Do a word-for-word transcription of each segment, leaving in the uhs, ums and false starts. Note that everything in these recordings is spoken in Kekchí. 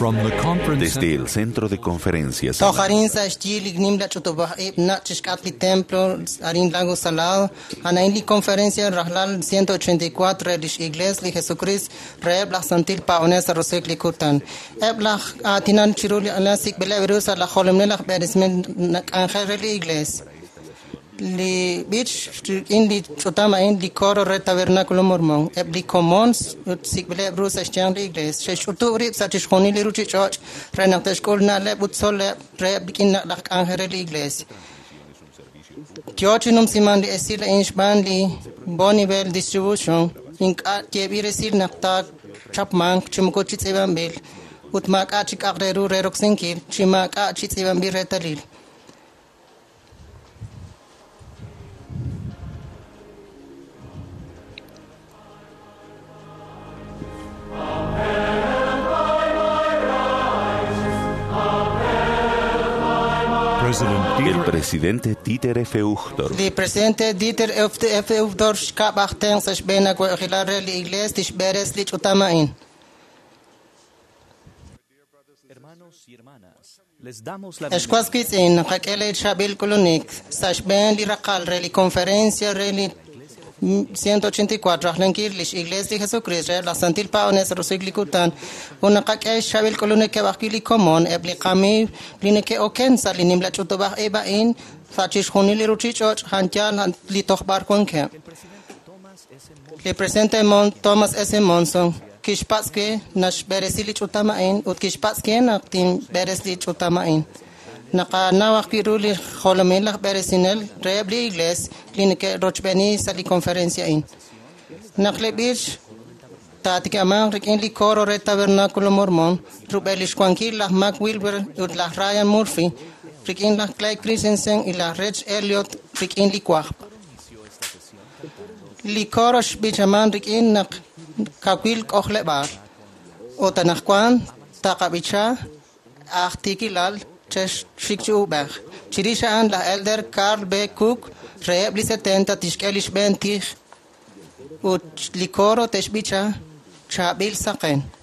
From the conference Desde el centro de conferencias. Toj arin sa xyi li nimla ch'utub'aj ib' nach' chixk'atq li templo arin Lago Salado anain li conferencia rajlal ciento ochenta y cuatro re lix Iglesia li Jesucristo reheb' laj Santil Paab'anel sa' roso'jik li kutan. Eb' laj aatinan chiru li ala sik'b'ileb' ru sa' laj jolomil laj b'eresmel nak'anjel re li Iglesia. Li b'ich rik'in li ch'utam a'in li coro re Tabernáculo Mormón. Eb' li komon ut sik'b'ileb' ru sa' xyanq li Iglesia. Xe'xch'utub' rib' sa' chixjunil li ruchich'och' re naq te'xk'ul na'leb' ut tzol'leb' reheb' rik'in laj k'anjel re li Iglesia. Yo chi numsiman li esil a'in xb'aan li Bonneville Distribution ink'a' yeeb'il resil naq taachapmanq chi moko chi tz'iib'anb'il ut maak'a' chi k'aq re ru re roksinkil chi maak'a' chi tz'iib'anb'il reetalil. El presidente Dieter F. Uchtdorf. El presidente Dieter F. Uchtdorf xkab' aj tenq sa' xb'een awa'b'ejilal re li Iglesia tixb'eres li ch'utam a'in. Ex was wiitz'in naqak'e chaab'il k'ulunik sa' xb'een li raqal re li conferencia re li ciento ochenta y cuatro rajlankil lix Iglesia li Jesucristo re laj Santil Paab'anel sa' roso'jik li kutan ut naqak'e xchaab'il k'ulunik eb' ajwi' li komon eb' li qamiiw li neke'oken sa' li nimla ch'utub'aj ib' a'in sa' chixjunil li ruchich'och' janyaal li tojb'ar wankeb'. Li presidente Thomas S. Monson kixpatz' ke naxb'eresi li ch'utam a'in ut kixpatz' ke naq tinb'eres li ch'utam a'in. Naqanaw ajwi' ru li jolomil laj b'eresinel reheb' li Iglesia li neke'rochb'eeni sa' li conferencia a'in. Naq li b'ich taatikamanq rik'in li coro re Tabernáculo Mormón rub'el lix xwankil laj Mac Wilber ut laj Ryan Murphy rik'in laj Clay Christensen y laj Reg Elliott rik'in li wajb'. Li coro xb'ichaman rik'in naq kawil k'ojleb'aal ut anaqwan taqab'icha aj tiikilal chexxik chi ub'ej. Chirix a'an laj Elder Carl B. Cook reheb' li setenta tixk'e li xb'een tij ut li coro te'xb'icha chaab'il saqen. Christ,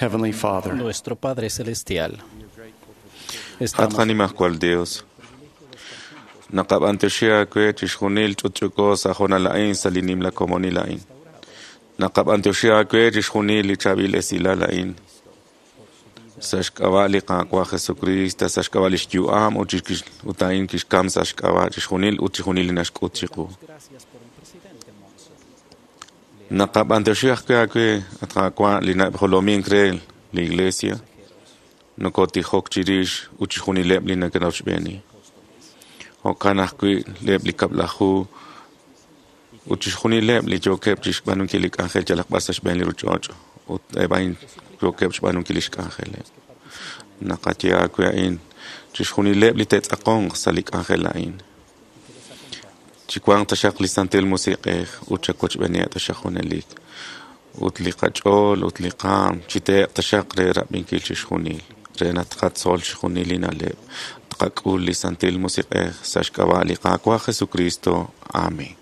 Heavenly Father, Nuestro Padre Celestial. At Estamos qanimajwal Dios. Naqab'antioxi aawe chixjunil ch'utch'uko sa' jonal a'in sa' li nimla komonil a'in. Naqab'antioxi aawe chixjunil li chaab'il esilal a'in. Sa' xk'ab'a' li Qaawa' Jesucristo, sa' xk'ab'a' li xyu'am ut chix- ut a'in kixkam sa' xk'ab'a' chixjunil ut chixjunil li naxk'ut chiqu. gracias por el presidente Monson. Naqab'antioxi ajwi' aawe at Qaawa' li najolomink re li Iglesia. Nokotijok chirix ut chixjunileb' li neke'rochb'eeni. Jo'kan ajwi' eb' li kab'laju ut chixjunileb' li yookeb' chixb'aanunkil li k'anjel yalaq b'ar sa' xb'een li ruuchich'och' ut eb' a'in yookeb' xb'aanunkil li xk'anjeleb'. Naqaye aawe a'in chixjunileb' li te'tz'aqonq sa' li k'anjel a'in. Chiwanq taxaq li Santil Musiq'ej ut chawochb'eeniheb' taxaq junelik. Ut li qach'ool ut li qaam chiteeq taxaq re rab'inkil chixjunil, re naq tqatzol chixjunil li na'leb', tqak'ul li Santil Musiq'ej sa' xk'ab'a' li Qaawa' Jesucristo. Amén.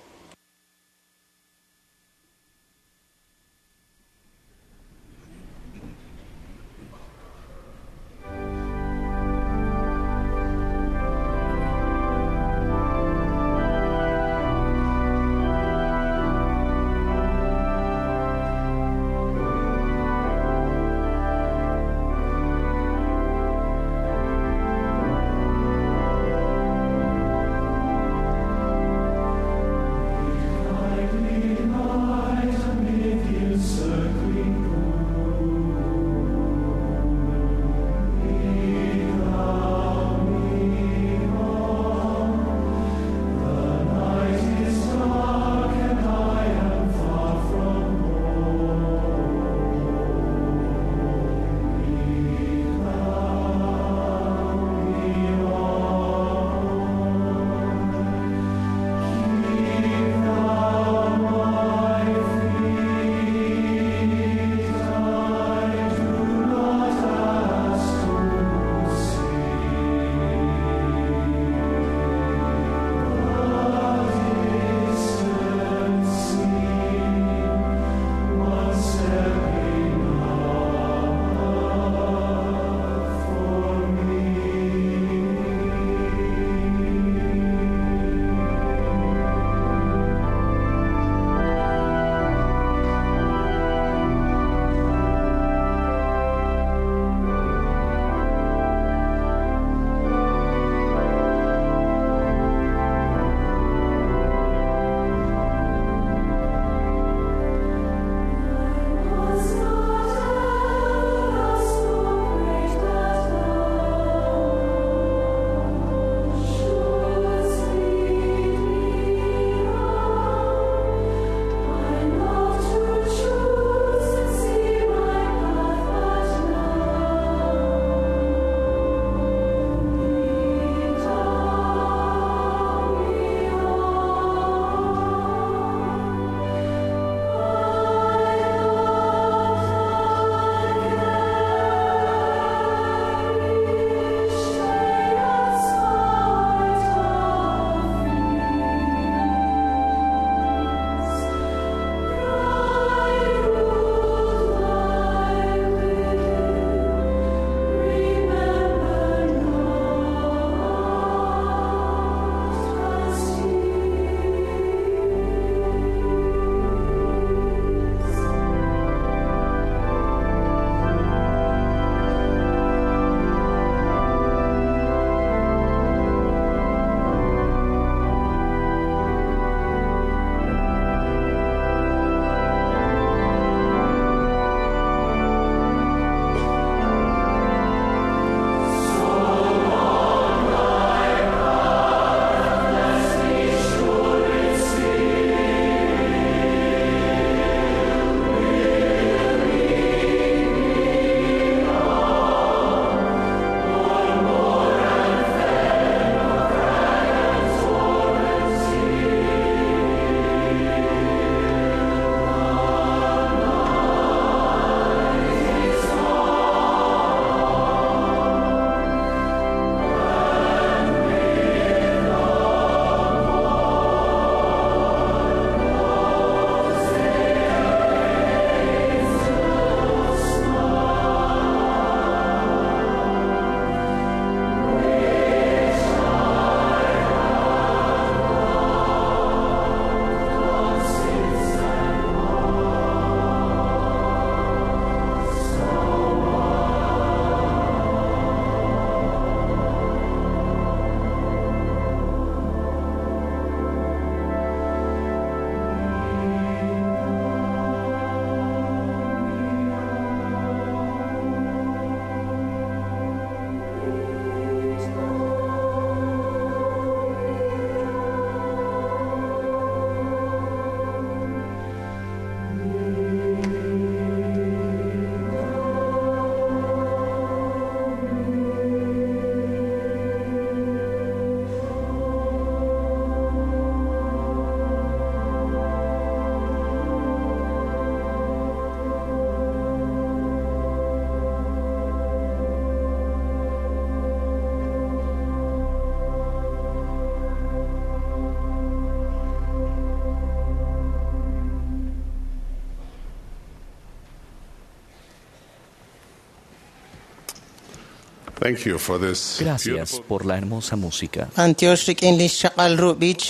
Thank you for this Gracias por la hermosa música. B'antiox rik'in li xchaq'al ru b'ich.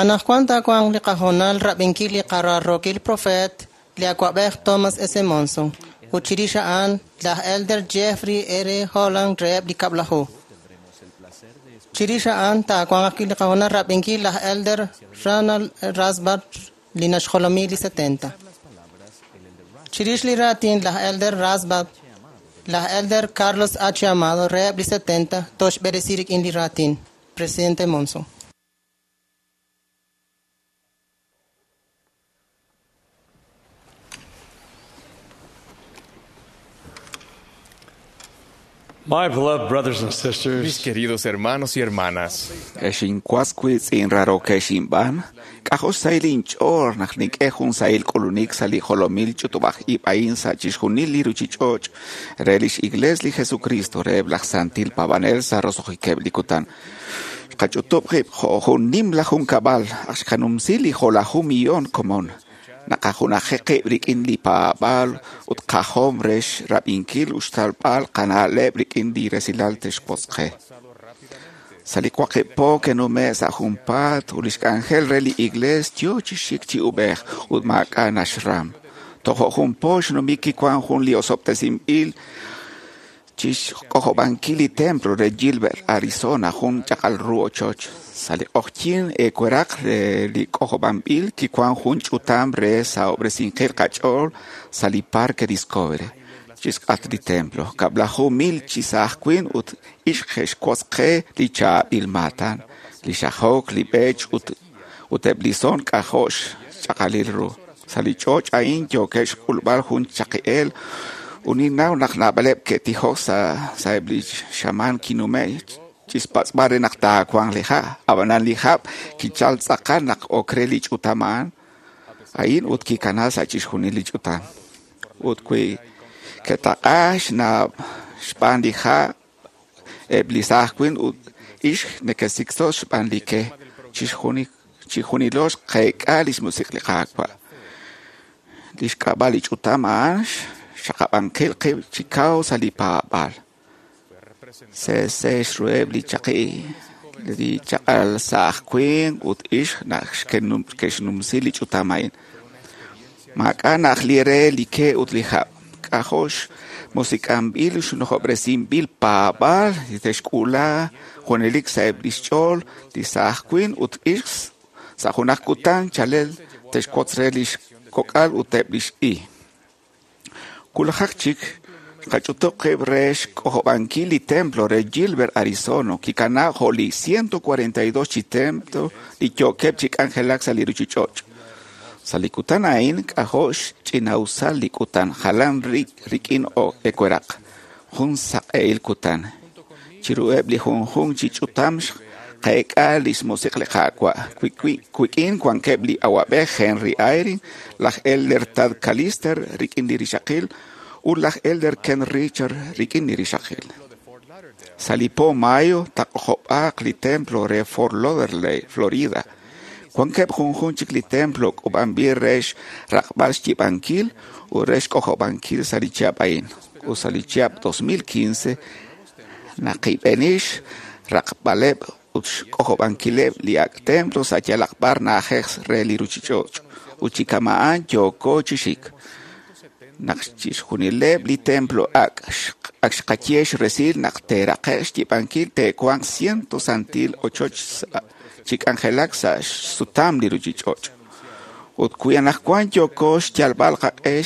Anaqwan taawanq li qahoonal rab'inkil li qararrookil profeet li awa'b'ej Thomas S. Monson ut chirix a'an laj Elder Jeffrey R. Holland reheb' li kab'laju. Chirix a'an taawanq ajwi' li qahoonal rab'inkil laj Elder Ronald Rasband li naxjolomi li setenta. Chirix li raatin laj Elder Rasband, laj Elder Carlos H. Amado reheb' li setenta toxb'eresi rik'in li raatin. Presidente Monson. My beloved brothers and sisters, Mis queridos hermanos y hermanas, Exinkuaskuitz inraroquexinban, k'ajosayl inch'oor naq nink'ej jun sahil k'ulunik sa' li jolomil ch'utub'aj ib' a'in sa' chixjunil li ruchich'och' re lix Iglesia li Jesucristo reheb' laj Santil Paab'anel sa' roso'jikeb' li kutan. Xqach'utub' qib' jo' jun nimla junkab'al aj xqanumsi li jo'laju millón komon. Naqajunaji qib' rik'in li paab'aal ut qajom re xrab'inkil ut xtalb'al qana'leb' rik'in li resilal texwotz qe. Sa' li waqib' po kenume' sa' junpaat ut lix k'anjel re li iglees yo chi xik chi ub'ej ut maak'a' naxram. Tojo' jun po xnumik kiwan jun li osob'tesinb'il chixk'ojob'ankil li templo re Gilbert, Arizona, jun chaq'al ru ochoch. Sa' li q'oqyink eeweraq re li k'ojob'anb'il kiwan jun ch'utam re sahob'resinqil qach'ool sa' li Parque Discovery chixk'atq li templo. Kab'laju mil chi saaj winq ut ixq xe'xwotz qe li chaab'il maatan, li xajok, li b'ech ut ut eb' li son k'ajo' xch'aqalil ru. Sa' li ch'och' a'in yookeb' xk'ulb'al jun chaqi'eel ut ninnaw naq naab'aleb' ke'tijok sa' sa'eb' li xamaan kinume' chixpatz'b'al re naq taawanq li ha'. Ab'anan li hab' kichal tz'aqal naq ok re li ch'utam a'an a'in ut kikana sa' chixjunil li ch'utam. Ut wi ke'taq'a xna' xb'aan li ha' eb' li saaj winq ut ixq neke'sikso xb'aan li ke. Chixjuni- Chixjunilo xqeek'a lix musiq' li Qaawa'. Lix k'ab'a' li ch'utam a'an xaqab'ankil qib' chi kaw sa' li paab'aal. Se'se xruheb' li chaqi li chaq'al saaj winq ut ixq naq xkenum- ke'xnumsi li ch'utam a'in. Maak'a' naq li re li ke ut li hab'. K'ajo' xmusik'anb'il xnujob'resinb'il paab'aal li te'xk'uula junelik sa'eb' lix ch'ool li saaj winq ut ixq sa' junaq kutan chalel te'xwotz re lix kok'al ut eb' lix i. Wulajaq chik xqach'utub' qib' re xk'ojob'ankil li templo re Gilbert, Arizona, kikana jo' li ciento cuarenta y dos chi templo li yookeb' chi k'anjelak sa' li ruchich'och'. Sa' li kutan a'in k'ajo' xch'ina'usal li kutan jalan rik'in eweraq, jun saq'ehil kutan. Chiruheb' li junjunq chi ch'utam xqeek'a lix musiq' li Qaawa'. Wik'in wankeb' li awa'b'ej Henry Eyring, laj Elder Tad Callister rik'in li rixaqil ut laj Elder Ken Richard rik'in li rixaqil. Sa' li po mayo taq'ojob'aaq li templo re Fort Lauderdale, Florida. Wankeb' junjunq chik li templo k'ub'anb'il re xraqb'al xyib'ankil ut re xk'ojob'ankil sa' li chihab' a'in. Ut sa' li chihab' dos mil quince naqib'enix raqb'aleb' ut xk'ojob'ankileb' li ak' templo sa' yalaq b'ar na'ajej re li ruchich'och' ut chi kama'an yooko chi xik. Naq chixjunileb' li templo ak' ak xqaye xresil naq teeraqe' xyib'ankil te'wanq ciento santil ochoch chi k'anjelak sa' xsutam li ruchich'och'. Ut wi anaqwan yooko xyalb'al qaq'e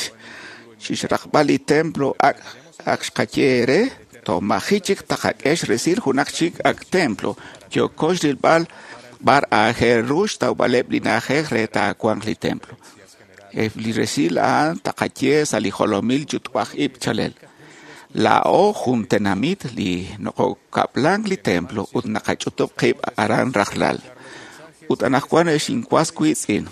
chixraqb'al li templo ak' ak xqaye re, tomaji chik taqak'e xresil junaq chik ak' templo yooko xrilb'al b'ar aajel ru xtawb'aleb' li na'ajej re taawanq li templo. Eb' li resil a'an taqaye sa' li jolomil ch'utub'aj ib' chalel. Laa'o jun tenamit li nokokab'lank li templo ut naqach'utub' qib' aran rajlal. Ut anaqwan exinwas wiitz'in,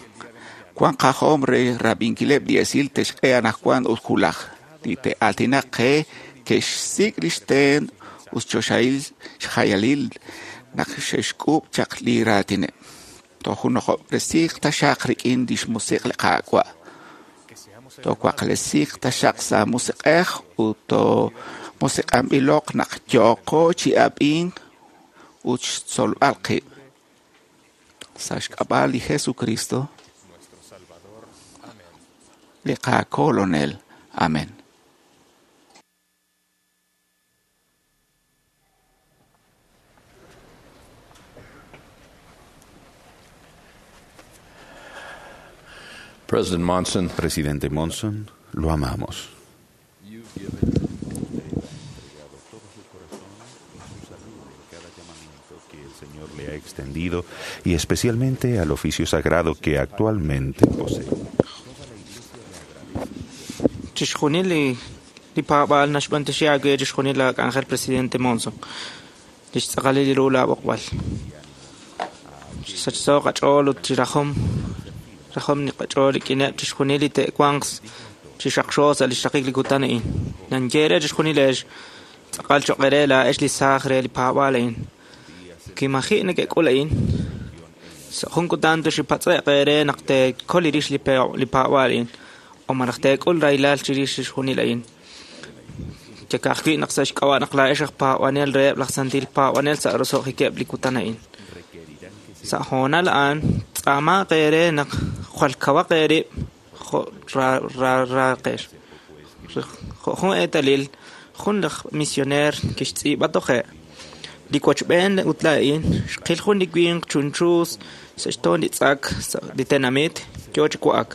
wan qajom re rab'inkileb' li esil texk'e anaqwan ut wulaj. Li te'aatinaq qe ke'xsik' lix teen ut xchoxahil xjayalil naq xe'xk'uub' chaq li raatineb'. Tojunojob'resiiq taxaq rik'in lix musiq' li Qaawa'. Towaqlesiiq taxaq sa' musiq'ej ut Musiq'anb'iloq naq yooqo chi ab'ink ut xtzolb'al qib'. Sa' xk'ab'a' li Jesucristo, li qaKolonel. Amén. President Monson, Presidente Monson, lo amamos. Que el Señor le ha extendido y especialmente al oficio sagrado que actualmente posee. Chixjunil li li paab'aal naxb'antioxi aawe chixjunil laak'anjel Presidente Monson. Lix tz'aqalil li ru laab'oqb'al. Sachso qach'ool ut chi rajom rajom ni qach'ool rik'ineb' chixjunil li te'wanq chi xaqxo sa' li xraqik li kutan a'in. Nanye re chixjunil ex tz'aqal choq' re laa'ex li saaj re li paab'aal a'in. Kimaji' neke'k'ul a'in. Sa' jun kutan toxipatz'e'q eere naq teekol rix li li paab'aal a'in. O malaj teek'ul rahilal chirix chixjunil a'in. Yakajwi' naq sa' xk'ab'a' naq laa'ex aj paab'anel reheb' laj santil paab'anel sa' roso'jikeb' li kutan a'in. Sa' hoonal a'an tz'aamaq eere naq jwal kawaq eerib' jo' raaqex. Jo' jun eetalil, jun laj misioneer kixtz'iib'a toje'. Li wachb'een ut laa'in xqil jun li winq chunchu sa' xtoon li tz'ak sa' li tenamit yoo chi wa'ak.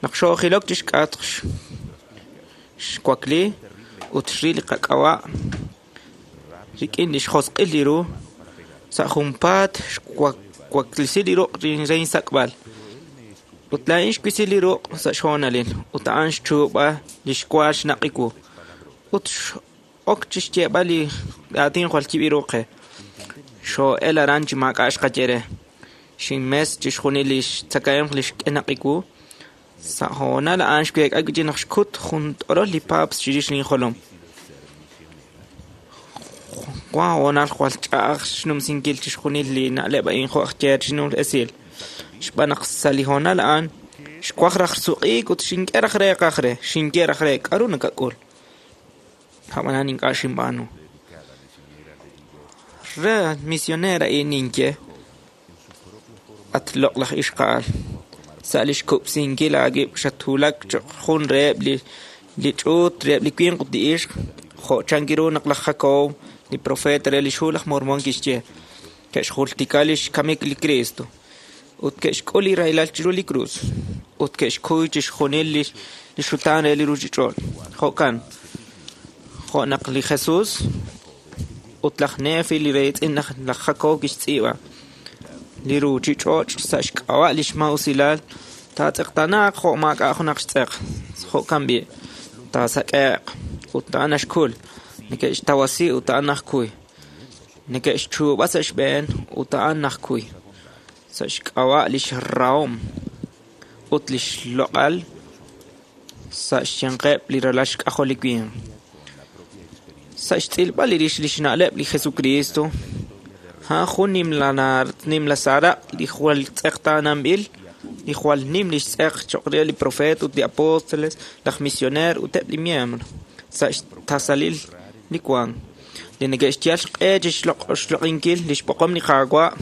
Naq xoojilok chi xk'atq xwakli ut xril li qak'ab'a' rik'in li xjosq'il li ru sa' junpaat xwaklisi li ruq' re insak'b'al. Ut laa'in xwisi li ruq' sa' xhoonalil ut a'an xchuub'a li xwa xnaq'i wu. Ut x'ok chi xyeeb'al li aatin jwal yib' ru qe. Xoo'el aran chi maak'a' xqaye re. Xinmes chixjunil li xtzakahemq li xk'e naq'i wu. Sa' hoonal a'an xweek'a wi' naq xkut jun t'orol li paaps chirix linjolom. Wan hoonal jwal ch'a'aj xnumsinkil chixjunil li na'leb' a'in jo' aj yeer xnum esil. Xb'aan naq sa' li hoonal a'an xwaj raj suq'iik ut xink'e raj reeqaj re, xinye raj re k'aru nakak'ul. Ab'anan ink'a' xinb'aanu. Re misioneer a'in ninye at loq'laj ixqa'al. Sa' li xkub'sinkil aawib' xatwulak choq' jun reheb' li li ch'uut reheb' li winq ut li ixq jo' chanki ru naq laj Jacob, li profeta re li xhu laj Mormon kixye ke'xjultika li xkamik li Cristo ut ke'xk'ul li rahilal chiru li krus ut ke'xkuy chixjunil li li xutaan re li ruuchich'och'. Jo'kan jo' naq li Jesus ut laj Nefi li reitz'in laj Jacob kixtz'iib'a li ruuchich'och' sa' xk'ab'a' li xmausilal taatz'eqtanaaq jo' maak'a' junaq xtz'eq. Jo'kan b'i' taasak'e'q ut a'an naxkul neke'xtawasi ut a'an najkuy neke'xchuub'a sa' xb'een ut a'an najkuy sa' xk'ab'a' li xrahom ut li xloq'al sa' xyanqeb' li ralal xk'ajol li winq. Sa' xtz'ilb'al li rix li xna'leb' li Jesucristo a'an jun nimla saaraq' li jwal tz'eqtaananb'il li jwal nim li xtz'eq choq' re li profeet ut li apóstoles, laj misioneer ut eb' li miembro sa' xtasalil li wank. Li neke'xyal xq'e chi xloq'inkil li xb'oqom li Qaawa'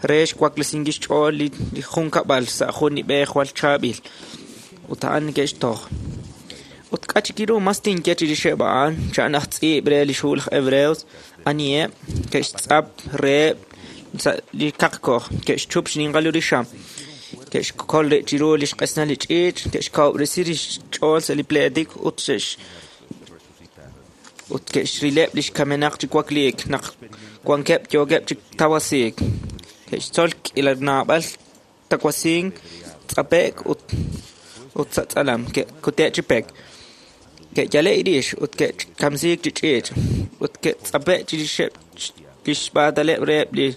re xwaklesinkil xch'ool li junkab'al sa' jun li b'e jwal chaab'il ut a'an neke'xtoj. Ut k'a chik ru mas tinye chirixeb' a'an cha'an aj tz'iib' re li xhu laj Hebreos aniheb' ke'xtz'ap reheb' sa' li kaqkoj ke'xchup xninqal ru li xam ke'xkol rib' chiru li xq'esnal li ch'iich' ke'xkawub'resi li xch'ool sa' li pleetik ut xe'x ut ke'xrileb' li xkamenaq chi wakliik naq wankeb' yookeb' chi tawasiik ke'xtzol k'iila naab'al tawasink tz'ape'k ut ut sa' tz'alam ke'kute' chi pek ke'yale' rix ut ke'kamsiik chi ch'iich' ut ke'tz'ape' chirixeb' li xb'aataleb' reheb' li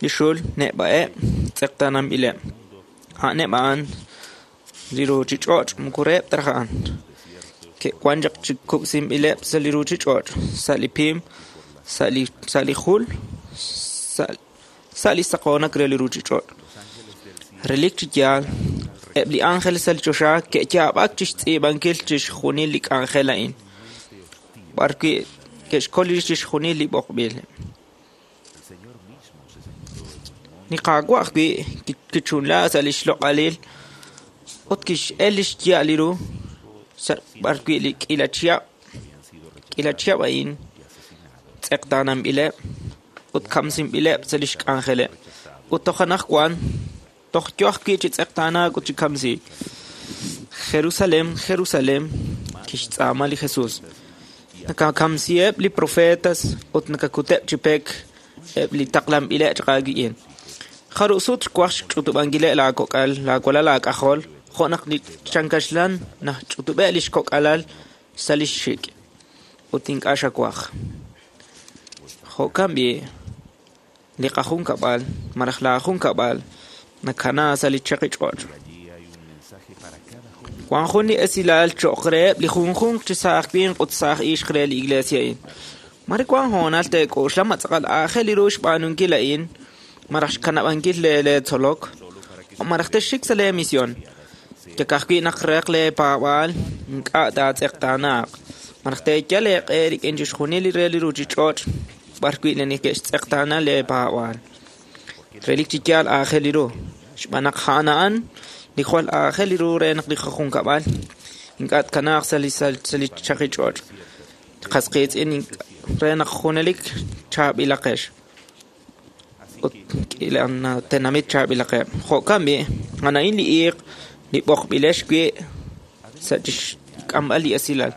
li xul neb'a'eb' tz'eqtaananb'ileb'. A'aneb' a'an li ruuchich'och' moko reheb' ta raj a'an. Ke'wan chaq chi kub'sinb'ileb' sa' li ruuchich'och', sa' li pim, sa' li sa' li jul, sa' sa' li saqoonak re li ruuchich'och'. Relik chi yaal, eb' li ángel sa' li choxa ke'yaab'ak chi xtz'iib'ankil chixjunil li k'anjel a'in. b'ar wi' ke'xkol rix chixjunil li b'oqb'il. Li Qaawa' ajwi' kichunla sa' li xloq'alil ut kix'el li xya'al li ru sa' b'ar wi' li k'iila chihab' k'iila chihab' a'in tz'eqtaananb'ileb' ut kamsinb'ileb' sa' li xk'anjeleb' ut toj anaqwan toj yo ajwi' chi tz'eqtaanaak ut chi kamsiik. Jerusalén, Jerusalén, kixtz'aama li Jesús. Nakakamsiheb' li profetas ut nakakuteb' chi pek eb' li taqlanb'ileb' chaq aawik'in. Jarub' sut xwaj xch'utub'ankileb' laakok'al, laawalal laak'ajol, jo' naq li chankaxlan nach'utub'eb' li xkok'alal sa' li xxik' ut ink'a' xawaj. Jo'kan b'i' li qajunkab'al malaj laajunkab'al nakana sa' li chaqi ch'och'. Wan jun li esilal cho'q reheb' li junjunq chi saaj winq ut saaj ixq re li iglesia a'in. Mare wan hoonal teek'oxla ma tz'aqal aajel ru xb'aanunkil a'in malaj xkanab'ankil leetzolok malaj texxik sa' leemisión. Yak ajwi' naq req leepaab'aal ink'a' taatz'eqtaanaaq malaj teeyal eeq'e rik'in chixjunil li re li ruuchich'och' b'ar wi' neke'xtz'eqtaana leepaab'aal. Relik chi yaal aajel ru xb'aan naq a'an a'an li jwal aajel ru re naq li qajunkab'al ink'a' tkanaaq sa' li sa' li chaqi ch'och'. Qas qiitz'in re naq junelik chaab'ilaqex ut k'iila tenamit chaab'ilaqeb'. Jo'kan b'i' a'an a'in li iiq li b'oqb'ilex wi' sa' chixk'amb'al li esilal.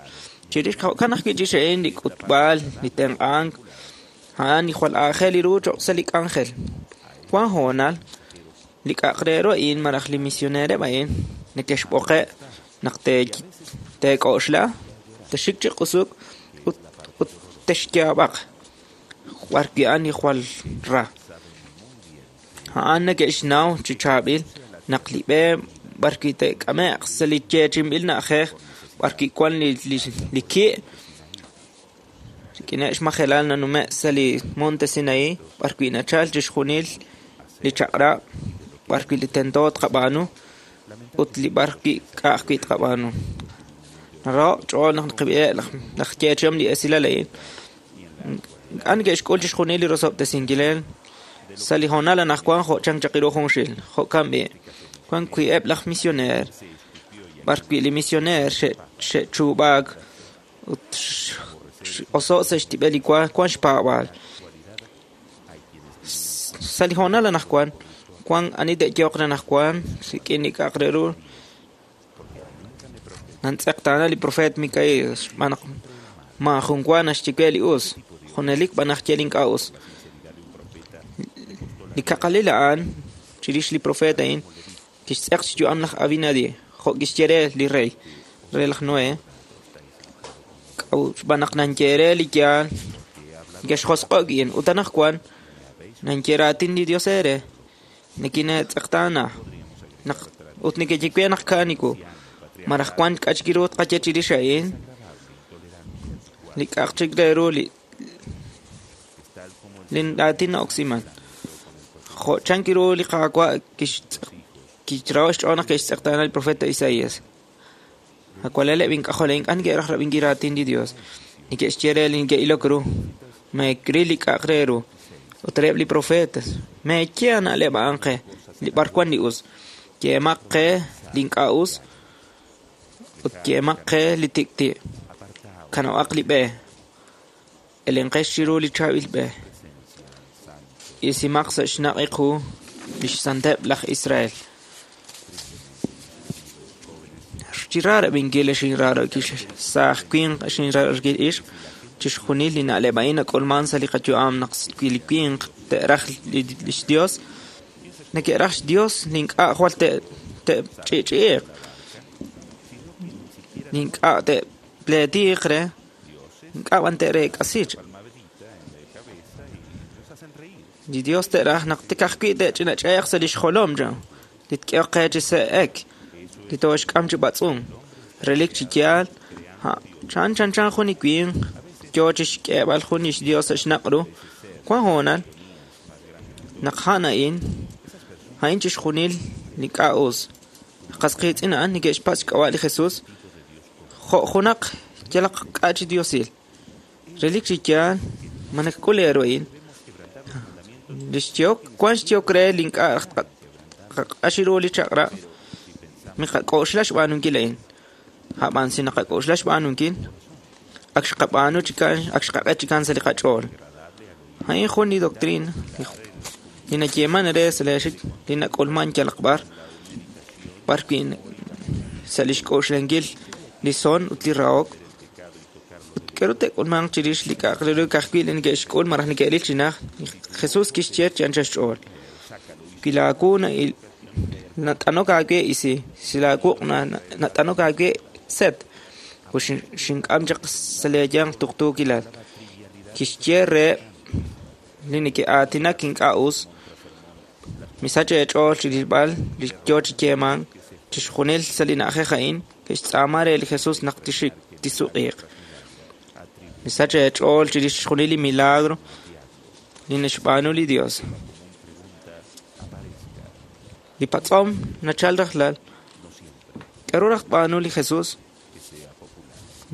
Chirix jo'kan ajwi' chix a'in li k'utb'al, li tenq'ank, a'an li jwal aajel ru cho'q sa' li k'anjel. Wan hoonal li k'a'aq re ru a'in malaj li misionereb' a'in neke'xb'oqe' naq teek'oxla, texxik chi q'usuk ut ut texyaab'aq b'ar wi' a'an li jwal ra. A'an neke'xnaw chi chaab'il naq li b'e b'ar wi' te'k'ame'q sa' li yeechi'inb'il na'ajej b'ar wi' wan li li ki' rik'ineb' xmajelal nanume' sa' li Monte Sinaí b'ar wi' nachal chixjunil li chaq'rab' b'ar wi' li tento tqab'aanu ut li b'ar wi' k'a' ajwi' tqab'aanu. Naraho' ch'ool naq naqab'iheb' laj yeechihom li esilal a'in. Ink'a' neke'xk'ul chixjunil li rosob'tesinkileb' sa' li hoonal anaqwan jo' chan chaq ru junxil. Jo'kan b'i' wan wi' eb' laj misioneer b'ar wi' li misioneer xe'chuub'aak ut x'oso' sa' xtib'el li wa wan xpaab'aal. Sa' li hoonal anaqwan wan ani te'yoq re anaqwan rik'in li k'a'aq re ru nantz'eqtaana li profeet Mikaías xb'aan naq maajun wa naxye we li us, junelik b'an naxye li ink'a' us. Li kaqalil a'an chirix li profeet a'in kixtz'eq xyu'am laj Abinadi jo' kixye re li rey re laj Noé xb'aan naq nanye re li yaal neke'xjosq'o' a'in ut anaqwan nanye raatin li Dios eere nikine'tz'eqtaana naq ut neke'ye we naq ka'aniku malaj wan k'a' chik ru tqaye chirix a'in li k'a'aq chik re ru li li raatin na'oksiman. Jo' chan ru li Qaawa' kixraho' xch'ool naq ke'xtz'eqtaana li profeta Isaías. Awalaleb' ink'ajol ink'a' neke'raj rab'inkil raatin li Dios. Neke'xye re li neke'ilok ru meekril li k'a'aq re ru ut reheb' li profetas meeye na'leb' a'an qe li b'ar wan li us. Yeemaq qe li ink'a' us ut yeemaq qe li tik'ti'. Kanab'aq li b'e. Elenqex chiru li chaab'il b'e. Isimaq sa' xnaq' qu li xsanteb' laj Israel. Chi raarab'inkil xinraarokil saaj winq xinraarokil ixq chixjunil li na'leb' a'in nak'ulman sa' li qayu'am naq wi li winq te'raj li xDios neke'raj xDios li ink'a' jwal te'ch'i'ch'i'iq li ink'a' te'pleetiq re ink'a' b'an te'reek'asi. Li Dios te'raj naq tik ajwi' te'ch'inach'eeq sa' li xjolom li tk'ehoq qe chi se'ek li tooxk'am chi b'atz'unk. Relik chi yaal chan chan chan jun li winq yo chi xk'eeb'al jun li xDios sa' xnaq' ru. Wan hoonal naq a'an a'in a'in chixjunil li k'a' us. Qas qiitz'in a'an neke'xpatz' xk'ab'a' li Jesús jo' junaq yalaq k'a' chi diosil. Relik chi yaal ma nakak'ul eeru a'in li xyehok wank xyehok re li ink'a' qaq'ax ru li chaq'rab' miqak'oxla xb'aanunkil a'in ab'an si naqak'oxla xb'aanunkil ak xqab'aanu chikan ak xqaq'et chikan sa' li qach'ool a'in jun li doctrina li nayeeman re sa' li xik li nak'ulman yalaq b'ar b'ar wi' sa' li xk'oxlankil li son ut li rahok ut k'aru te'k'ulmanq chirix li k'a'aq re ru ka'ajwi' li neke'xk'ul malaj neke'ril chi najt Jesús kixye chi anchal xch'ool wi laawu nat'anok aawe isi si laawuq' nat'anok aawe set ut xink'am chaq sa' leeyanq tuqtuukilal kixye reheb' li neke'aatinak ink'a' us misach eech'ool chi rilb'al li yo chi yeemank chixjunil sa' li na'ajej a'in ke'xtz'aama re li Jesús naq tixik tisuq'iiq misach eech'ool chirix chixjunil li milagro li naxb'aanu li Dios li patz'om nachal rajlal k'aru raj tb'aanu li Jesús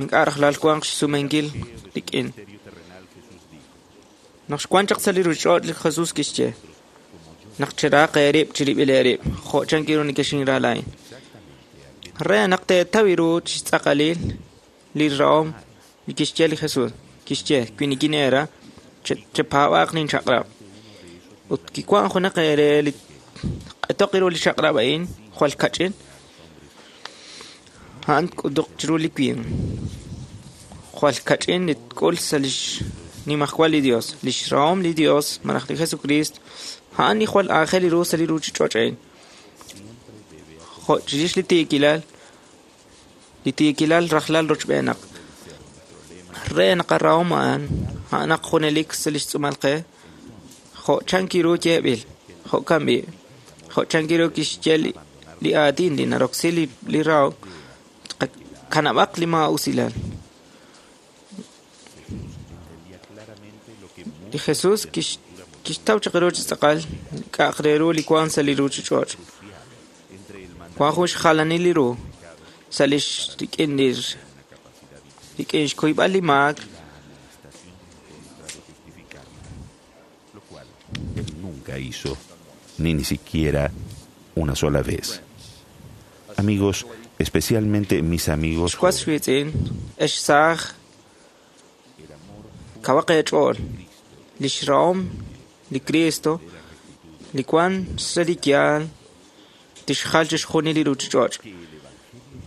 ink'a' rajlal wanq xsumenkil rik'in naq xwank chaq sa' li ruuchich'och' li Jesús kixye naq cheraq eerib' chirib'il eerib' jo' chankiru nekexinra laa'in re naq teetaw ru chi xtz'aqalil li rahom li kixye li Jesús kixye wi nikineera chepaab'aaq linchaq'rab' ut kiwank junaq eere li q'etoq ru li chaq'rab' a'in jwal kach'in a'an tk'utuq chiru li winq jwal kach'in li tk'ul sa' li xnimajwal li Dios li xrahom li Dios malaj li Jesucristo a'an li jwal aajel ru sa' li ruuchich'och' a'in jo' chirix li tiikilal li tiikilal rajlal rochb'eenaq re naq arahom a'an a'anaq junelik sa' li xtz'uumal qe jo' chankiru yeeb'il jo'kan b'i' jo' chankiru kixye li aatin li naroksi li rahok kanab'aq li maa'usilal li Jesús kixtaw chaq ru chi tz'aqal k'a'aq re ru li wank sa' li ruuchich'och' wank jun xjalanil li ru sa' li rik'in li rik'in xkuyb'al li maak nunca hizo ni ni siquiera una sola vez. Amigos, especialmente mis amigos xwas xwiitz'in ex saaj kawaq eech'ool li xrahom li Cristo li wank sa' li yaal tixjal chixjunil li ruuchich'och'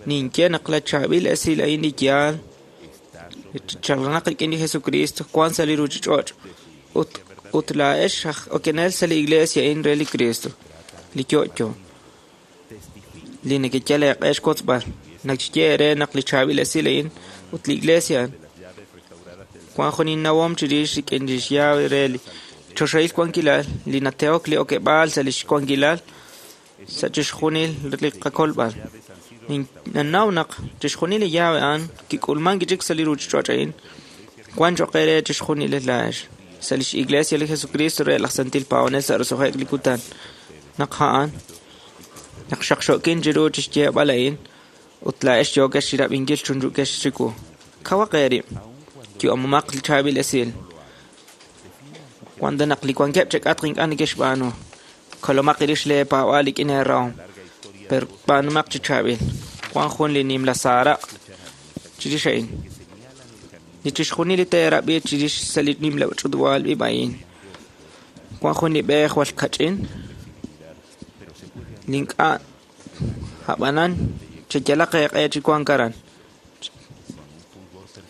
ninye naq la chaab'il esil a'in li yaal chalanaq rik'in li Jesucristo wank sa' li ruuchich'och' ut ut laa'ex aj okenel sa' li iglesia a'in re li Cristo li yo'yo li nekeyal eeq'e xwotzb'al naxye eere naq li chaab'il esil a'in ut li iglesia wank jun innawom chirix rik'in li xyaab' re li choxahil wankilal li natehok li okeb'aal sa' li xwankilal sa' chixjunil li qakolb'al ninnaw naq chixjunil li yaab' a'an kik'ulmank chik sa' li ruuchich'och' a'in wank cho'q eere chixjunil laa'ex sa' li xiglesia li Jesucristo re laj Santil Paab'anel sa' roso'jik li kutan naq a'an naq xaqxo'kin chiru chi xyeeb'al a'in ut laa'ex yookex chirab'inkil chunchu'kex chiwu kawaq eerib' yu'amumaq li chaab'il esil wanda naq li wankeb' chek'atq ink'a' neke'xb'aanu kolomaq rix leepaab'aal rik'in eerahom per b'aanumaq chi chaab'il wank jun li nimla saaraq' chirix a'in li chixjunil li teerab'i chirix sa' li nimla ch'utub'aal ib' a'in wank jun li b'e jwal kach'in li ink'a' ab'anan cheyalaq eeq'e chi wank aran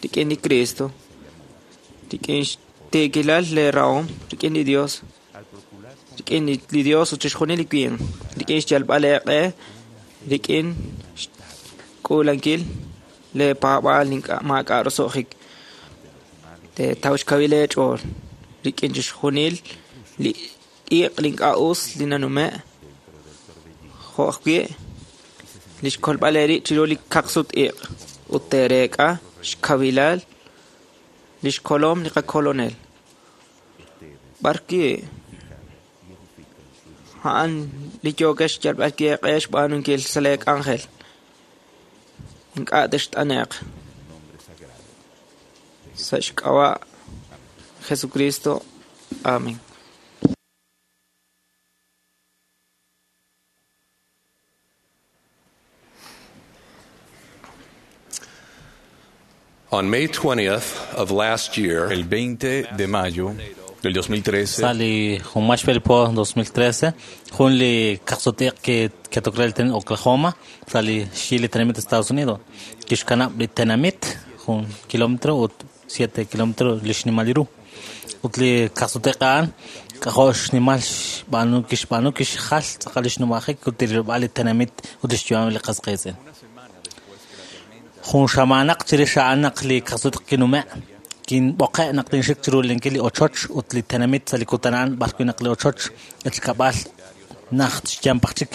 rik'in li Cristo rik'in xtiikilal leerahom rik'in li Dios rik'in li Dios ut chixjunil li winq rik'in xyalb'al eeq'e rik'in xk'uulankil leepaab'aal ink'a' maak'a' roso'jik teetaw xkawil eech'ool rik'in chixjunil li iq' li ink'a' us li nanume' jo' ajwi' li xkolb'al eerib' chiru li kaqsut-iq' ut teereek'a xkawilal li xkolom li qakolonel b'ar wi' a'an li yookex xyalb'al eeq'e xb'aanunkil sa' leek'anjel ink'a' text'ane'q Sa' xk'ab'a' Jesucristo. Amén. On May twentieth of last year, el veinte de mayo del dos mil trece, Sali Humashville po dos mil trece, junli kaqsutiq que que tokrel ten Oklahoma, sali xili tenamit Estados Unidos. Kixkanab li tenamit jun kilómetro ut siete kilómetro lixnimaliru. Ut li kaqsutiq an k'ajox xnimal xb'aanu kixb'aanu kixjal tz'aqal lixnumajik ut rilb'al li tenamit ut lixyu'am li qasqiitz'in. Jun xamanaq chirix a'an naq li kaqsutiq kinume' kinb'oqe' naq tinxik chiru linkil li ochoch ut li tenamit sa' li kutan b'arwi' naq li ochoch echkab'al najt xyampaj chik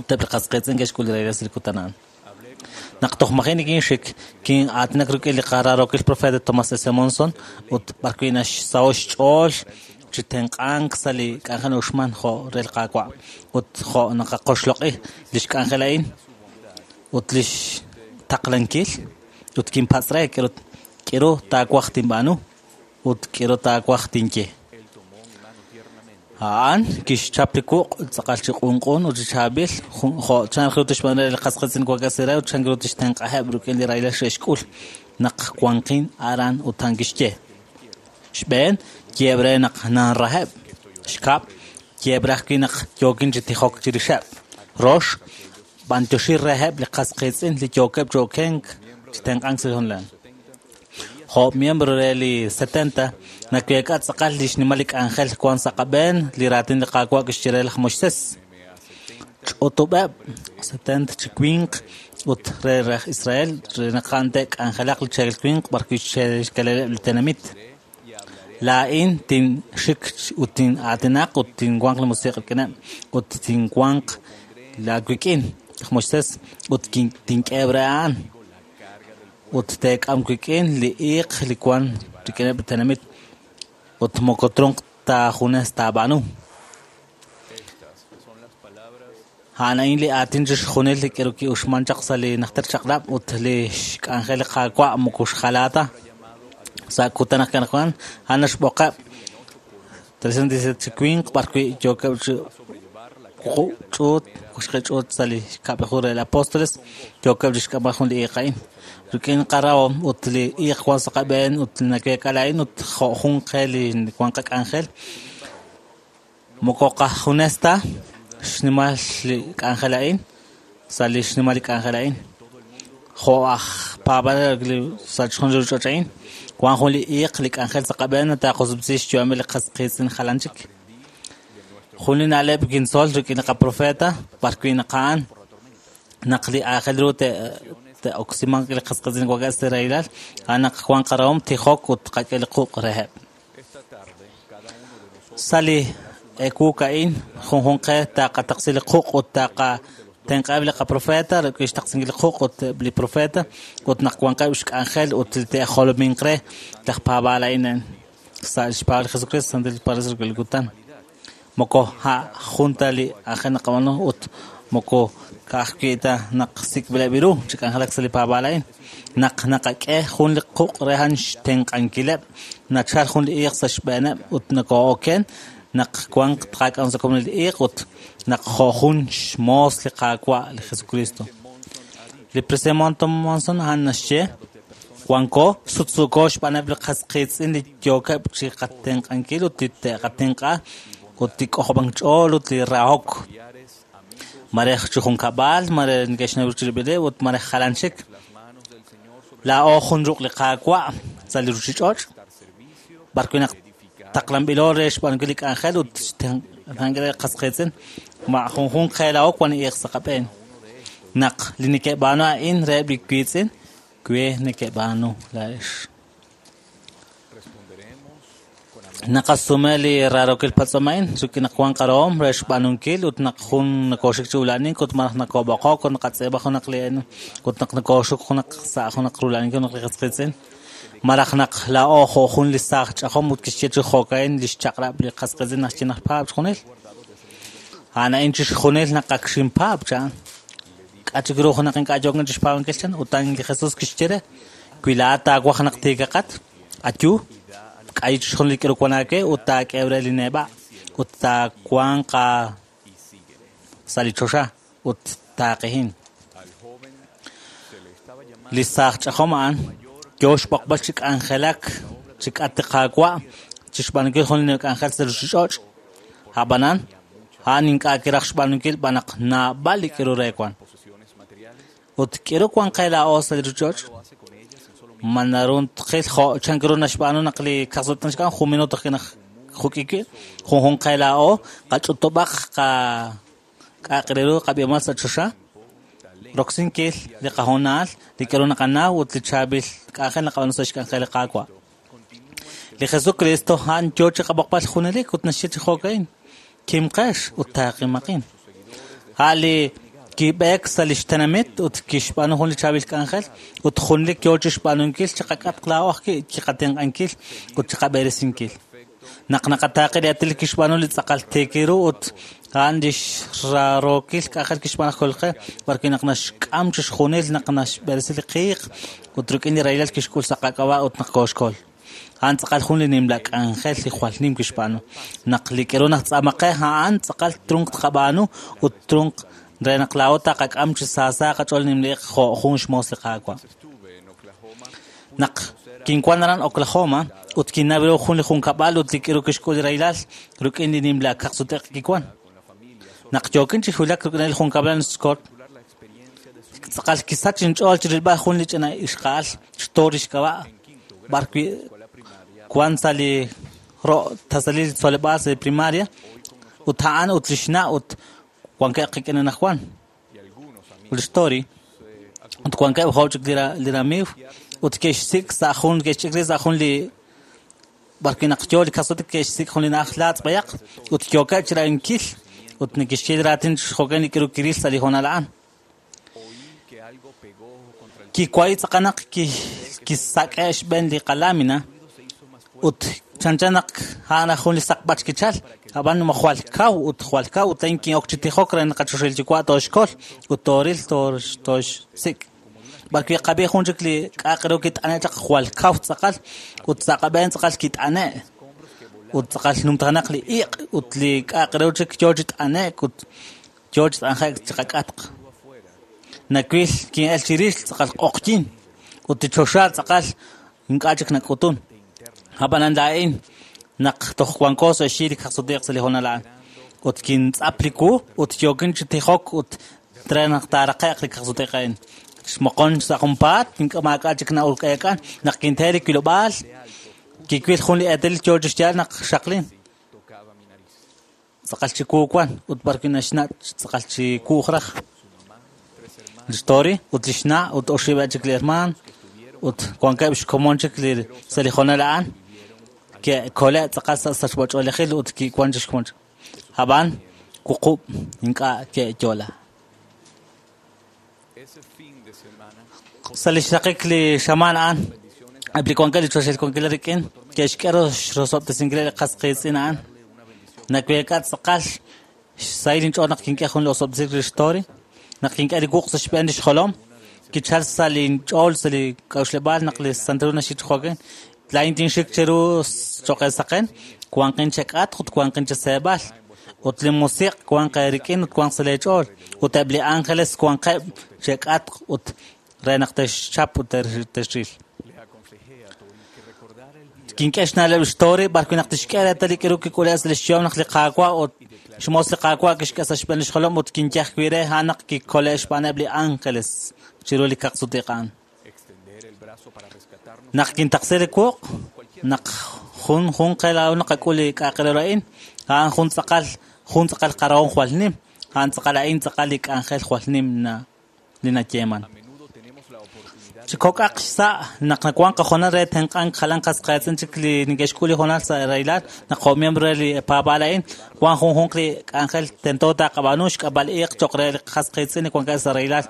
teb' li qasqiitz'in ke'xk'ul li regreso li kutan a'an. Naq toj maji' nikinxik kin'aatinak rik'in li qararokil profeta Thomas S. Monson ut b'arwi' naxsaho xch'ool chi tenq'ank sa' li k'anjel uxman jo' re li Qaawa' ut jo' naqaqoxloq'i li xk'anjel a'in ut li xtaqlankil ut kinpatz' re k'eru taawaj tinb'aanu ut k'eru taawaj tinye. A'an kixchap li wuq' tz'aqal chi q'unq'un ut chi chaab'il jo' chan ru tixb'aanu re li qasqiitz'in wak'asi re ut chan ru tixtenq'aheb' rik'in li rahilal xe'xk'ul naq wanqin aran ut a'an kixye. Xb'een yeeb' re naq nanraheb', xkab' yeeb' re ajwi' naq yookin chi tijok chirixeb', rox b'antioxi reheb' li qasqiitz'in li yookeb' chi okenk chi tenq'ank sa' honlan. Jo' miembro re li setenta nakeek'a tz'aqal li xnimal li k'anjel wan sa' qab'een li raatin li Qaawa' kixye re laj Moisés. Ch'utub'eb' setenta chi winq ut re laj Israel re naq a'an te'k'anjelaq li cheekel winq b'arwi' xke'xkeleleb' li tenamit. Laa'in tinxik ut tin'aatinaq ut tinwanq li musiq' rik'ineb' ut tinwanq laawik'in laj Moisés ut tink'eheb' re a'an ut teek'am wik'in li iiq li wan rik'ineb' li tenamit ut moko trunq taajunes taab'aanu. A'an a'in li aatin chixjunil li k'eru ki'uxman chaq sa' li najter chaq'rab' ut li xk'anjel li Qaawa' moko xjalaa ta. Sa' kutan aj kanajwan a'an naxb'oqeb' trescientos diecisiete chi winq b'arwi' yookeb' chi ch'uut ch'uut sa' li xkab'laju re li apóstoles yookeb' chi xk'amb'al jun li iiq a'in. Rik'in qarahom ut li iiq wan sa' qab'een ut nakeek'al a'in ut jo' jun qe li wan qak'anjel moko qajunes ta xnimal li k'anjel a'in sa' li xnimal li k'anjel a'in. Jo' aj paab'anel li sa' chixjunil li ruuchich'och' a'in wan jun li iiq li k'anjel sa' qab'een taaqosub'si xyu'amil li qasqiitz'in jalan chik. Jun li na'leb' kintzol rik'in li qaprofeta b'arwi' naq a'an naq li aajel ru te'oksimanq li qasqiitz'in wak'es sa' rahilal a'an naq wan qarahom tijok ut qak'e li quq' reheb'. Sa' li eewuk a'in junjun qe taqataqsi li quq' ut taqatenq'aheb' li qaprofeta rik'in xtaqsinkil li quq' ut li profeta ut naq wanqeb' xk'anjel ut te'jolominq re laj paab'aal a'in sa' xpaab'al li Jesucristo santil pares rik'in li kutan. Moko ha junta li ajen naqab'aanu ut moko ka'ajwi' ta naq sik'b'ileb' ru chi k'anjelak sa' li paab'aal a'in. Naq naqak'e jun li quq' re a'an xtenq'ankileb' nachal jun li iiq sa' xb'eeneb' ut nakoo'oken naq wanq tqak'am sa' komonil li iiq ut naq jo' jun xmoos li Qaawa' li Jesucristo. Li presidente Monson a'an naxye wanko sutsuuko xb'aaneb' li qasqiitz'in li yookeb' chi qatenq'ankil ut li te'qatenq'a ut li k'ojob'ank ch'ool ut li rahok. Mare chi junkab'al, mare neke'xnaw chirib'ileb' ut mare jalan chik. Laa'o jun ruq' li Qaawa' sa' li ruuchich'och' b'arwi' naq taqlanb'ilo re xb'aanunkil li k'anjel ut xtenq'ankil li qasqiitz'in ma' junjun qe laa'o wan iiq sa' qab'een. Naq li neke'b'aanu a'in reheb' li wiitz'in, we neke'b'aanu laa'ex. Naqasume li rarokil patz'om a'in rik'in naq wan qarahom re xb'aanunkil ut naq jun nakooxik chi ula'anink ut malaj nakoob'oqok ut naqatz'iib'a junaq li ut naq nakooxuk junaq sa' junaq rula'aninkil junaq li qasqiitz'in. Malaj naq laa'o jo' jun li saaj ch'ajom ut kixye chi jo'ka'in li xchaq'rab' li qasqiitz'in naxye naq paab' chixjunil. A'an a'in chixjunil naq ak xinpaab' chan. K'a chik ru junaq ink'a' yookin chi xpaab'ankil chan ut a'an li Jesús kixye re wi laa'at taawaj naq tiikaqat Ayu, k'ay chixjunil li k'aru wan aawe ut taak'e re li neb'a' ut taawanq sa' li choxa ut taaqehin. Li saaj ch'ajom a'an yo xb'oqb'al chi k'anjelak chi k'at li Qaawa' chi xb'aanunkil jun li k'anjel sa' ruuchich'och'. Ab'anan a'an ink'a' kiraj xb'aanunkil b'an naq naab'al li k'aru re wan. Ut k'aru wan qe laa'o sa' li ruuchich'och'? Ma naru tqil jo' chan k'aru naxb'aanu naq li kaqsut naxk'am jun minuto ajwi' naq juk'iki junjun qe laa'o qach'utub'aq qa k'a'aq re ru qab'ihomal sa' choxa roksinkil li qahoonal li k'aru naqanaw ut li chaab'il k'anjel naqab'aanu sa' xk'anjel li Qaawa'. Li Jesucristo a'an yo chi qab'oqb'al junelik ut naxye chi jo'ka'in kimqex ut taaqimaqin. A' li kib'eek sa' li xtenamit ut kixb'aanu jun li chaab'il k'anjel ut junelik yo chi xb'aanunkil chi qak'atq laa'o ajwi' chi qatenq'ankil ut chi qab'eresinkil. Naq naqataaqi li aatin kixb'aanu li tz'aqal tiik ru ut a'an lix rarookil k'anjel kixb'aanu aj Kolqe b'arwi' naq naxk'am chixjunil naq naxb'eresi li qiiq ut rik'in li rahilal kixk'ul sa' qak'ab'a' ut naq kooxkol. A'an tz'aqal jun li nimla k'anjel li jwal nim kixb'aanu. Naq li k'aru najtz'aamaqe a'an tz'aqal trunq tqab'aanu ut trunq re naq laa'o taqak'am chi saasa qach'ool nimliq jo' jun xmoos li Qaawa'. Naq kinwan aran Oklahoma ut kinnaw ru jun li junkab'al ut li k'aru kixk'ul li rahilal rik'in li nimla kaqsut-iq kiwan. Naq yookin chi wulak rik'in li junkab'al Scott, tz'aqal kisach inch'ool chi rilb'al jun li ch'ina ixqa'al xtori xk'ab'a' b'arwi' wan sa' li ro' tasalil tzoleb'aal sa' li primaria ut a'an ut li xna' ut wankeb' qik'in anaqwan ut xtori ut wankeb' jo' chik li ramiiw ut ke'xsik' sa' jun ke'xch'ik rib' sa' jun li b'arwi' naq yo li kaqsut-iq ke'xsik' jun li na'aj laatz' b'ayaq ut yookeb' chi ra'ankil ut neke'xye li raatin jo'kan li k'aru kiril sa' li hoonal a'an. Kiwayi tz'aqal naq kisak'e' xb'een li qalamina ut chanchan naq a'an jun li saqb'ach kichal ab'an jwal kaw ut jwal kaw ut lain kin'ok chi tijok re naq qachoxahil yuwa' tooxkol ut tooril tooxsik'. B'arwi' qab'i jun chik li k'a'aq ru kit'ane' chaq jwal kaw tz'aqal ut sa' qab'een tz'aqal kit'ane' ut tz'aqal numtajanaq li iq' ut li k'a'aq ru chik yo chi t'ane'k ut yo chi t'anje'k chi qak'atq. Nawil kin'el chirix tz'aqal q'oqyin ut li choxa tz'aqal ink'a' chik nak'utun. Ab'anan laa'in naq toj wanko sa' xyi li kaqsut-iq sa' li hoonal a'an ut kintz'ap li wu ut yookin chi tijok ut re naq taaraqe'q li kaqsut-iq a'in. Xmoqon sa' junpaat ink'a' maak'a' chik na'ulk'eek'an naq kinte li wilob'aal kiwil jun li eetalil yo chi xyaal naq xaqlin. Tz'aqal chi wu wan ut b'arwi' naxna' tz'aqal chi wuuj raj. Li xtori ut li xna' ut oxib'eb' chik li hermaan ut wankeb' xkomon chik li sa' li hoonal a'an ke'kole' tz'aqal sa' sachb'ach'oolejil ut kiwan chi xkomon chik. Ab'an wuqub' ink'a' ke'yo'la. Sa' li xraqik li xamaan a'an eb' li wankeb' li choxahil wankil rik'in ke'xk'e rosob'tesinkil li qas qiitz'in a'an. Naweek'a tz'aqal xsahil inch'ool naq kink'e jun li osob'tesink li xtori naq kink'e li wuq' sa' xb'een li xjolom kichal sa' li inch'ool sa' li k'a'uxleb'aal naq li Santil Hu naxye chi jo'kan laa'in tinxik cheru cho'q saqen wanqin chek'atq ut wanqin cheseeb'al ut li musiq' wanq eerik'in ut wanq sa' leech'ool ut eb' li ángeles wanqeb' chek'atq ut re naq texchap ut texril. Kink'e xna'leb' xtori b'arwi' naq tixk'e reetal li k'aru kik'ule' sa' li xyu'am naq li Qaawa' ut xmoos li Qaawa' kixk'e sa' xb'een li xjolom ut kinyaj ajwi' re a'an naq kikole' xb'aaneb' li ángeles chiru li kaqsut-iq a'an. Naq kintaqsi li wuq' naq jun jun qe laa'o naqak'ul li k'a'aq re ru a'in a'an jun tz'aqal jun tz'aqal qarahom jwal nim a'an tz'aqal a'in tz'aqal li k'anjel jwal nim na li nayeeman. Chi kok'aq xsa' naq nawanq qahoonal re tenq'ank jalan qas qiitz'in chik li neke'xk'ul li hoonal sa' rahilal naq jo' miembro re li paab'aal a'in wan junjunq li k'anjel tento taqab'aanu xk'ab'al iiq cho'q re li qas qiitz'in li wankeb' sa' rahilal.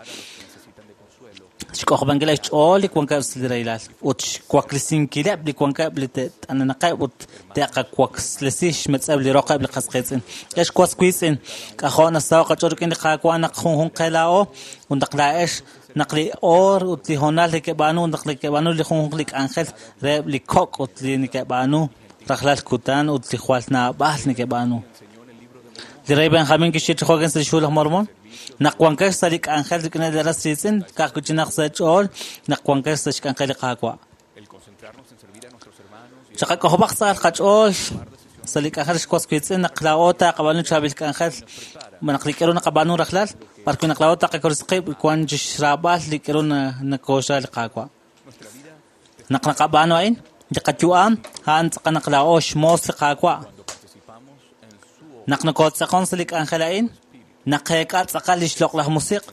Xk'ojob'ankileb' xch'ool li wankeb' sa' li rahilal ut xwaklesinkileb' li wankeb' li te't'anenaqeb' ut te'qawaklesi xmetz'eb' li roqeb' li qas qiitz'in. Ex was wiitz'in, k'ajo' nasaho' qach'ool rik'in li Qaawa' naq junjunq qe laa'o ut naq laa'ex naq li oor ut li hoonal neke'b'aanu naq neke'b'aanu li junjunq li k'anjel reheb' li kok' ut li neke'b'aanu rajlal kutan ut li jwal naab'al neke'b'aanu. Li rey Benjamín kixye chi jo'kan sa' lix hu laj Mormón, naq wankex sa' li k'anjel rik'in li ras riitz'in, ka'ajwi' chinaq sa' ch'ool naq wankex sa' xk'anjel li Qaawa'. Chaqak'ojob'aq tz'aqal qach'ool sa' li k'anjel xwas wiitz'in naq laa'o taqab'aanu chaab'il k'anjel naq li k'aru naqab'aanu rajlal, b'arwi' naq laa'o taqakorisi qib' wan chi xraab'al li k'aru nakooxra li Qaawa'. Naq naqab'aanu a'in, li qayu'am a'an tz'aqal naq laa'o xmoos li Qaawa'. Naq nokotz'aqon sa' li k'anjel a'in, naqeek'a tz'aqal li xloq'laj musiq'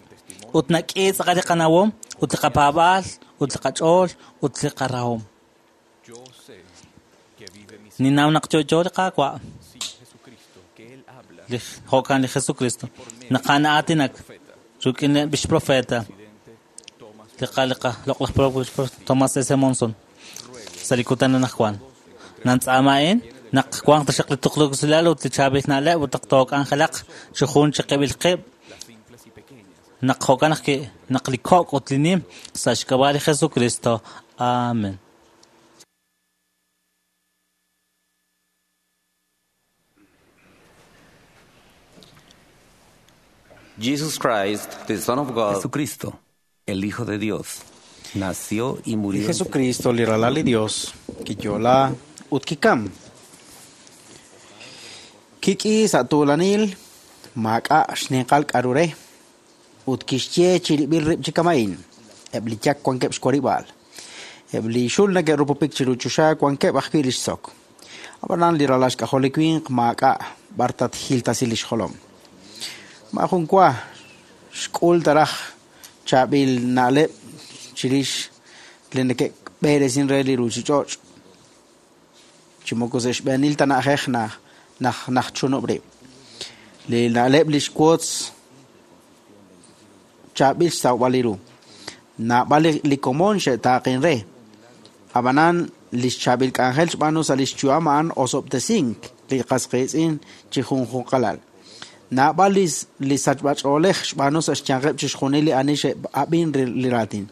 ut nak'i tz'aqal li qanawom ut li qapaab'aal ut li qach'ool ut li qarahom. Ninnaw naq yo'yo li Qaawa', li jo'kan li Jesucristo, naq a'an aatinak rik'ineb' lix profeta, li qa loq'laj profeta Thomas S. Monson sa' li kutan anaqwan. Nantz'aama a'in naq wanq taxaq li tuqtuukilal ut li chaab'il na'leb' ut naq took'anjelaq chi jun chi qib'il qib' naq jo'kan ajwi' naq li kok' ut li nim sa' xk'ab'a' li Jesucristo. Amen. Jesus Christ, the Son of God, Jesucristo, el Hijo de Dios, nació y murió. Jesucristo, li ralal li Dios, kiyo'la ut kikam. Kik'i sa' tuulanil, maak'a' xninqal k'aru re, ut kixye chirib'il rib' chi kama'in, eb' li yak wankeb' xwarib'aal. Eb' li xul neke'rupupik chiru choxa wankeb' ajwi' li xsok. Ab'anan li ralal xk'ajol li winq maak'a' b'ar tatjiltasi li xjolom. Maajun wa xk'ul taraj chaab'il na'leb' chirix li neke'b'eresin re li ruuchich'och'. Chi moko sa' xb'eenil ta na'ajej naj naj najchunub' rib'. Li na'leb' li xwotz chaab'il xsawb'al li ru. Naab'al li komon xe'taaqin re. Ab'anan li xchaab'il k'anjel xb'aanu sa' li xyu'am a'an osob'tesink li qas qiitz'in chi junjunqalal. Naab'al li li sachb'ach'oolej xb'aanu sa' xyanqeb' chixjunil li ani xe'ab'in li raatin.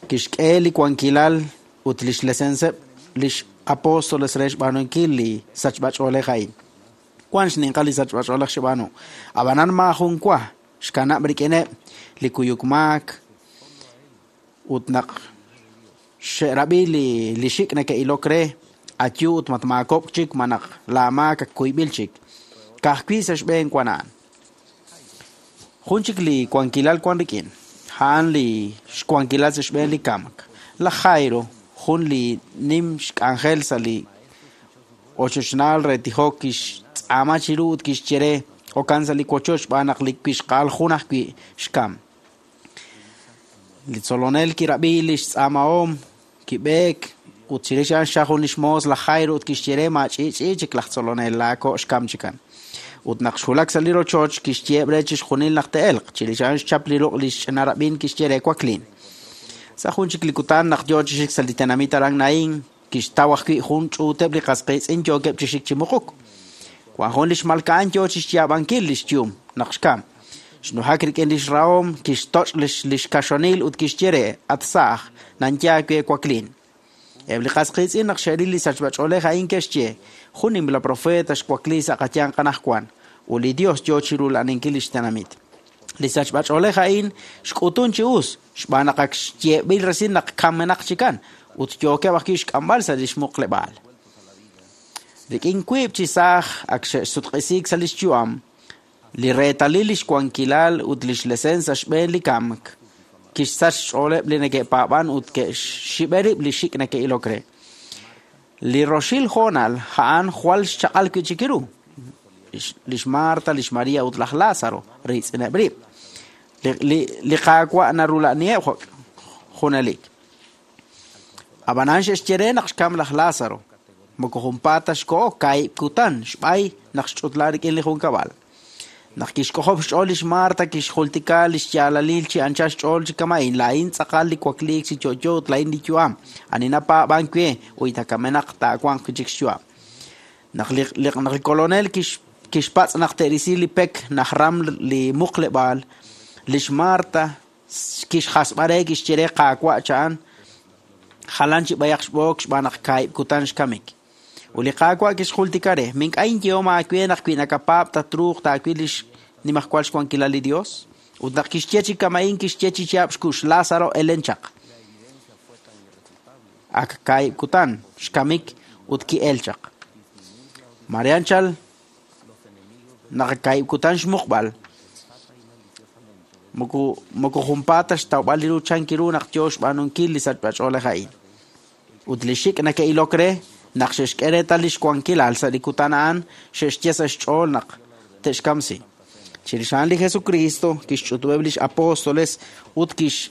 Kixk'e li wankilal ut li xlesenseb' lix apóstoles re xb'aanunkil li sachb'ach'oolej a'in. Wan xninqal li sachb'ach'oolej xb'aanu. Ab'anan maajun wa xkanab' rik'ineb' li kuyuk maak ut naq xe'rab'i li li xik' neke'ilok re ayu ut matmaakob'k chik ma naq laamaak ak kuyb'il chik. Ka'ajwi' sa' xb'een wan a'an. Jun chik li wankilal wan rik'in, a'an li xwankilal sa' xb'een li kamk. Laj Jairo, jun li nim xk'anjel sa' li ochochnaal re tijok kixtz'aama chiru ut kixye re okan sa' li wochoch xb'aan naq li wixqa'al jun ajwi' xkam. Li tzolonel kirab'i li xtz'aamahom kib'eek ut chirix a'an xchaj jun li xmoos laj Jairo ut kixye re maach'i'ch'i chik laj tzolonel laako' xkam chikan. Ut naq xwulak sa' li rochoch kixyeeb' re chixjunil naq te'elq, chirix a'an xchap li ruq' li xch'ina rab'in kixye re waklin. Sa' jun chik li kutan naq yo chi xik sa' li tenamit aran Naín, kixtaw ajwi' jun ch'uuteb' li qas qiitz'in yookeb' chi xik chi muquk. Wan jun li xmalka'an yo chi xyaab'ankil li xyum naq xkam. Xnujak rik'in li xrahom, kixtoch' li xkaxonil ut kixye re at saaj, nanya aawe waklin. Eb' li qas qiitz'in naq xe'ril li sachb'ach'oolej a'in ke'xye, jun nimla profeta xwakli sa' qayanq anaqwan, ut li Dios yo chiru la'aninkil li xtenamit. Li sachb'ach'oolej a'in xk'utun chi us, xb'aan naq ak xyeeb'il resil naq kamenaq chikan, ut yookeb' ajwi' xk'amb'al sa' li xmuqleb'aal. Rik'in wiib' chi saaj ak xe'sutq'isiik sa' li xyu'am, li reetalil li xwankilal ut li xlesen sa' xb'een li kamk, kixsach xch'ooleb' li neke'paab'an ut ke'xxib'e rib' li xik' neke'ilok re. Li roxil hoonal a'an jwal xchaq'al wi' chik ru. Lix Marta, lix María ut laj Lázaro riitz'ineb' rib'. Li li Qaawa' narula'niheb' junelik. Ab'anan xe'xye re naq xkam laj Lázaro. Moko junpaat ta xko'o kaahib' kutan xb'ay naq xch'utla rik'in li junkab'al. Naq kixk'ojob' xch'ool lix Marta kixjultika lix yaalalil chi anchal xch'ool chi kama'in laa'in tz'aqal li wakliik chi yo'yo ut laa'in li yu'am ani napaab'ank we uyta kamenaq taawanq wi' chik xyu'am. Naq li naq li kolonel kix kixpatz' naq te'risi li pek najram li muqleb'aal lix Marta kixjasb'a re kixye re Qaawa' cha'an jalan chi b'ayaq xb'ook xb'aan naq kaahib' kutan xkamik. Ut li Qaawa' kixjultika re mink'a' inyehom aawe naq wi nakapaab' tatruuq taawil lix nimajwal xwankilal li Dios. Ut naq kixye chi kama'in kixye chi yaab' xkux Lázaro elen chaq. Ak kaahib' kutan xkamik ut ki'el chaq. Marianchal naq kaahib' kutan xmuqb'al moko moko junpaat xtawb'al li ru chankiru naq yo xb'aanunkil li sachb'ach'oolej a'in. Ut li xik' nake'ilok re naq xe'xk'e reetal li xwankilal sa' li kutan a'an xe'xye sa' xch'ool naq te'xkamsi. Chirix a'an li Jesucristo kixch'utub'eb' lix apóstoles ut kix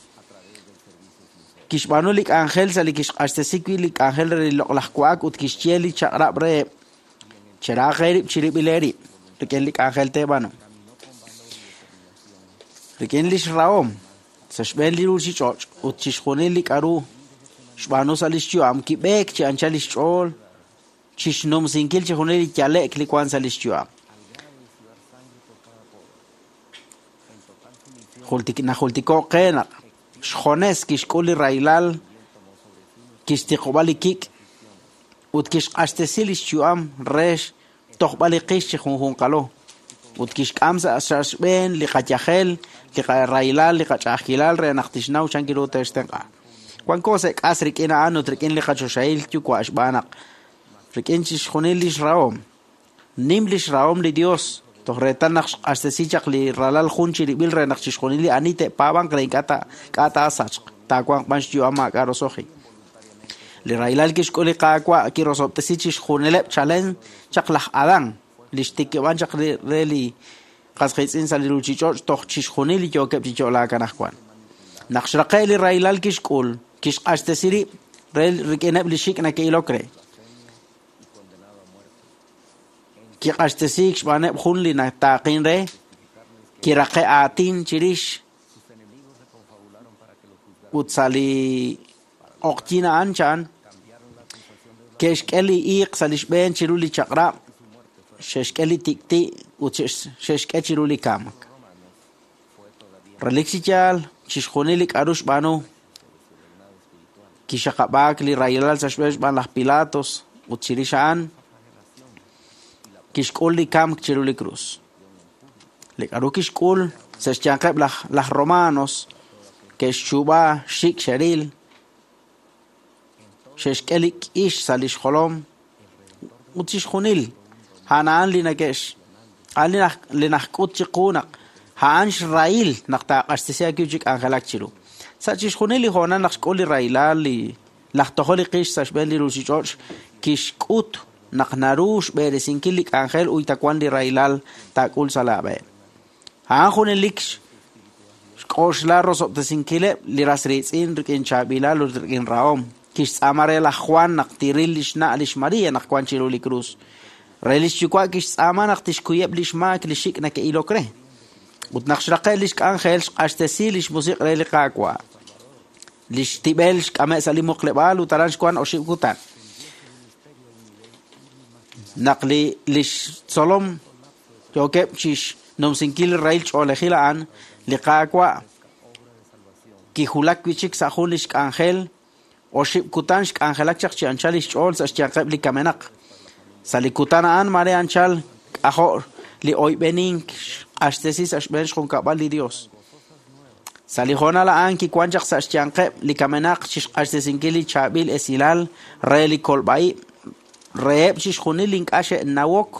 kixb'aanu li k'anjel sa' li kixq'axtesi wi' li k'anjel re li loq'laj wa'ak ut kixye li chaq'rab' reheb' cheraaq eerib' chirib'il eerib' rik'in li k'anjel teeb'aanu. Rik'in lix rahom sa' xb'een li ruuchich'och' ut chixjunil li k'aru xb'aanu sa' lix yu'am kib'eek chi anchal lix ch'ool chixnumsinkil chixjunil li yale'k li wan sa' lix yu'am. Jultik najultiko' qe naq xjones kixk'ul li rahilal kixtiqob'a li kik' ut kixq'axtesi lix yu'am re xtojb'al li qix chi junjunqalo ut kixk'am sa' xb'een li qayajel li qarahilal li qach'a'ajkilal re naq tixnaw chankiru te'xtenq'a. Wanko sa' k'as rik'in a'an ut rik'in li qachoxahil yuwa' xb'aan naq rik'in chixjunil lix rahom nim lix rahom li Dios toj reetal naq xq'axtesi chaq li ralal jun chirib'il re naq chixjunil li ani te'paab'anq re ink'a' ta k'a' taasachq taawanq b'an xyu'am maak'a' roso'jik. Li rahilal kixk'ul li Qaawa' kirosob'tesi chixjunileb' chalen chaq laj Adán li xtikib'an chaq re li qas qiitz'in sa' li ruuchich'och' toj chixjunil li yookeb' chi yo'laak anaqwan. Naq xraqe' li rahilal kixk'ul kixq'axtesi rib' re rik'ineb' li xik' nake'ilok re. Kiq'axtesiik xb'aaneb' jun li nataaqin re kiraqe' aatin chirix ut sa' li oqyin a'an chan ke'xk'e li iiq sa' li xb'een chiru li chaq'rab' xe'xk'e li tik'ti' ut xe'xk'e chiru li kamk. Relik chi yaal chixjunil li k'aru xb'aanu kixaqab'aak li rahilal sa' xb'een xb'aan laj Pilatos ut chirix a'an kixk'ul li kamk chiru li krus. Li k'aru kixk'ul sa' xyanqeb' laj laj Romanos ke'xchuub'a xik' xeril xe'xk'e li k'ix sa' lix jolom ut chixjunil a'an a'an li nake'x a'an li naj li najk'ut chiqu naq a'an xrahil naq taaq'axtesi aawe chi k'anjelak chiru. Sa' chixjunil li hoonal naq xk'ul li rahilal li laj tojol li qix sa' xb'een li ruuchich'och' kixk'ut naq naru xb'eresinkil li k'anjel uyta wan li rahilal taak'ul sa' laab'e. A'an junelik xk'oxla rosob'tesinkileb' li ras riitz'in rik'in chaab'ilal ut rik'in rahom. Kixtz'aama re laj Juan naq tiril lix na' lix María naq wan chiru li krus. Re lix yuwa' kixtz'aama naq tixkuyeb' lix maak li xik' nake'ilok re. Ut naq xraqe' lix k'anjel xq'axtesi lix musiq' re li Qaawa'. Lix tib'el xk'ame' sa' li muqleb'aal ut aran xwan oxib' kutan. Naq li lix tzolom yookeb' chixnumsinkil li rahil ch'oolejil a'an li Qaawa' kijulak wi' chik sa' jun lix k'anjel oxib' kutan xk'anjelak chaq chi anchal lix ch'ool sa' xyanqeb' li kamenaq. Sa' li kutan a'an mare anchal k'ajo' li oyb'enink xq'axtesi sa' xb'een xjunkab'al li Dios. Sa' li hoonal a'an kiwan chaq sa' xyanqeb' li kamenaq chixq'axtesinkil li chaab'il esilal re li kolb'a'ib' reheb' chixjunil ink'a' xe'nawok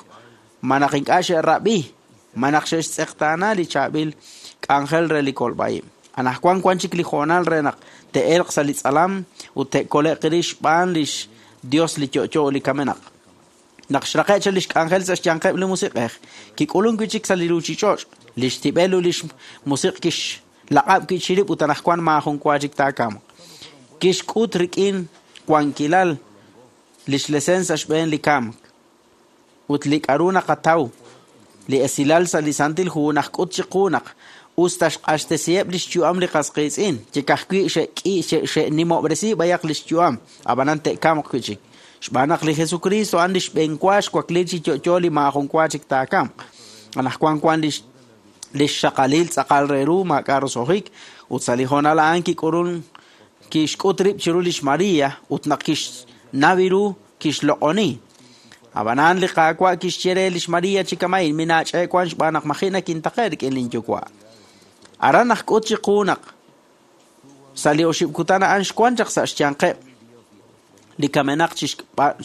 ma naq ink'a' xe'rab'i ma naq xe'xtz'eqtaana li chaab'il k'anjel re li kolb'a'ib'. Anaqwan wan chik li hoonal re naq te'elq sa' li tz'alam ut te'kole'q rix xb'aan lix Dios li yo'yo li kamenaq. Naq xraqe' chaq lix k'anjel sa' xyanqeb' li musiq'ej kik'ulun wi' chik sa' li ruuchich'och' lix tib'el ut lix musiq' kixlaq'ab' wi' chirib' ut anaqwan maajun wa chik taakamq. Kixk'ut rik'in wankilal lix lesen sa' xb'een li kamk ut li k'aru naqataw Li esilal sa' li Santil Hu naqk'ut chiqu naq us ta xq'axtesiheb' lix yu'am li qasqiitz'in, chikajwi' xe'k'i xe'nimob'resi b'ayaq lix yu'am, ab'anan te'kamq wi' chik. Xb'aan naq li Jesucristo a'an li xb'enwa xwakliil chi yo'yo li maajun wa chik taakamq. Anaqwan wan lix lix xaqalil tz'aqal re ru maak'a' roso'jik, ut sa' li hoonal a'an kik'ulun kixk'ut rib' chiru lix María ut naq kixnaw ru kixloq'oni. Ab'anan li Qaawa' kixye re lix María chi kama'in minaach'e wan xb'aan naq maji' nakintaqe' rik'in linyuwa'. Aran naqk'ut chiqu naq sa' li oxib' kutan a'an xwan chaq sa' xyanqeb' li kamenaq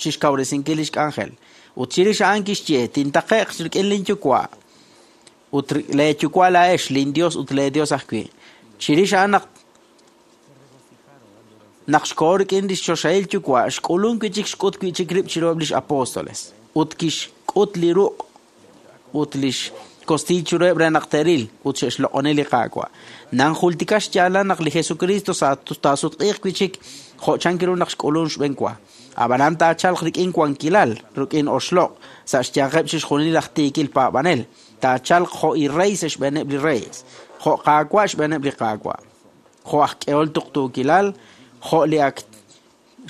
chixkawresinkil lix k'anjel. Ut chirix a'an kixye tintaqe'q rik'in linyuwa' ut leeyuwa' laa'ex lin Dios ut leeDios ajwi'. Chirix a'an naq naq xkoho rik'in lix choxahil yuwa' xk'ulun wi' chik xk'ut wi' chik rib' chiruheb' lix apóstoles ut kixk'ut li ruq' ut lix kostiiy chiruheb' re naq te'ril ut xe'xloq'oni li Qaawa'. Nanjultika xyaalal naq li Jesucristo sa taasutq'iiq wi' chik jo' chan ru naq xk'ulun xb'enwa. Ab'anan taachalq rik'in wankilal, rik'in oxloq' sa' xyanqeb' chixjunil laj tiikil paab'anel. Taachalq jo' i rey sa' xb'eeneb' li reyes, jo' Qaawa' xb'eeneb' li Qaawa', jo' aj k'ehol tuqtuukilal, jo' li ak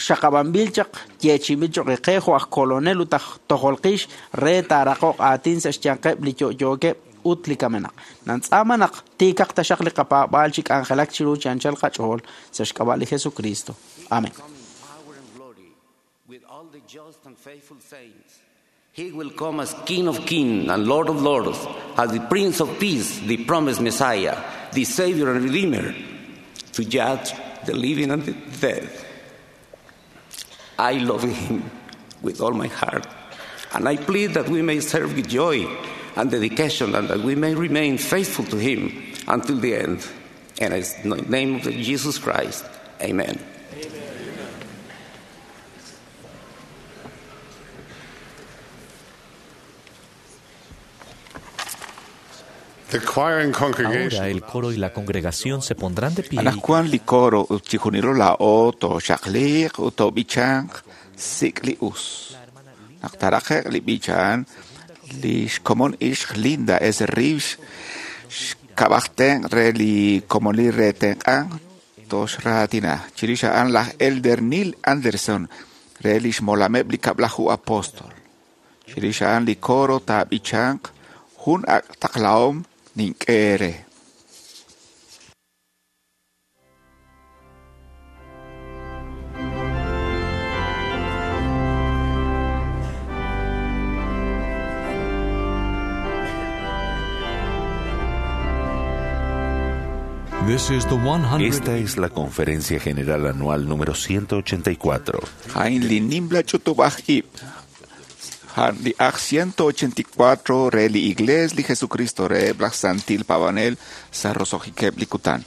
xaqab'anb'il chaq yeechi'inb'il choq' qe jo' aj kolonel ut aj tojolqix re taaraqoq aatin sa' xyanqeb' li yo'yookeb' ut li kamenaq. Nantz'aama naq tiikaq taxaq li qapaab'aal chi k'anjelak chiru chi anchal qach'ool sa' xk'ab'a' li Jesucristo. Amén. With all the just and faithful saints, he will come as King of kings and Lord of lords, as the Prince of Peace, the promised Messiah, the Savior and Redeemer, to judge the living and the dead. I love him with all my heart, and I plead that we may serve with joy and dedication, and that we may remain faithful to him until the end. And in the name of Jesus Christ, amen. The choir and congregation. Ahora el coro y la congregación se pondrán de pie. Anaqwan li coro ut chixjunilo laa'o tooxaqliiq ut toob'ichanq sik' li us. Naq taraqe'q li b'ichan, li xkomon ixq Linda S. Reeves xkab'aj tenq' re li komonil re tenq'ank toxraatina. Chirix a'an laj Elder Neil Anderson re li xmolameb' li kab'laju apóstol. Chirix a'an li coro taab'ichanq jun ak' taqlahom nink'e eere. This is the Esta es la Conferencia General Anual número ciento ochenta y cuatro. A'in li nimla ch'utub'aj ib' a'an li aj ciento ochenta y cuatro re li Iglees li Jesucristo reheb' laj Santil Paab'anel sa' roso'jikeb' li kutan.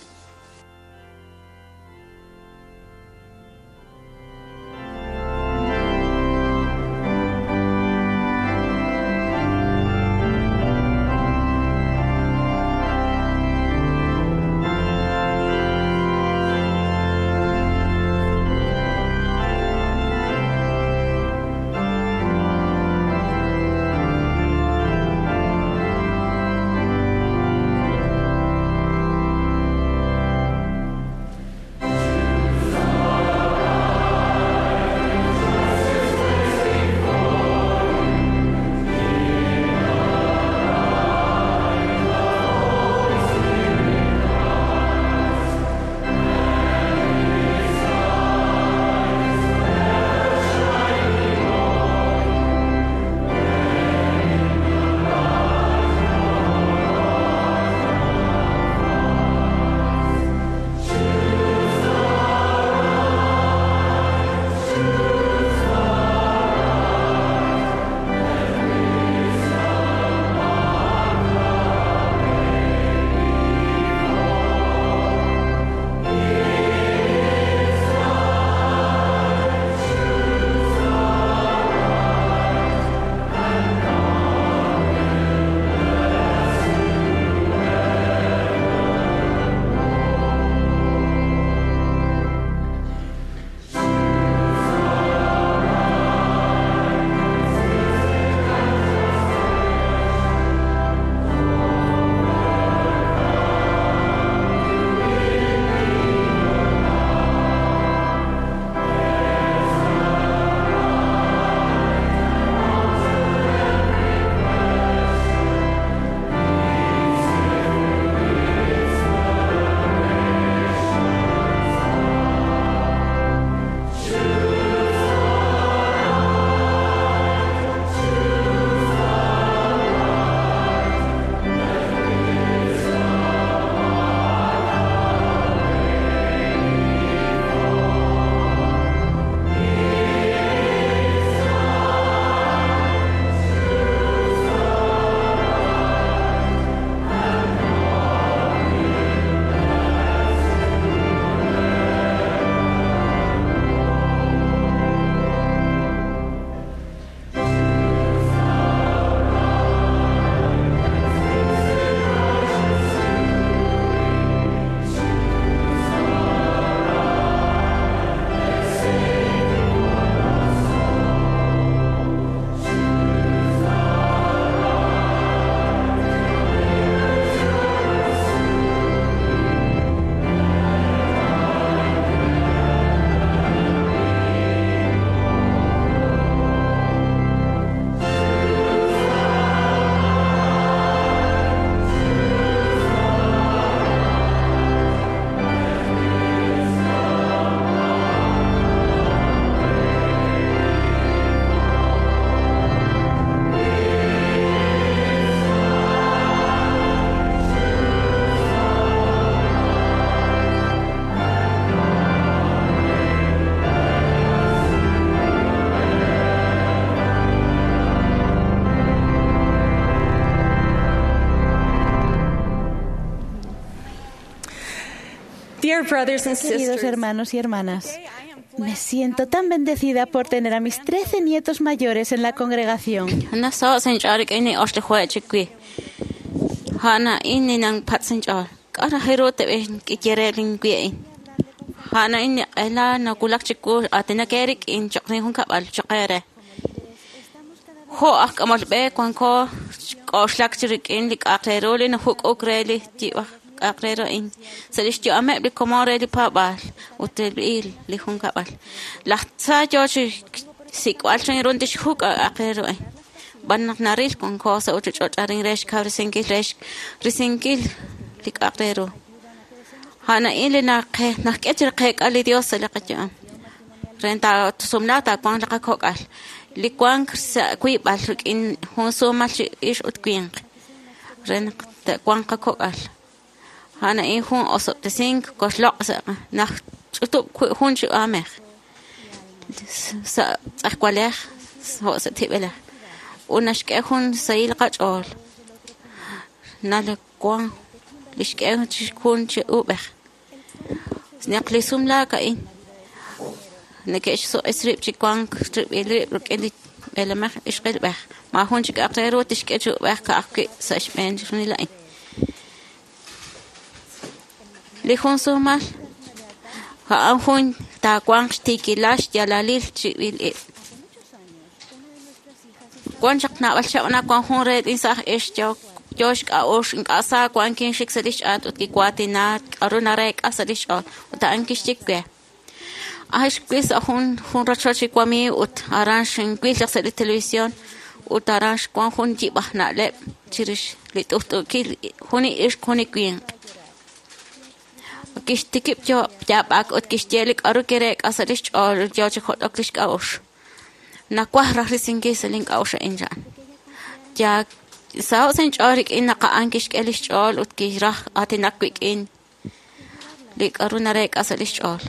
Dear brothers and Queridos sisters, hermanos y hermanas, me siento tan bendecida por tener a mis trece nietos mayores en la congregación. Nasaw sinch'ol rik'in ni oxlajueq chikwi. Ja'na in ninan pat sinch'ol. K'aj jiru teb'ej k'ikyere linwi'in. Ja'na in q'ela nakulak chiku atina ke rik'in choqrin jun kab'al choqere. Jo' aj k'amol b'e wanko k'oxlak chi rik'in li k'aq re ru li najuk'uk re li yib'aj k'aq re ru in. Sa' li xyu'ameb' li komon re li paab'aal ut il li jun kab'al. Laj tza yoo chi sik'b'al chan run tixjuk' k'aq re ru in. B'an naq naril wanko sa' uchuch'och' arin re xkawresinkil re xrisinkil li k'aq re ru. Ja'na in li naqe najk'e chi qeek'a li Dios sa' li qayu'am. Ren ta tusumla ta wank li qakok'al. Li wank sa' wiib'al rik'in jun sumal chi ix ut winq. Re naq te'wanq qakok'al. Ja'na in jun osob'tesink koxloq' sa' naj ch'utub' jun chi amej. Sa' tz'ajwalej jo' sa' tib'elej. Ut naxk'e jun sahil qach'ool. Nal wank li xk'e chi jun chi ub'ej. Naq li sumlaak a'in neke'xsuq'is rib' chi wank rib'il rib' rik'in li b'eelamej ixqilb'ej. Maajun chik k'aq re ru tixk'e chi ub'ej ka'ajwi' sa' xb'een chixjunil a'in. Li jun sumal a'an jun taawanq xtiikilal xyaalalil chib'il ib'. Wan chaq naab'al chaq' naq wan jun re insaj ix yo yoo xk'a'uxl ink'a' sa wan kinxik sa' li xch'aat ut kiwaatina k'a'ru nareek'a sa' li xch'ool ut a'an kixye we. Aj xwil sa' jun jun rochoch li wamiiw ut aran xinwil chaq sa' li televisión ut aran xwan jun yib'aj na'leb' chirix li t'ust'uukil jun li ixq jun li winq. Kixtikib' yo yaab'ak ut kixye li k'a'ru kireek'a sa' li xch'ool yoo chi jot'ok li xk'a'uxl. Nawaj raj risinkil sa' link'a'uxl a'in chan. Ya saw sinch'ool rik'in naq a'an kixk'e li xch'ool ut kiraj aatinak wik'in li k'a'ru nareek'a sa' li xch'ool.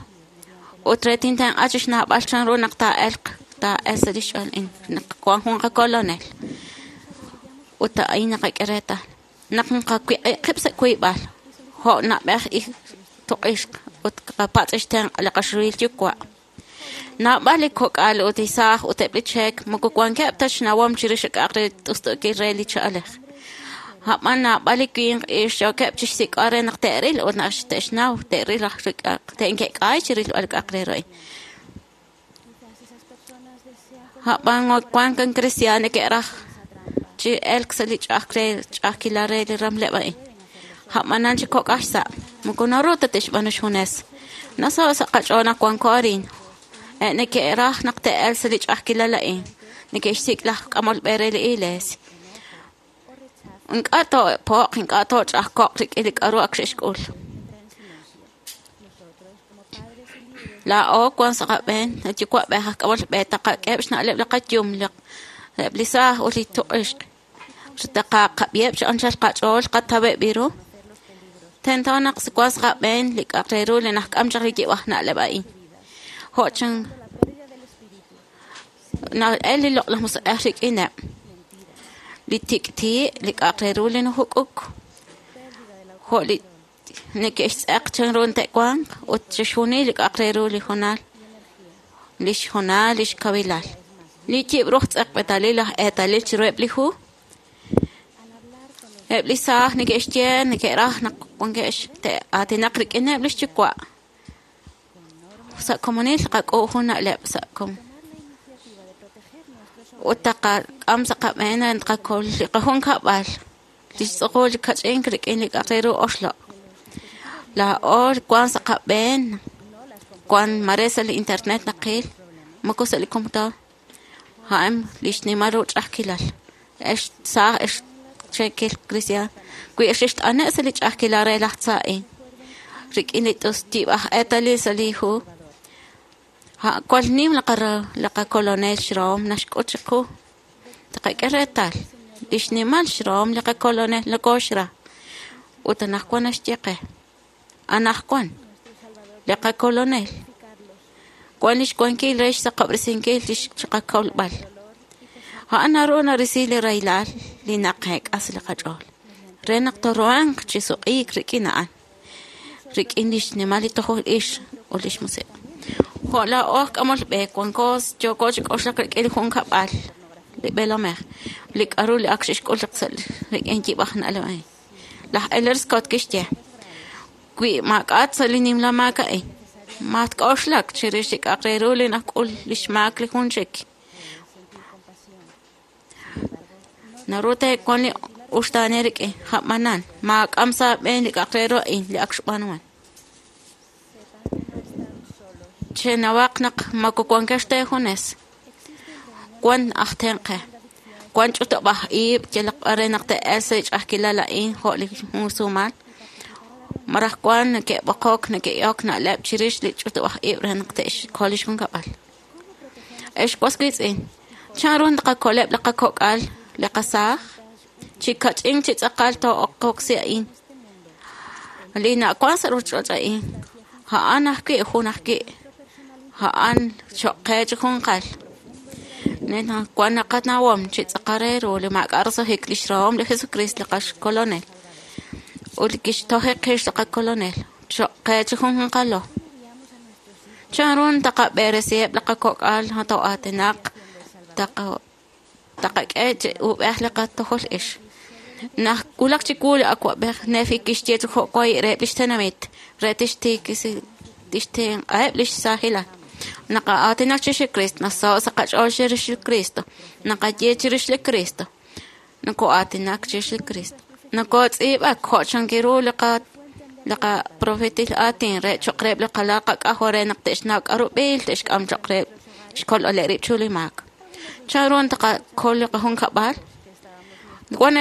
Ut re tintenq'a chi xnaab'al chan ru naq taa'elq taa'el sa' li xch'ool in naq wan jun qakolonel. Ut a'in naqak'e reetal. Naq nqawiq'i qib' sa' wiib'al jo' nab'ej ij tuq'ixq ut qapatz' xtenq' li qaxruhil yuwa'. Naab'al li kok'al ut isaaj ut eb' li cheek moko wankeb' ta xnawom chirix k'aq re t'ust'uukil re li cha'alej. A'b'an naab'al li winq ix yookeb' chi xsik'b'al re naq te'ril ut naq te'xnaw te'ril raj k'aq te'nke'k'ay chirilb'al k'aq re ru a'in. A'b'an wank an cristiano neke'raj chi elk sa' li ch'a'aj re ch'a'ajkilal re li ramleb' a'in. A'b'anan chi kok'aj xsa' moko naru ta te'xb'aanu xjunes. Nasaw sa' qach'ool naq wanko arin. E neke'raj naq te'el sa' li ch'a'ajkilal a'in. Neke'xsik' laj k'amol b'e re li iglesia. Ink'a' too'po'q, ink'a' tooch'a'ajko'q rik'in li k'a'ru ak xe'xk'ul. Laa'o wan sa' qab'een, yuwa'b'ej aj k'amol b'e taqak'eb' xna'leb' li qayum, eb' li saaj ut li tuq'ixq. Taqaqab'iheb' chi anchal qach'ool qataweb' ru. Tento naq wan sa' qab'een li k'aq re ru li najk'am chaq li yib'aj na'leb' a'in. Jo' chan na'el li loq'laj musiq'ej rik'ineb'. Li tik'ti' li k'aq re ru li najuk'uk. Jo' li neke'xtz'eq chan ru te'wanq ut chixjunil li k'aq re ru li jonal, li xjonal, li xkawilal. Li yib' ruj tz'eqb'etalil laj eetalil chiruheb' li hu. Eb' li saaj neke'xye neke'raj naq wanke'x te'aatinaq rik'ineb' li xyuwa'. Sa' komonil qak'u' jun na'leb' sa' kom. Ut taqak'am sa' qab'een tqakol li qajun kab'al li xtz'uqul li kach'ink rik'in li k'aq re ru oxloq'. Laa'o wan sa' qab'een wan mare sa' li internet naqil moko sa' li computador. A'an li xnimal ru ch'a'ajkilal. Ex saaj ex cheekil cristian wi xixt'ane' sa' li ch'a'ajkilal re laj tza a'in. Rik'in li t'ustib'aj eetalil sa' li hu. Cual nim li qakolonel xroom naxk'ut chiqu. Taqak'e reetal li xnimal xroom li qakolonel nokoxra. Ut anaqwan naxye qe. Anaqwan li qakolonel wan lix wankil re xsaqob'resinkil li xqakolb'al. A'an naru narisi li rahilal li naqeek'a sa' li qach'ool. Re naq tooruhanq chi suq'iik rik'in a'an. Rik'in lix nimal li tojol ix ut lix musiq'. Jo' laa'o aj k'amol b'e wanko yooko chi k'oxlak rik'in li junkab'al li b'eelomej li k'aru li ak xe'xk'ul chaq sa' rik'in yib'aj na'leb' a'in. Laj Elder Scott kixye wi maak'at sa' li nimla maak a'in matk'oxlak chirix li k'a'aq re ru li nak'ul lix maak li jun chik. Naru teewan li uxtaane rik'in ja'manan maak'am sa' b'een li k'a'aq re ru a'in li ak xb'aanuman. Chenawaq naq moko wankex teejunes wan aj tenq'e wan ch'utub'aj iib' yalaq b'ar re naq te'el sa' li ch'a'ajkilal a'in jo' li junsumal maraj wan neke'b'oqok neke'ok na'leb' chirix li ch'utub'aj iib' re naq te'xkol lix junkab'al. Ex was wiitz'in chanru naqakoleb' li qakok'al li qasaaj chi kach'in chi tz'aqal too'oqoksi a'in li na'wan sa' ruchich'och' a'in a'an ajwi' jun ajwi' a'an choq' qe chi junqal. Nena wan naqanawom chi tz'aqal re ru li maak'a' roso'jik lix rahom li Jesucristo li qaxkolonel ut li kixtoje qix li qakolonel choq' qe chi junjunqalo. Chanru taqab'eresiheb' li qakok'al too'aatinaq taqa taqak'e chi ub'ej li qatojol ix. Naq wulak chiwu li awa'b'ej Nefi kixye chi jo'way reheb' lix tenamit re tixtiikisi tixtenq'aheb' lix saajilal. Naqaatinak chirix li Cristo, nasaho' sa' qach'ool chirix li Cristo, naqaye chirix li Cristo, noko'aatinak chirix li Cristo. Nokotz'iib'ak jo' chankiru li qa li qaprofetil aatin re choq' reheb' li qalal qak'ajol re naq te'xnaw k'aru b'eel te'xk'am choq' reheb' xkolb'aleb' rib' chu li maak. Chanru taqakol li qajunkab'al? Wan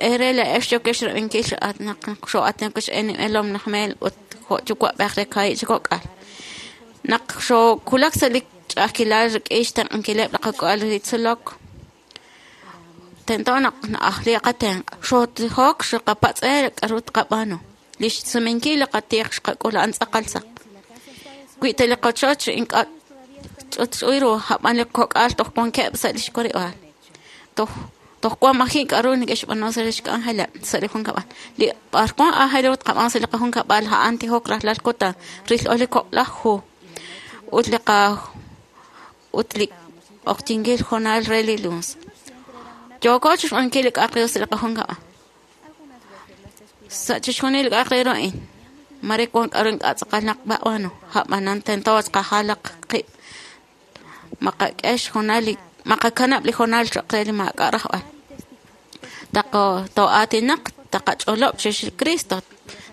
eere laa'ex yokex rab'inkil naq xoo'aatinak x'eneb'elom laj Mel ut jo' yuwa'b'ej re kaahib' chi kok'al. Naq xoowulak sa' li ch'a'ajkilal rik'in xtenq'ankileb' li qak'al li tzolok tento naq na'ajli qatenq' xootijok xqapatz'e k'aru tqab'aanu. Lix sumenkil li qatiq xqak'ul a'an tz'aqal saq. Wi ta li qochoch ink'a' ch'utch'uy ru ab'an li kok'al toj wankeb' sa' lix warib'aal. Toj toj wan maji' k'aru neke'xb'aanu sa' lix k'anjeleb' sa' li junkab'al. Li b'ar wan aajel ru tqab'aan sa' li qajunkab'al a'an tijok rajlal kutan ril'ol li kok'laj hu ut li qa ut li oqtinkil jonal re li luns. Yooko chixb'aanunkil li k'a'aq re ru sa' li qajunkab'al. Sa' chixjunil li k'a'aq re ru a'in mare wan k'aru ink'a' tz'aqal naq b'aanu a'b'anan tento tqajalaq qib' maqak'e xjonal li maqakanab' li jonal choq' re li maak'a' rajb'al. Taqo too'aatinaq taqach'olob' chirix li Cristo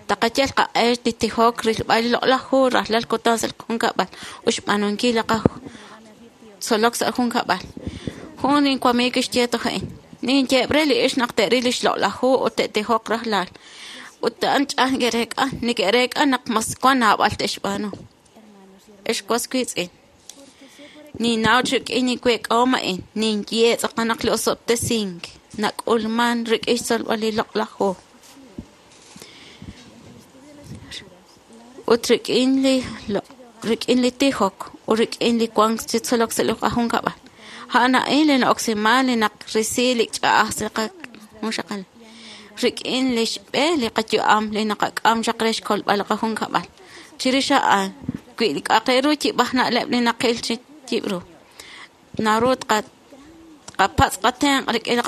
taqayal qaq'e li tijok rilb'al li loq'laj hu rajlal kutan sa' li junkab'al ut xb'aanunkil li qatzolok sa' junkab'al. Jun inwamiig kixye toj a'in ninyeeb' re li ixq naq te'ril lix loq'laj hu ut te'tijoq rajlal ut a'an ch'aj neke'reek'a neke'reek'a naq mas wan naab'al te'xb'aanu. Ex was wiitz'in ninnaw chi rik'in niweek'ahom a'in ninye tz'aqal naq li osob'tesink nak'ulman rik'in xtzolb'al li loq'laj hu ut rik'in li rik'in li tijok ut rik'in li wank chi tzolok sa' li qajunkab'al. A'an a'in li na'oksiman li naqrisi li ch'a'aj sa' li qajunxaqal rik'in lix b'e li qayu'am li naqak'am chaq re xkolb'al li qajunkab'al. Chirix a'an wi li k'a'aq re ru yib'aj na'leb' li naqil chi yib' ru naru tqapatz' qatenq' rik'in li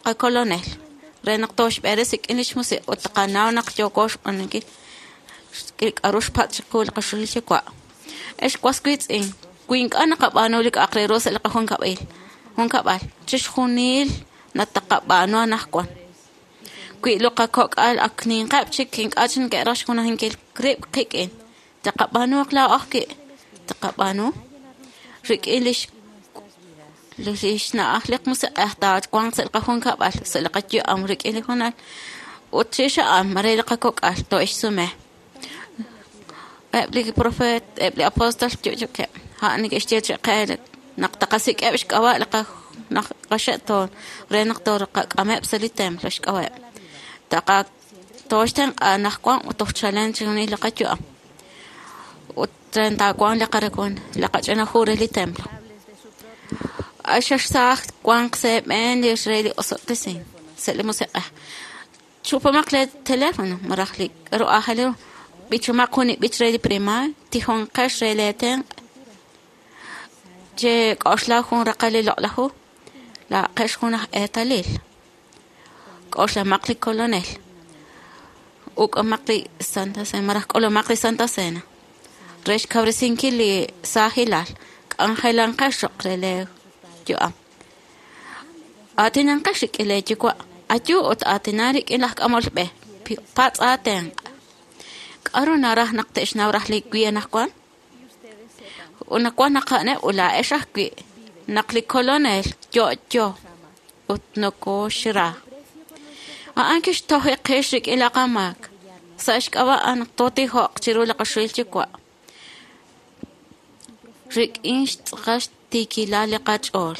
qakolonel re naq tooxb'eres rik'in lix musiq' ut taqanaw naq yooko xb'aanunkil li k'aru xpatz' chiqu li qaxulil yuwa'. Ex was wiitz'in wi ink'a' naqab'aanu li k'a'aq re ru sa' li qajunkab'il junkab'al chixjunil nataqab'aanu anaqwan. Wi li qakok'al ak ninqeb' chik ink'a' chik neke'raj xjunajinkil rib' qik'in taqab'aanuaq laa'o ajwi' taqab'aanu rik'in lix lix na'aj li musiq'ej taawanq sa' li qajunkab'al sa' li qayu'am rik'in li jonal ut chirix a'an mare li qakok'al too'exsume. Eb' li profeet eb' li apóstol yo'yokeb' a'an neke'xye chi qe naq taqasik'eb' xk'ab'a' li qaxe'toon re naq toqak'ameb' sa' li templo xk'ab'a'eb'. Taqa tooxtenq'a anaqwan ut toj chalen chixjunil li qayu'am ut re taawanq li qarakon li qach'ina hu re li templo. Axaxsaaj wanq sa' eeb'een li re li osob'tesink sa' li musiq'ej. Chupamaq lee teléfono maraj li k'aru aajel ru B'ichumaq jun li b'ich re li primaar, tijonqex re leetenq', chek'oxla jun raqal li loq'laj hu, laaqex jun aj eetalil. K'oxlamaq li Kolonel. Uk'amaq li Santa Cena, maraj k'ulumaq li Santa Cena. Re xkawresinkil li saajilal, k'anjelanqex choq' re lee yu'am. Aatinanqex rik'in lee yuwa', ayu ut aatina rik'in laj k'amol b'e, patz' aatenq'. K'aru naraj naq te'xnaw raj li wi anaqwan? Unawan naq a'aneb' ulaa'ex ajwi' naq li Kolonel yo'yo ut nokoxra. A'an kixtoj qix rik'in li qamaak. Sa' xk'ab'a' naq tootijoq chiru li qaxuhil yuwa'. Rik'in xtz'aqal xtiikilal li qach'ool.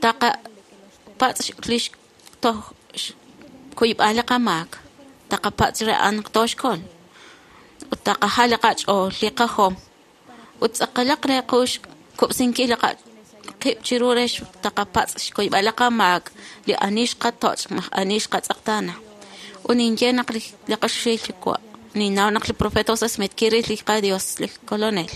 Taqapatz' li xtoj kuyb'al li qamaak. Taqapatz' re a'an naq tooxkol. Ut taqajal li qach'ool, li qajom. Ut tz'aqalaq re qu xkub'sinkil li qib' chiru re taqapatz' xkuyb'al li qamaak li ani xqatoch' maj ani xqatz'eqtaana. Ut ninye naq li qaxuhil yuwa' ninnaw naq li profeta José Smith kiril li qaDios li Kolonel.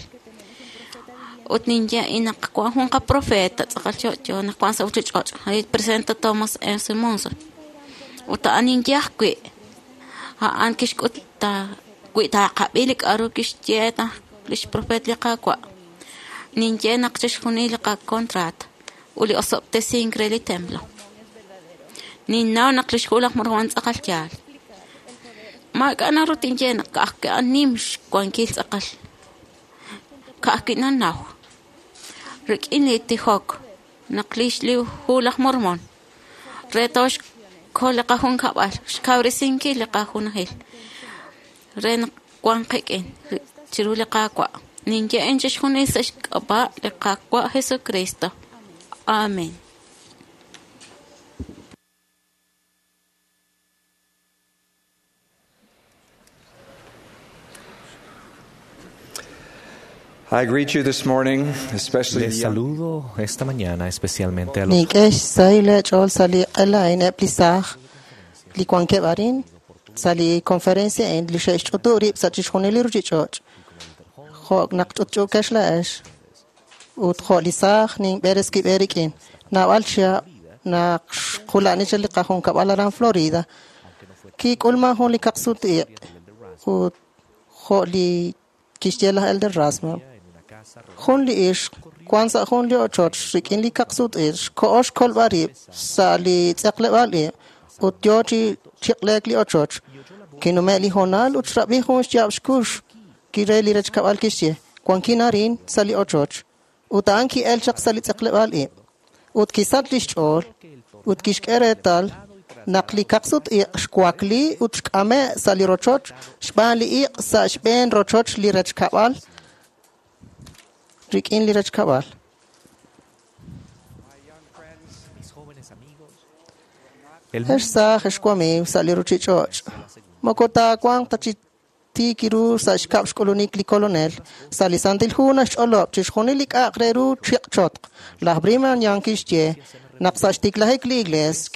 Ut ninye naq wan jun qaprofeta tz'aqal yo'yo naq wan sa' ruchich'och' li presidente Thomas S. Monson. Ut a'an ninye ajwi' a'an kixk'ut ta wi taqab'i li k'a'ru kixye naq lix profeet li Qaawa'. Ninye naq chixjunil li qakontraat ut li osob'tesink re li templo. Ninnaw naq lix hu laj Mormon tz'aqal yaal. Maak'a' naru tinye naq ka'ajwi' a'an nim xwankil tz'aqal. Ka'ajwi' nanaw. Rik'in li tijok naq lix li hu laj Mormon re tooxkol li qajunkab'al, xkawresinkil li qajunajil re naq wan qik'in chiru li Qaawa'. Ninye'en chixjunil sa' xk'ab'a' li Qaawa' Jesucristo. Amén. I greet you this morning, especially Les the young saludo esta mañana, especialmente a los Nink'e xsahil eech'ool sa' li q'ela a'in eb' li saaj li wankeb' arin sa' li conferencia a'in li xe'xch'utu' rib' sa' chixjunil li ruchich'och'. Jo' naq ch'utch'uukex la'ex ut jo' li saaj ninb'eres kib'e rik'in. Naab'al chihab' naq xqula'ni chaq li qajunkab'al aran Florida, kik'ulman jun li kaqsut-iq' ut jo' li kixye laj Elder Rasband. Jun li ixq wan sa' jun li ochoch rik'in li kaqsut-iq' xko'o xkolb'al rib' sa' li tz'eqleb'aal ib' ut yo chi chiq'leek li ochoch. Kinume' li hoonal ut xrab'i jun xyaab' xkux kire li rechkab'al kixye wankin arin sa' li ochoch. Ut a'an ki'el chaq sa' li tz'eqleb'aal ib' ut kisach lix ch'ool ut kixk'e reetal naq li kaqsut-iq' xwakli ut xk'ame' sa' li rochoch xb'aan li iq' sa' xb'een rochoch li rechkab'al rik'in li rechkab'al. Ex saaj ex wamiiw sa' li ruchich'och'. Moko taawanq ta chi tiik ru sa' xkab' xk'ulunik li Kolonel. Sa' li Santil Hu naxch'olob' chixjunil li k'a'aq re ru chiq'chotq. Laj Brigham Young kixye naq sa' xtiklajik li Iglees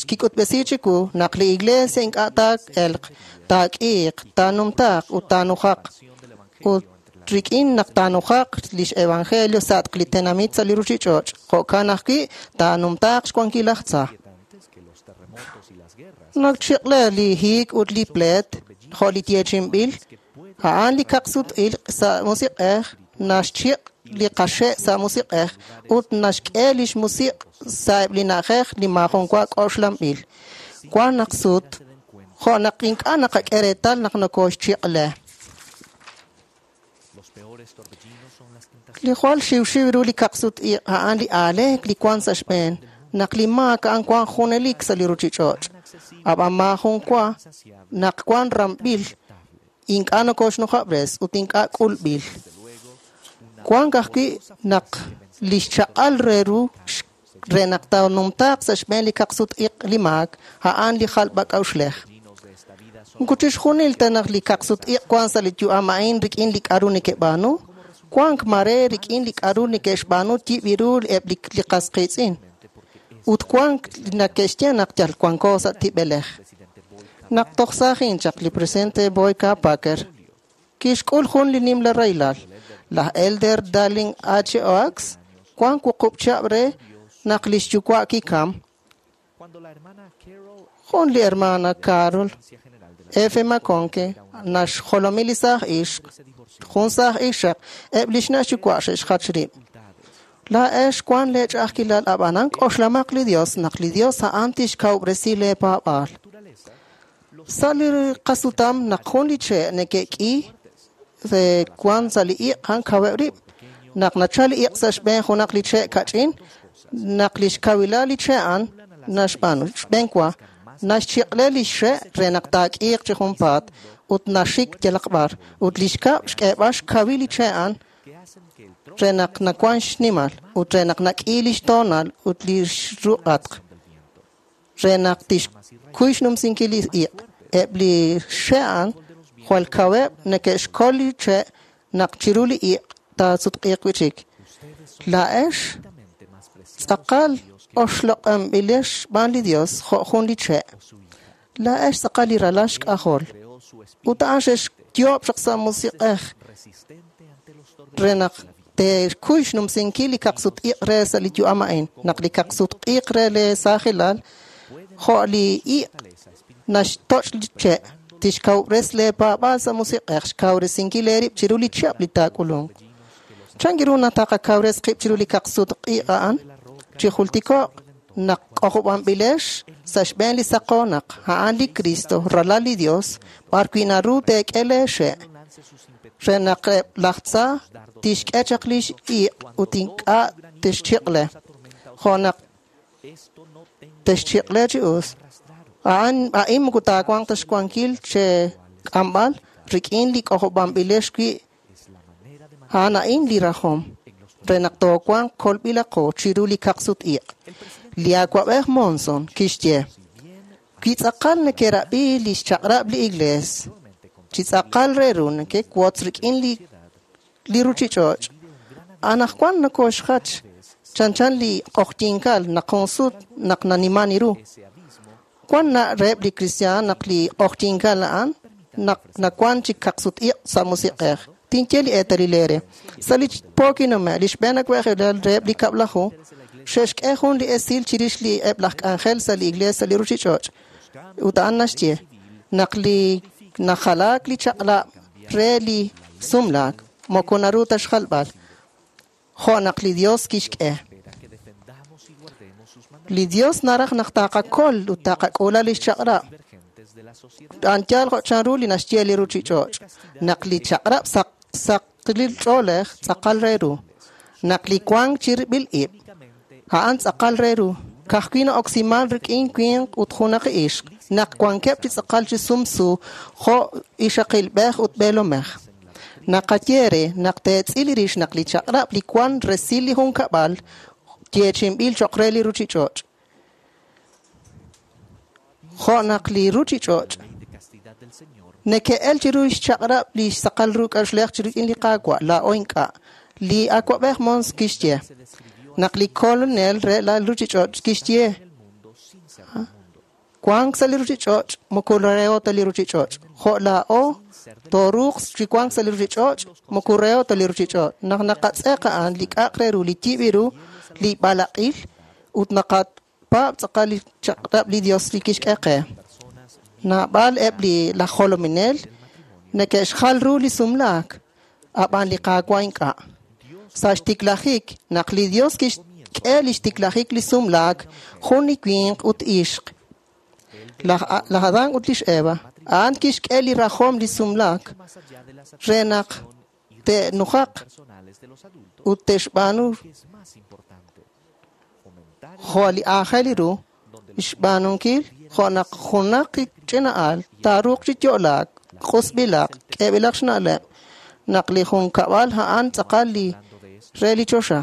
kik'utb'esi chiwu naq li Iglesia ink'a' taa'elq, taak'iiq, taanumtaaq ut taanujaq. Ut rik'in naq taanujaq lix evangelio sa'atq li tenamit sa' li ruchich'och', jo'kan ajwi' taanumtaaq xwankil laj tza. Naq chiq'le li hiik ut li pleet, jo' li yeechinb'il, a'an li kaqsut-iq' sa' musiq'ej naxchiq' li qaxe' sa' musiq'ej ut naxk'e lix musiq' sa'eb' li na'ajej li maajun wa k'oxlanb'il. Wan naq sut, jo' naq ink'a' naqak'e reetal naq nokoxchiq'le. Li jwal xiwxiw ru li kaqsut-iq' a'an li aaleek li wan sa' xb'een, naq li maak a'an wan junelik sa' li ruchich'och'. Ab'an maajun wa naq wan ramb'il ink'a' nokoxnujab'res ut ink'a' k'ulb'il. Wan ajwi' naq lix chaq'al re ru re naq taanumtaaq sa' xb'een li kaqsut-iq' li maak a'an li jalb'ak'a'uxlej. Moko chixjunil ta naq li kaqsut-iq' wan sa' li yu'am a'in rik'in li k'a'ru neke'b'aanu, wank mare rik'in li k'a'ru neke'xb'aanu yib' ru eb' li qas qiitz'in. Ut wank nake'xye naq yal wanko sa' tib'elej. Naq toj saajin chaq li presidente Boyd K. Packer kixk'ul jun li nimla rahilal. Laj Elder Dallin H. Oaks wan wuqub' chihab' re naq lix yuwa' kikam. Jun li hermana Carol F. McConkie naxjolomi li saaj ixq, jun saaj ixaq, eb' lix na' xyuwa' xe'xjach rib'. Laa'ex wan lee ch'a'ajkilal ab'anan k'oxlamaq li Dios naq li Dios a'an tixkawub'resi lee paab'aal. Sa' li qasutam naq jun li che' neke'k'i wan sa' li iq' a'an kaweb' rib'. Naq nachal li iq' sa' xb'een junaq li che' kach'in, naq lix kawilal li che' a'an naxb'aanu xb'een wa naxchiq'le li xe' re naq taak'iiq chi junpaat ut naxik yalaq b'ar ut lix kab' xk'eeb'al xkawil li che' a'an re naq nawan xnimal ut re naq nak'i lix toonal ut lix ruq'atq re naq tixkuy xnumsinkil li iq'. Eb' li xe' a'an jwal kaweb' neke'xkol li che' naq chiru li iq' taasutq'iiq wi'chik. Laa'ex tz'aqal oxloq'anb'ilex xb'aan li Dios jo' jun li che'. Laa'ex tz'aqal li ralal xk'ajol. Ut a'an xe'xyoob' chaq sa' musiq'ej re naq te'xkuy xnumsinkil li kaqsut-iq' re sa' li yu'am a'in. Naq li kaqsut-iq' re lee saajilal jo' li iq' naxtoch' li che' tixkawub'res lee paab'aal sa' musiq'ej xkawresinkil eerib' chiru li chihab' li taak'ulunq. Chan ru naq taqakawres qib' chiru li kaqsut-iq' a'an? Chi jultiko'q naq k'ojob'anb'ilex sa' xb'een li saqoonaq a'an li Cristo, ralal li Dios, b'ar wi' naru teek'e lee xe' re naq eb' laj tza tixk'e chaq lix iq' ut ink'a' texchiq'le, jo' naq texchiq'le chi us. A'an a'in moko taawanq ta xwankil chek'amb'al rik'in li k'ojob'anb'ilex wi' a'an a'in li rajom re naq toowanq kolb'ilaqo chiru li kaqsut-iq'. Li awa'b'ej Monson kixye, wi tz'aqal nekerab'i lix chaq'rab' li Iglees, chi tz'aqal re ru nekewotz rik'in li li ruchich'och', anaqwan nokoxjach chanchan li q'oqyinkal naq jun sut naq naniman ru. Wan na reheb' li kristiaan naq li q'oqyinkal a'an naq nawan chi kaqsut-iq' sa' musiq'ej. Tinye li eetalil eere. Sa' li po kinume' li xb'een awa'b'ejilal reheb' li kab'laju xe'xk'e jun li esil chirix li eb' laj k'anjel sa' li iglees sa' li ruchich'och'. Ut a'an naxye naq li najalaak li chaq'lab' re li sumlaak moko naru ta xjalb'al jo' naq li Dios kixk'e. Li Dios naraj naq taqakol ut taqak'uula lix chaq'rab'. A'an yaal jo' chanru li naxye li ruchich'och'. Naq li chaq'rab' saq saqlil ch'oolej tz'aqal re ru. Naq li wank chirib'il ib' a'an tz'aqal re ru. Ka'ajwi' na'oksiman rik'in winq ut junaq ixq. Naq wankeb' chi tz'aqal chi sumsu jo' ixaqilb'ej ut b'eelomej. Naqaye re naq teetz'il rix naq li chaq'rab' li wan resil li junkab'al yeechinb'il cho'q re li ruchich'och'. Jo' naq li ruchich'och' neke'el chiru xchaq'rab' li xsaqal ru k'a'uxlej rik'in li Qaawa' laa'o ink'a'. Li awa'b'ej Mons kixye naq li kolonel re la ruchich'och' kixye wank sa' li ruchich'och' moko reheb' ta li ruchich'och'. Jo' laa'o tooruuq chi wank sa' li ruchich'och' moko reheb' ta li ruchich'och'. Naq naqatz'eq a'an li k'a'aq re ru li yib' ru li b'alaq'il ut naqapaab' tz'aqal li chaq'rab' li Dios li kixk'e qe. Naab'al eb' li laj jolominel neke'xjal ru li sumlaak, ab'an li Qaawa' ink'a'. Sa' xtiklajik naq li Dios kixk'e li xtiklajik li sumlaak jun li winq ut ixq. Laj Adán ut lix Eva a'an kixk'e li rajom li sumlaak re naq te'nujaq ut te'xb'aanu jo' li aajel ru xb'aanunkil jo' naq junaq ch'ina'al taaruuq chi yo'laak q'usb'ilaq k'eeb'ilaq xna'leb' naq li junkab'al a'an tz'aqal li re li choxa.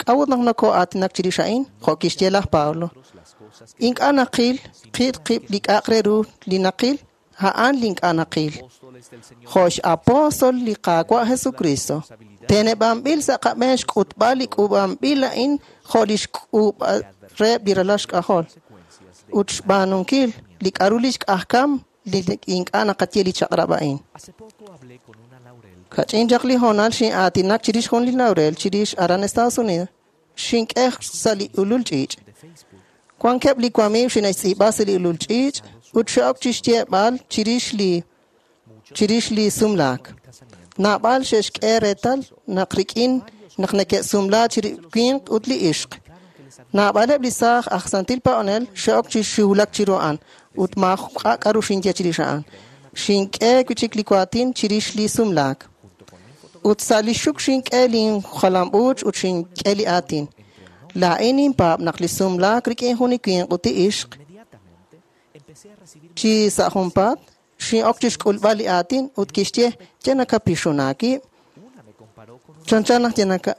K'a'ut naq nokoo'aatinak chirix a'in jo' kixye laj Pablo. Ink'a' naqil qil qib' li k'a'aq re ru li naqil a'an li ink'a' naqil. Jo' x'apóstol li Qaawa' Jesucristo teneb'anb'il sa' qab'een xk'utb'al li k'uub'anb'il a'in jo' li xk'uub' reheb' li ralal xk'ajol ut xb'aanunkil li k'a'ru li xk'ajkam li ink'a' naqaye li chaq'rab' a'in. Kach'in chaq li hoonal xin'aatinak chirix jun li laurel chirix aran Estados Unidos xink'ej sa' li ulul ch'iich'. Wankeb' li wamiiw xine'xtz'iib'a sa' li ulul ch'iich' ut xe'ok chixyeeb'al chirix li chirix li sumlaak. Naab'al xe'xk'e reetal naq rik'in naq neke'sumla chiri winq ut li ixq. Naab'aleb' li saaj aj santil paab'anel xe'ok chi xiwlak chiru a'an ut maak'a' k'aru xinye chirix a'an. Xink'e wi' chik li waatin chirix li sumlaak. Ut sa' li xuk xink'e linjalam'uuch ut xink'e li aatin. Laa'in ninpaab' naq li sumlaak rik'in jun li winq ut li ixq chi sa' junpaat xin'ok chixk'ulb'al li aatin ut kixye ye nakapixun aawib'. Chanchan naq ye naka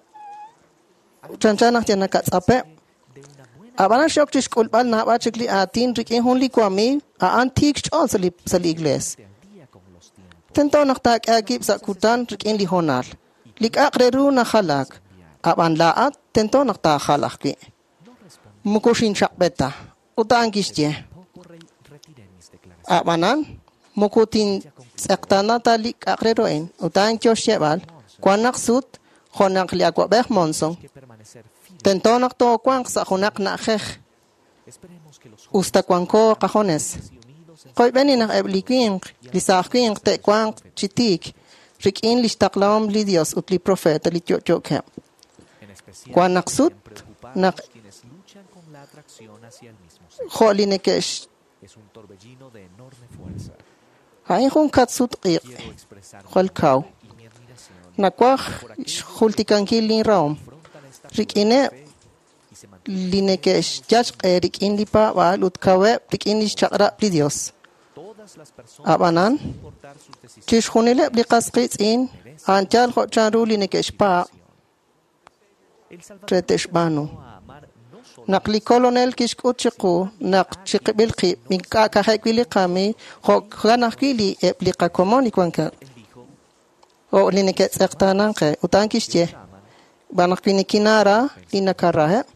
chanchan naq ye nakatz'apeb'. Ab'anan xe'ok chixk'ulb'al naab'al chik li aatin rik'in jun li wamiiw a'an tiik xch'ool sa' li sa' li iglees. Tento naq taak'e aawib' sa' kutan rik'in li hoonal. Li k'a'aq re ru najalaak. Ab'an laa'at tento naq taajal ajwi'. Moko xinchaq'b'e ta. Ut a'an kixye. Ab'anan moko tintz'eqtaana ta li k'a'aq re ru a'in. Ut a'an yo xyeeb'al wan naq sut jo' naq li awa'b'ej Monson. Tento naq toowanq sa' junaq na'ajej. Usta wanko qajones. Qoyb'eni naq eb' li winq, li saaj winq te'wanq chi tiik rik'in lix taqlahom li Dios ut li profeta li yo'yookeb'. Wan naq sut naq jo' li neke'x a'in jun katsut q'iq' jwal kaw. Nawaj xjultikankil linrahom rik'ineb' li neke'xyal xq'e rik'in li paab'aal ut kaweb' rik'in lix chaq'rab' li Dios. Ab'anan chixjunileb' li qas qiitz'in a'an yal jo' chanru li neke'xpaab' re te'xb'aanu. Naq li kolonel kixk'ut chiqu naq chiqib'il qib' ink'a' ka'ajwi' li qamiiw jo'kan ajwi' li eb' li qakomon li wankeb' o li neke'tz'eqtaanan qe. Ut a'an kixye b'an naq wi nikinaara li nakaraheb'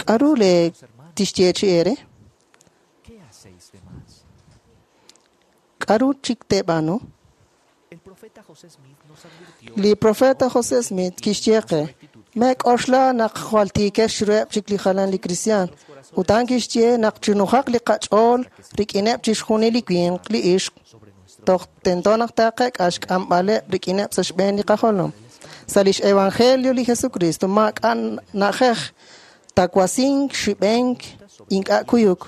k'aru le tixye chi eere? K'aru chik teeb'aanu? Li profeta José Smith kixye qe meek'oxla naq jwal tiikex chiruheb' chik li jalan li kristiaan. Ut a'an kixye naq chinujaq li qach'ool rik'ineb' chixjunil li winq li ixq toj tento naq taaqek'a xk'amb'aleb' rik'ineb' sa' xb'een li qajolom. Sa' lix evangelio li Jesucristo maak'a' na'ajej tawasink xib'enk ink'a' kuyuk.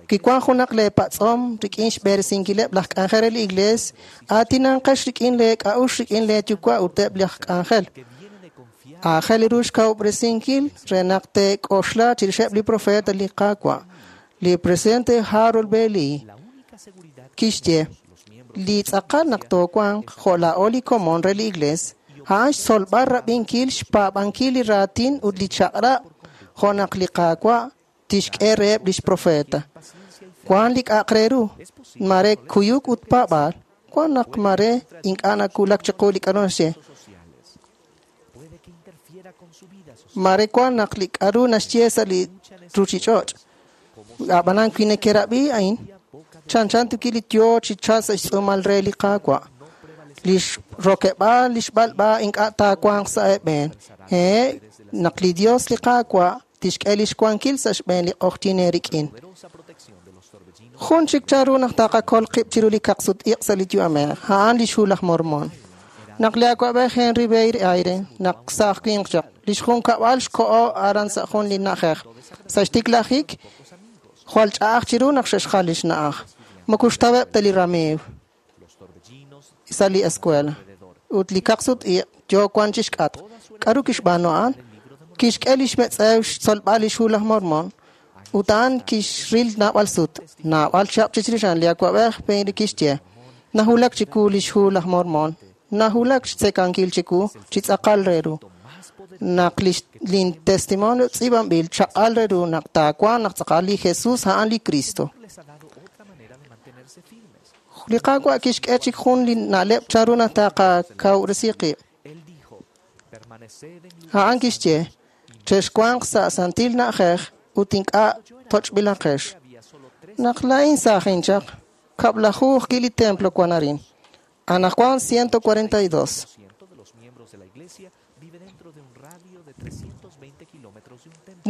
Kiwan junaq leepatz'om rik'in xb'eresinkileb' laj k'anjel re li iglees aatinanqex rik'in leek'a'ux rik'in leeyuwa' ut eb' laj k'anjel. Aajel ru xkawub'resinkil re naq teek'oxla chirixeb' li profeta li Qaawa'. Li presidente Harold B. Lee kixye li tz'aqal naq toowanq jo' laa'o li komon re li iglees a'an xtzolb'al rab'inkil xpaab'ankil li raatin ut li chaq'rab' jo' naq li Qaawa' tixk'e reheb' lix profeta. Wan li k'a'aq re ru mare kuyuk ut paab'aal wan naq mare ink'a' nakulak chiqu li k'aru naxye. Mare wan naq li k'aru naxye sa' li ruchich'och'. Ab'anan wi nekerab'i a'in chanchan tuki li yo chi chalk sa' xtz'uumal re li Qaawa'. Lix rokeb'aal lix b'alb'a ink'a' taawanq sa' eeb'een. He naq li Dios li Qaawa' tixk'e lix wankil sa' xb'een li q'ojyin eerik'in. Jun chik chanru naq taqakol qib' chiru li kaqsut-iq' sa' li yu'amej a'an lix hu laj Mormon. Naq li awa'b'ej Henry B. Eyring naq saaj winq chaq lix junkab'al xko'o aran sa' jun li na'ajej. Sa' xtiklajik jwal ch'a'aj chiru naq xe'xjal lix na'aj. Moko xtaweb' ta li ramiiw sa' li escuela. Ut li kaqsut-iq' yo wan chixk'atq. K'aru kixb'aanu a'an? Kixk'e lix metz'ew xtzolb'al lix hu laj Mormon. Ut a'an kixril naab'al sut. Naab'al chihab' chirix a'an li awa'b'ej Henry kixye nahulak chiku lix hu laj Mormon. Nahulak xtzekankil chiku chi tz'aqal re ru. Naq lin testimonio tz'iib'anb'il chaq'al re ru naq taawanq naq tz'aqal li Jesus a'an li Cristo. Li Qaawa' kixk'e chik jun li na'leb' chanru naq taqakawresi qib'. A'an kixye chexwanq sa' santil na'ajej ut ink'a' toch'b'ilaqex. Naq laa'in saajin chaq Kab'laju ajwi' li templo wan arin. Anaqwan ciento cuarenta y dos.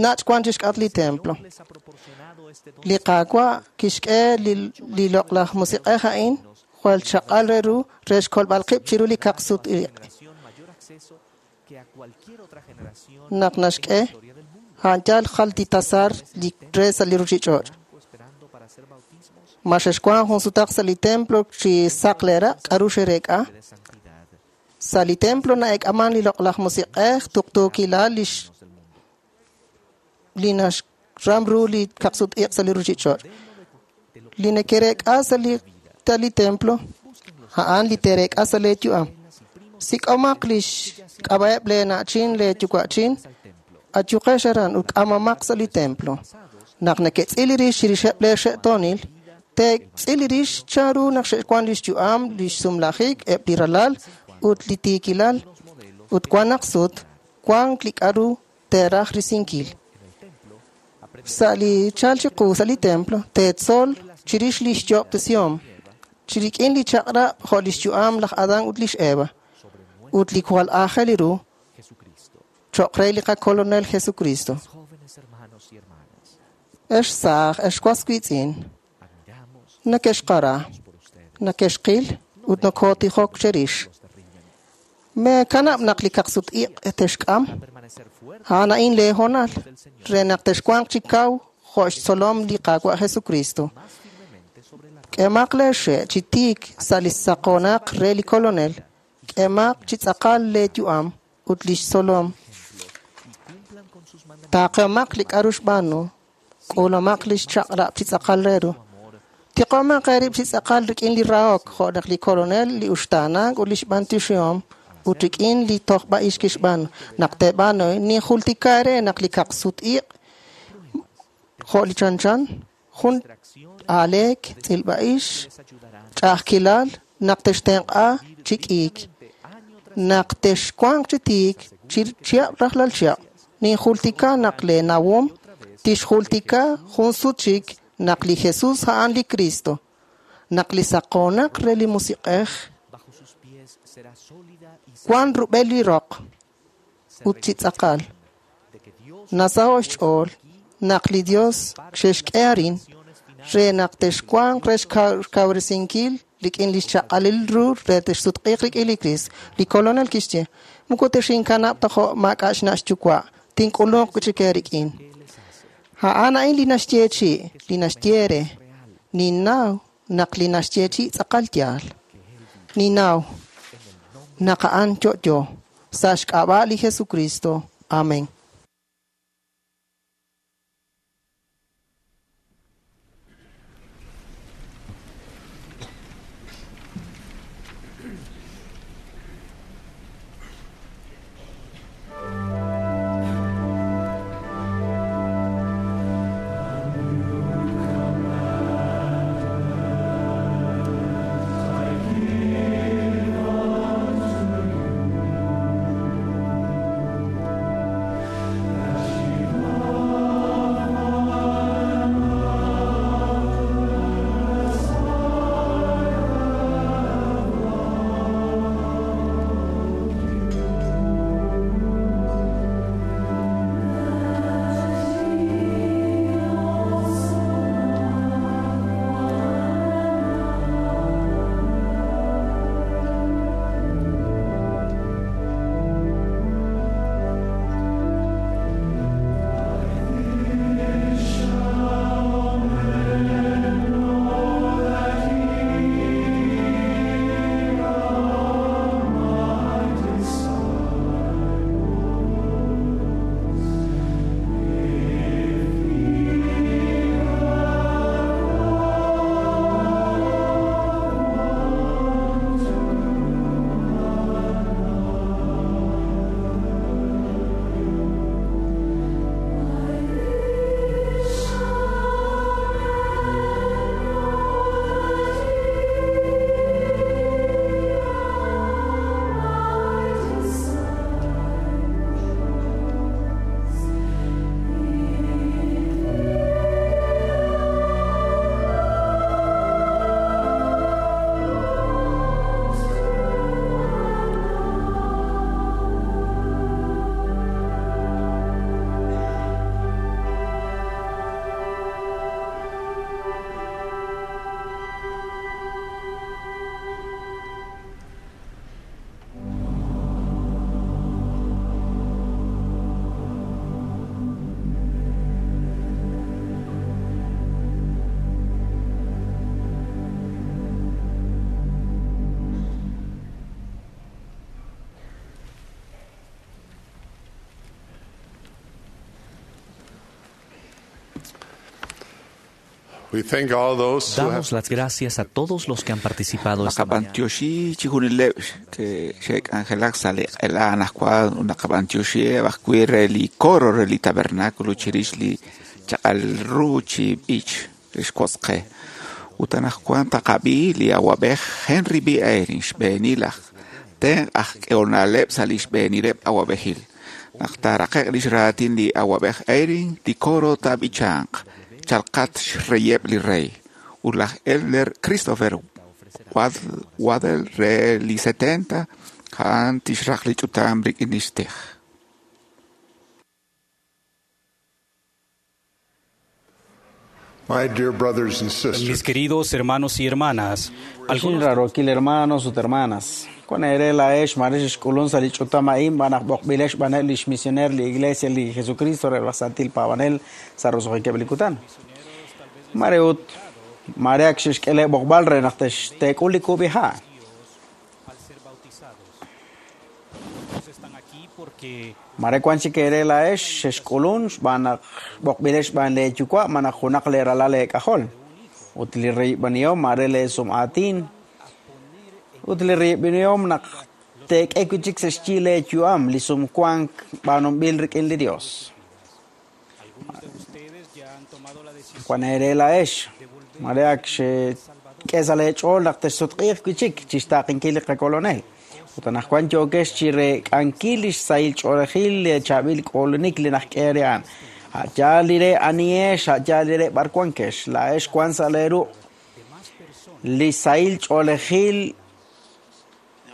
Nach' wan chixk'atq li templo. Li Qaawa' kixk'e li li loq'laj musiq'ej a'in jwal chaq'al re ru re xkolb'al qib' chiru li kaqsut-iq'. Naq naxk'e, a'an yal jal li tasar li re sa' li ruchich'och'. Ma xexwan jun sutaq sa' li templo chi saq leeraq' k'aru xereek'a? Sa' li templo na'eek'aman li loq'laj musiq'ej tuqtuukilal lix li naxram ru li kaqsut-iq' sa' li ruchich'och'. Li nekereek'a sa' li ta li templo, a'an li tereek'a sa' lee yu'am. Sik'omaq lix k'ab'a'eb' lee na'chin, lee yuwa'chin, ayuqex aran ut k'amamaq sa' li templo. Naq neketz'il rix chirixeb' lee xe'toonil, teetz'il rix chanru naq xe'wan lix yu'am, lix sumlajik, eb' li ralal ut li tiikilal, ut wan naq sut, wan li k'aru teeraj risinkil. Sa' li chal chiqu sa' li templo, teetzol chirix lix yo'ob'tesihom, chirik'in li chaq'rab' jo' lix yu'am laj Adán ut lix Eva, ut li jwal aajel ru cho'q re li qakolonel Jesucristo. Ex saaj, ex was wiitz'in, nakexqara, nakexqil ut nokotijok cherix. Meekanab' naq li kaqsut-iq' texk'am, a'an a'in lee hoonal re naq texwanq chi kaw jo' xtzolom li Qaawa' Jesucristo. K'emaq lee xe' chi tiik sa' li saqoonaq re li kolonel, k'emaq chi tz'aqal lee yu'am ut lix tzolom. Taaqemaq li k'aru xb'aanu, k'uulamaq lix chaq'rab' chi tz'aqal re ru. Tiqomaq eerib' chi tz'aqal rik'in li rahok jo' naq li kolonel li uxtaanank ut lix b'antioxihom ut rik'in li tojb'a'ix kixb'aanu. Naq teeb'aanu, ninjultika eere naq li kaqsut-iq' jo' li chanchan, jun aaleek, tz'ilb'a'ix, ch'a'ajkilal, naq textenq'a chi k'iik, naq texwanq chi tiik, chi chihab' rajlal chihab'. Ninjultika naq lee nawom tixjultika jun sut chik naq li Jesus a'an li Cristo, naq li saqoonaq re li musiq'ej wan rub'el li roq ut chi tz'aqal. Nasaho' xch'ool naq li Dios xexk'e arin re naq texwanq re xkawresinkil rik'in lix chaq'alil ru re texsutq'iiq rik'in li Cristo. Li kolonel kixye, moko texinkanab' ta jo' maak'a' xna' xyuwa', tink'ulunq chik eerik'in. A'an a'in li naxyeechi', li naxye re, ninnaw naq li naxyeechi' tz'aqal yaal. Ninnaw naq a'an yo'yo sa' xk'ab'a' li Jesucristo. Amén. We thank all those who have Damos las gracias a todos los que han participado esta mañana. Naqab'antioxi chijunileb' ke xe'k'anjelak sa' li q'ela anaqwan ut naqab'antioxieb' ajwi' re li coro re li tabernáculo chirix li chaq'al ru chi b'ich xwotzqe. Ut anaqwan taqab'i li awab'ej Henry B. Eyring xb'eenil aj tenq' aj k'ehonaleb' sa' li xb'eenileb' awab'ejil. Naq taaraqe'q lix raatin li awab'ej Eyring, li coro taab'ichanq chalqat xreyeb' li rey. Ut laj Elder Christopher Wad- Waddell re li setenta a'an tixraq li ch'utam rik'in lix tij. My dear brothers and sisters, Mis queridos hermanos y hermanas, Algunos rarokil hermanos ut hermanas. Con ere la ex marex xk'ulun sa' li ch'utam a'in b'an aj b'oqb'ilex b'aneb' lix misioner li Iglesia li Jesucristo re laj Santil Paab'anel sa' roso'jikeb' li kutan. Mare ut mare ak xe'xk'eleb' b'oqb'al re naq tex- teek'ul li kub'iha'. Otros están aquí porque Mare wan chik ere la ex xe'xk'ulun xb'aan naq b'oqb'ilex xb'aan leeyuwa' ma naq junaq leeralal leek'ajol. Ut li riib'anihom mare leesum'aatin. Ut li riib'anihom naq teek'e wi' chik sa' xyi leeyu'am li sumwank b'aanunb'il rik'in li Dios. ustedes ya han tomado la decisión Wan ere la ex mare ak xe'k'e sa' leech'ool naq texsutq'iiq wi' chik chixtaaqinkil li qakolonel. Ut anaqwan yookex chi reek'ankil li xsahil ch'oolejil li chaab'il k'oolunik li najk'e re a'an. A' yaal li re anihex, a' yaal li re b'ar wankex, laa'ex wan sa' leeru' li sahil ch'oolejil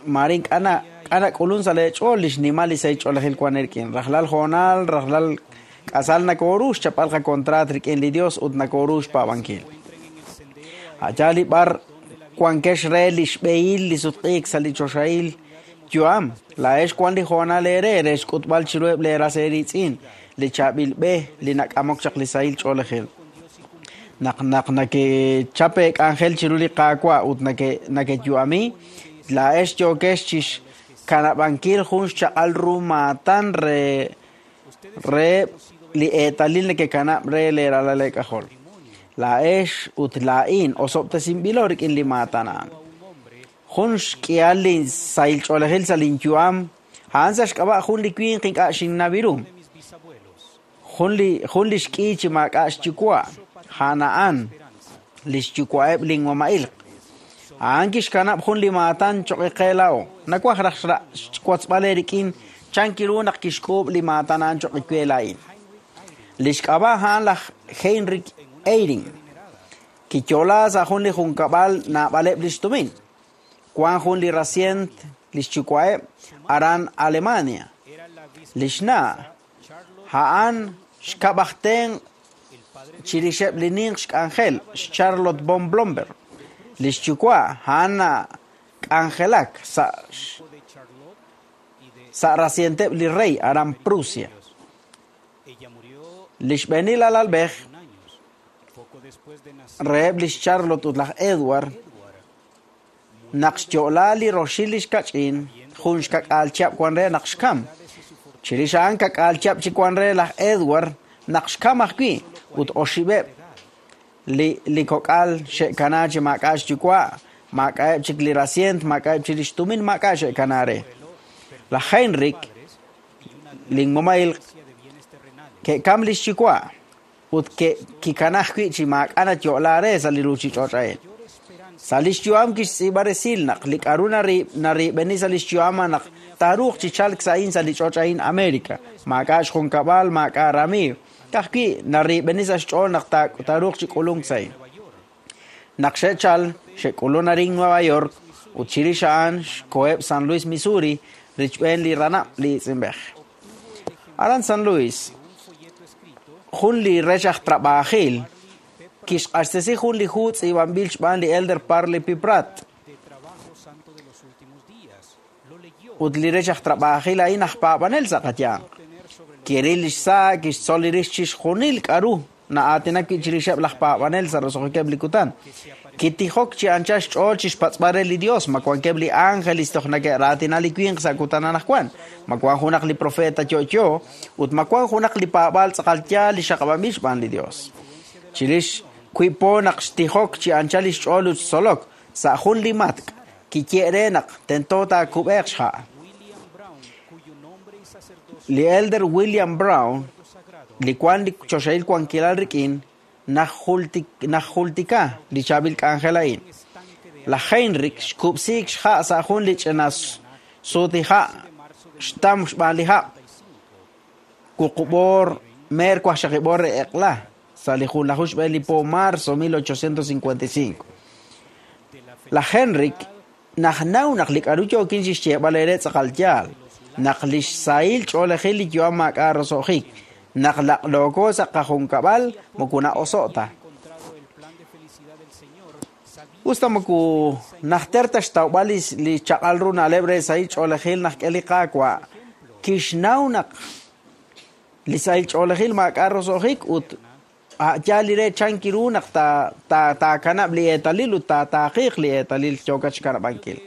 mare ink'a' na- ink'a' nak'ulun sa' leech'ool li xnimal li sahil ch'oolejil wan eerik'in. Rajlal hoonal, rajlal k'asal nakooru xchapb'al qakontraat rik'in li Dios ut nakooru xpaab'ankil. A' yaal li b'ar wankex re li xb'ehil li sutq'iik sa' li choxahil yu'am. Laa'ex wan li hoonal eere re xk'utb'al chiruheb' leeras eeritz'in li chaab'il b'e li nak'amok chaq li sahil ch'oolejil. Naq naq nakechap eek'anjel chiru li Qaawa' ut nake nakeyu'ami, laa'ex yookex chixkanab'ankil jun xchaq'al ru maatan re re li eetalil nekekanab' re leeralal eek'ajol. Laa'ex ut laa'in osob'tesinb'ilo rik'in li maatan a'an. Jun xk'ihal li sahil ch'oolejil sa' linyu'am, a'an sa' xk'ab'a' jun li winq ink'a' xinnaw ru. Jun li jun li xk'i chi maak'a' xyuwa', a'an a'an li xyuwa'eb' linmama'ilq. A'an kixkanab' jun li maatan choq' qe laa'o. Nawaj raj xra- xwotzb'al eerik'in chan kiru naq kixk'uub' li maatan a'an choq' we laa'in. Li xk'ab'a' a'an laj Heinrich Eyring. Kiyo'la sa' jun li junkab'al naab'aleb' lix tumin. Wan jun li rasient li xyuwa'eb' aran Alemania. Lix na' a'an xkab' aj tenq' chirixeb' li ninq xk'anjel Charlotte von Blomberg. Li xyuwa' a'an k'anjelak sa' sa' rasienteb' li rey aran Prusia. Li xb'eenil alalb'ej poco después de nacer reheb' lix Charlotte ut laj Edward naq xyo'la li roxil li xkach'in jun xkak'aal chihab' wan re naq xkam. Chirix a'an kak'aal chihab' chik wan re laj Edward naq xkam ajwi' ut oxib'eb' li li kok'al xe'kana chi maak'a' xyuwa', maak'a'eb' chik li rasient, maak'a'eb' chik lix tumin, maak'a' xe'kana re. Laj Heinrich linmama'il ke'kam lix yuwa' ut ke- kikana ajwi' chi maak'a' nayo'la re sa' li ruuchich'och' a'in. Sa' lix yu'am kixtz'iib'a resil naq li k'aru nari- nariib'eni sa' lix yu'am naq taaruuq chi chalk sa' a'in sa' li ch'och' a'in América. Maak'a' xjunkab'al, maak'a' ramiiw. Ka'ajwi' nariib'eni sa' xch'ool naq ta- taaruuq chi k'ulunk sa' a'in. Naq xe'chal, xe'k'ulun arin Nueva York ut chirix a'an xkoheb' San Luis, Missouri, richb'een li ranab' li itz'inb'ej. Aran San Luis, jun li rech aj trabajil kixq'axtesi jun li hu tz'iib'anb'il xb'aan li Elder Parley P. Pratt. de trabajo santo de los últimos días. Lo leyó Ut li rech aj trabajil a'in aj paab'anel sa' qayanq. Kiril lix sa' kixtzol li rix chixjunil k'aru na'aatinak wi' chirixeb' laj paab'anel sa' roso'jikeb' li kutan. Kitijok chi anchal xch'ool chixpatz'b'al re li Dios, ma wankeb' li ángeles toj nake'raatina li winq sa' kutan anaqwan, ma wan junaq li profeta yo'yo, ut ma wan junaq li paab'aal tz'aqal yaal li xaqab'anb'il xb'aan li Dios. Chirix Wiib' po naq xtijok chi anchal lix ch'ool ut xtzolok sa' jun li matk' kiye re naq tento taakub'eeq xha'. Li Elder William Brown, li wan li choxahil wankilal rik'in, najultika li chaab'il k'anjel a'in. Laj Heinrich xkub'siik xha' sa' jun li ch'ina sutiha' xtam xb'aan li hab'. Wuqub'or meer wajxaqib'or re eq'la sa' li junlaju xb'een li po marzo mil ochocientos cincuenta y cinco. Laj Heinrich najnaw naq li k'aru yookin chixyeeb'al ere tz'aqal yaal, naq li xsahil ch'oolejil li yu'am maak'a' roso'jik, naq laq'looko sa' qajunkab'al moko na'oso' ta. Usta moko najter ta xtawb'al li chaq'al ru na'leb' re sahil ch'oolejil naq k'e li Qaawa', kixnaw naq li sahil ch'oolejil maak'a' roso'jik ut a'yaal li re chanki ru naq taakanab' li eetalil ut taataaqiiq li eetalil yookat xkanab'ankil.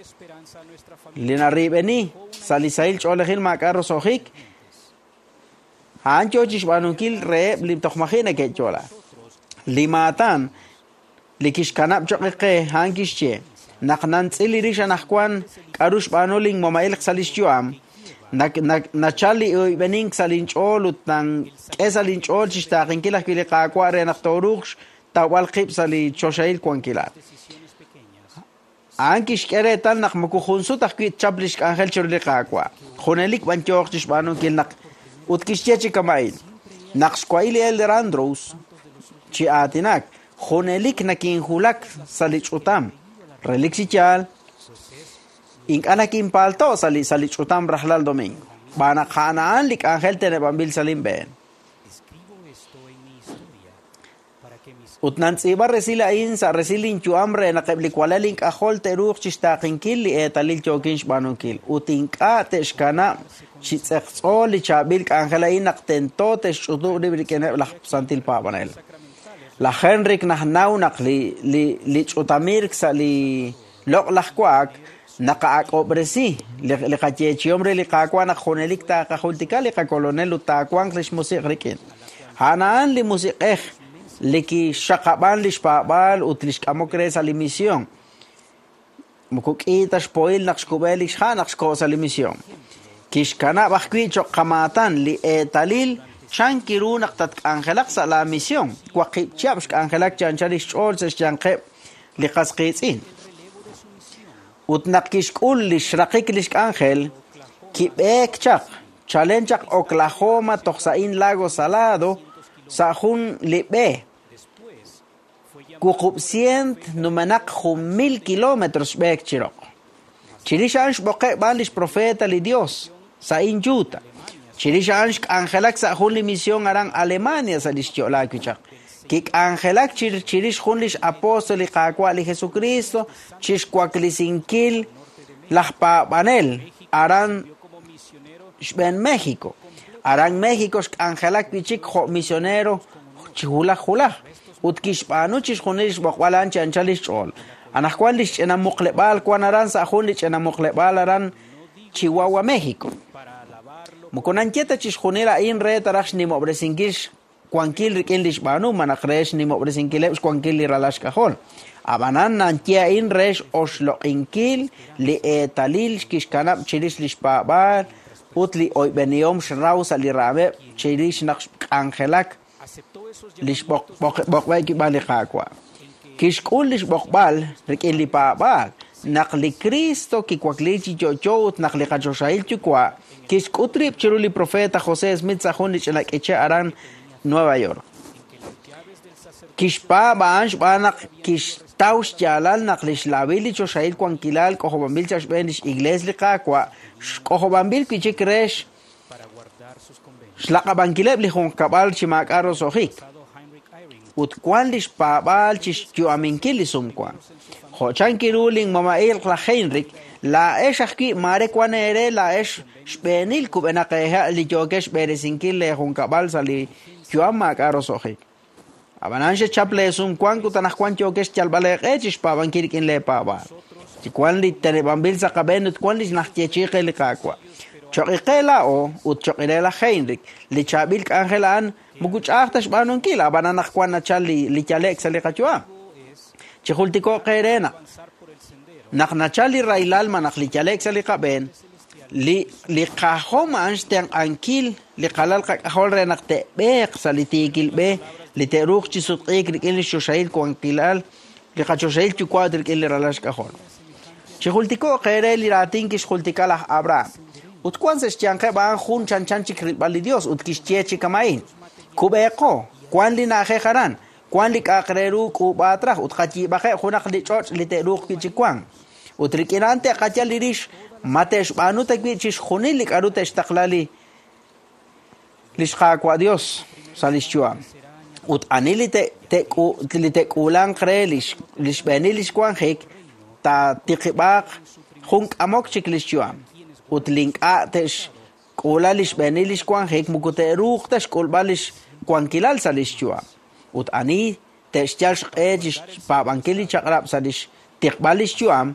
Li narib'eni sa' li sahil ch'oolejil maak'a' roso'jik, a'an yoo chixb'aanunkil reheb' li toj maji' neke'yo'la. Li maatan li kixkanab' choq' qe a'an kixye naq nantz'il li rix anaqwan k'aru xb'aanu linmoma'ilq sa' lix yu'am, nachal li oyb'enink sa' linch'ool ut nank'e sa' linch'ool chixtaaqinkil ajwi' li Qaawa' re naq tooruuq xtawb'al qib' sa' li choxahil wankilal. A'an kixk'e reetal naq moko jun sut ajwi' tchap li xk'anjel chiru li Qaawa'. Junelik b'an yooq chixb'aanunkil naq ut kixye chi kama'in naq xwa'il li Elder Andrews chi aatinak, junelik nakinjulak sa' li ch'utam. Relik chi yaal, ink'a' nakinpalto' sa' li sa' li ch'utam rajlal domingo. B'anaq a'an li k'anjel teneb'anb'il sa' linb'een. Ut nantz'iib'a resil a'in sa' resil linyu'am re naq eb' li walal ink'ajol te'ruuq chixtaaqinkil li eetalil yookin xb'aanunkil ut ink'a' te'xkanab' chi tz'eqtz'o li chaab'il k'anjel a'in naq tento te'xch'utub' rib' rik'ineb' laj santil paab'anel. Laj Heinrich najnaw naq li li li ch'utamirk sa' li loq'laj wa'ak naqa'ak'ob'resi li qayeechihom re li Qaawa' naq junelik taaqajultika li qakolonel ut taawanq lix musiq' rik'in. A'an a'an li musiq'ej li kixxaqab'an lix paab'aal ut lix k'amok re sa' li misión. Moko k'i ta xpohil naq xkub'e lix ha' naq xko' sa' li misión. Kixkanab' ajwi' choq' qamaatan li eetalil chanki ru naq tatk'anjelaq sa' la misión. Waqib' chihab' xk'anjelak chi anchal lix ch'ool sa' xyanqeb' li qas qiitz'in. Ut naq kixk'ul lix raqik lix k'anjel, kib'eek chaq, chalen chaq Oklahoma toj sa' in Lago Salado, sa' jun li b'e. Wuqub' cient numenaq jun mil kilómetros xb'eek chiroq. Chirix a'an xb'oqe' b'an lix profeta li Dios sa' in Utah. Chirix a'an xk'anjelak sa' jun li misión aran Alemania sa' lix yo'laak wi' chaq. Kik'anjelak chirix jun lix apóstol li Qaawa' li Jesucristo chixwaklisinkil laj paab'anel aran xb'een México. Aran México xk'anjelak wi' chik jo' misionero chi hulaj hulaj ut kixb'aanu chixjunil xb'oqb'al a'an chi anchal lix ch'ool. Anaqwan lix ch'ina muqleb'aal wan aran sa' jun li ch'ina muqleb'aal aran Chihuahua, México. Moko nanye ta chixjunil a'in re taraj xnimob'resinkil xwankil rik'in lix b'aanu manaq re xnimob'resinkileb' xwankil li ralal xk'ajol. Ab'anan nanye a'in re x'oxloq'inkil li eetalil kixkanab' chirix lix paab'aal ut li oyb'enihom xraw sa' li raameb' chirix naq xk'anjelak lix b'oqb'e kib'an li Qaawa'. Kixk'ul lix b'oqb'al rik'in li paab'aal naq li Cristo kiwakli chi yo'yo ut naq li qachoxahil yuwa' kixk'ut rib' chiru li profeta José Smith sa' jun li ch'ina k'iche' aran Nueva York. Kixpaab' a'an xb'aan naq kixtaw xyaalal naq lix laawil li choxahil wankilal k'ojob'anb'il sa' xb'een lix iglees li Qaawa' xk'ojob'anb'il wi' chik re xlaq'ab'ankileb' li junqkab'al chi maak'a' roso'jik ut wan lix paab'aal chixyu'aminkil li sumwank. Jo' chanki ru linmama'ilq laj Heinrich, laa'ex ajwi' maare wan eere laa'ex xb'eenil kub'enaq eeha' li yookex xb'eresinkil leejunkab'al sa' li yu'am maak'a' roso'jik. Ab'anan xechap leesumwank ut anaqwan yookex xyalb'al eeq'e chixpaab'ankil rik'in leepaab'aal. Chi wan li teneb'anb'il sa' qab'een ut wan li najyeechi'i qe li Qaawa'. Choq' qe laa'o ut choq' re laj Heinrich, li chaab'il k'anjel a'an moko ch'a'aj ta xb'aanunkil, ab'anan naq wan nachal li li yale'k sa' li qayu'am. Chijultiko'q qe re naq naq nachal li rahilal ma naq li yale'k sa' li qab'een, li li qajom a'an xtenq'ankil li qalal qak'ajol re naq te'b'eeq sa' li tiikil b'e, li te'ruuq chi sutq'iik rik'in li xoxahil wankilal, li qachoxahil yuwa' ut rik'in li ralal xk'ajol. Chijultiko'q qe re li raatin kixjultika laj Abraham. Ut wan sa' xyanqeb' a'an jun chanchan chik rilb'al li Dios ut kixye chi kama'in. Kub'eeqo, wan li na'ajej aran, wan li k'a'aq re ru k'uub'aat raj ut qayiib'aqeb' junaq li ch'och' li te'ruuq wi' chi wank. Ut rik'in a'an te'qayal li rix ma te'xb'aanu ta wi' chixjunil li k'a'ru te'xtaqla li li xqaawa' Dios sa' li xyu'am. Ut ani li te'k'u li te'k'uulanq re li li xb'eenil li xwanjik taatiqib'aaq jun k'amok chik li xyu'am. Ut li ink'a' te'xk'uula li xb'eenil li xwanjik moko te'ruuq ta xk'ulb'al li xwankilal sa' li xyu'am. Ut ani te'xyal xq'e chi xpaab'ankil li chaq'rab' sa' li xtiqb'al li xyu'am,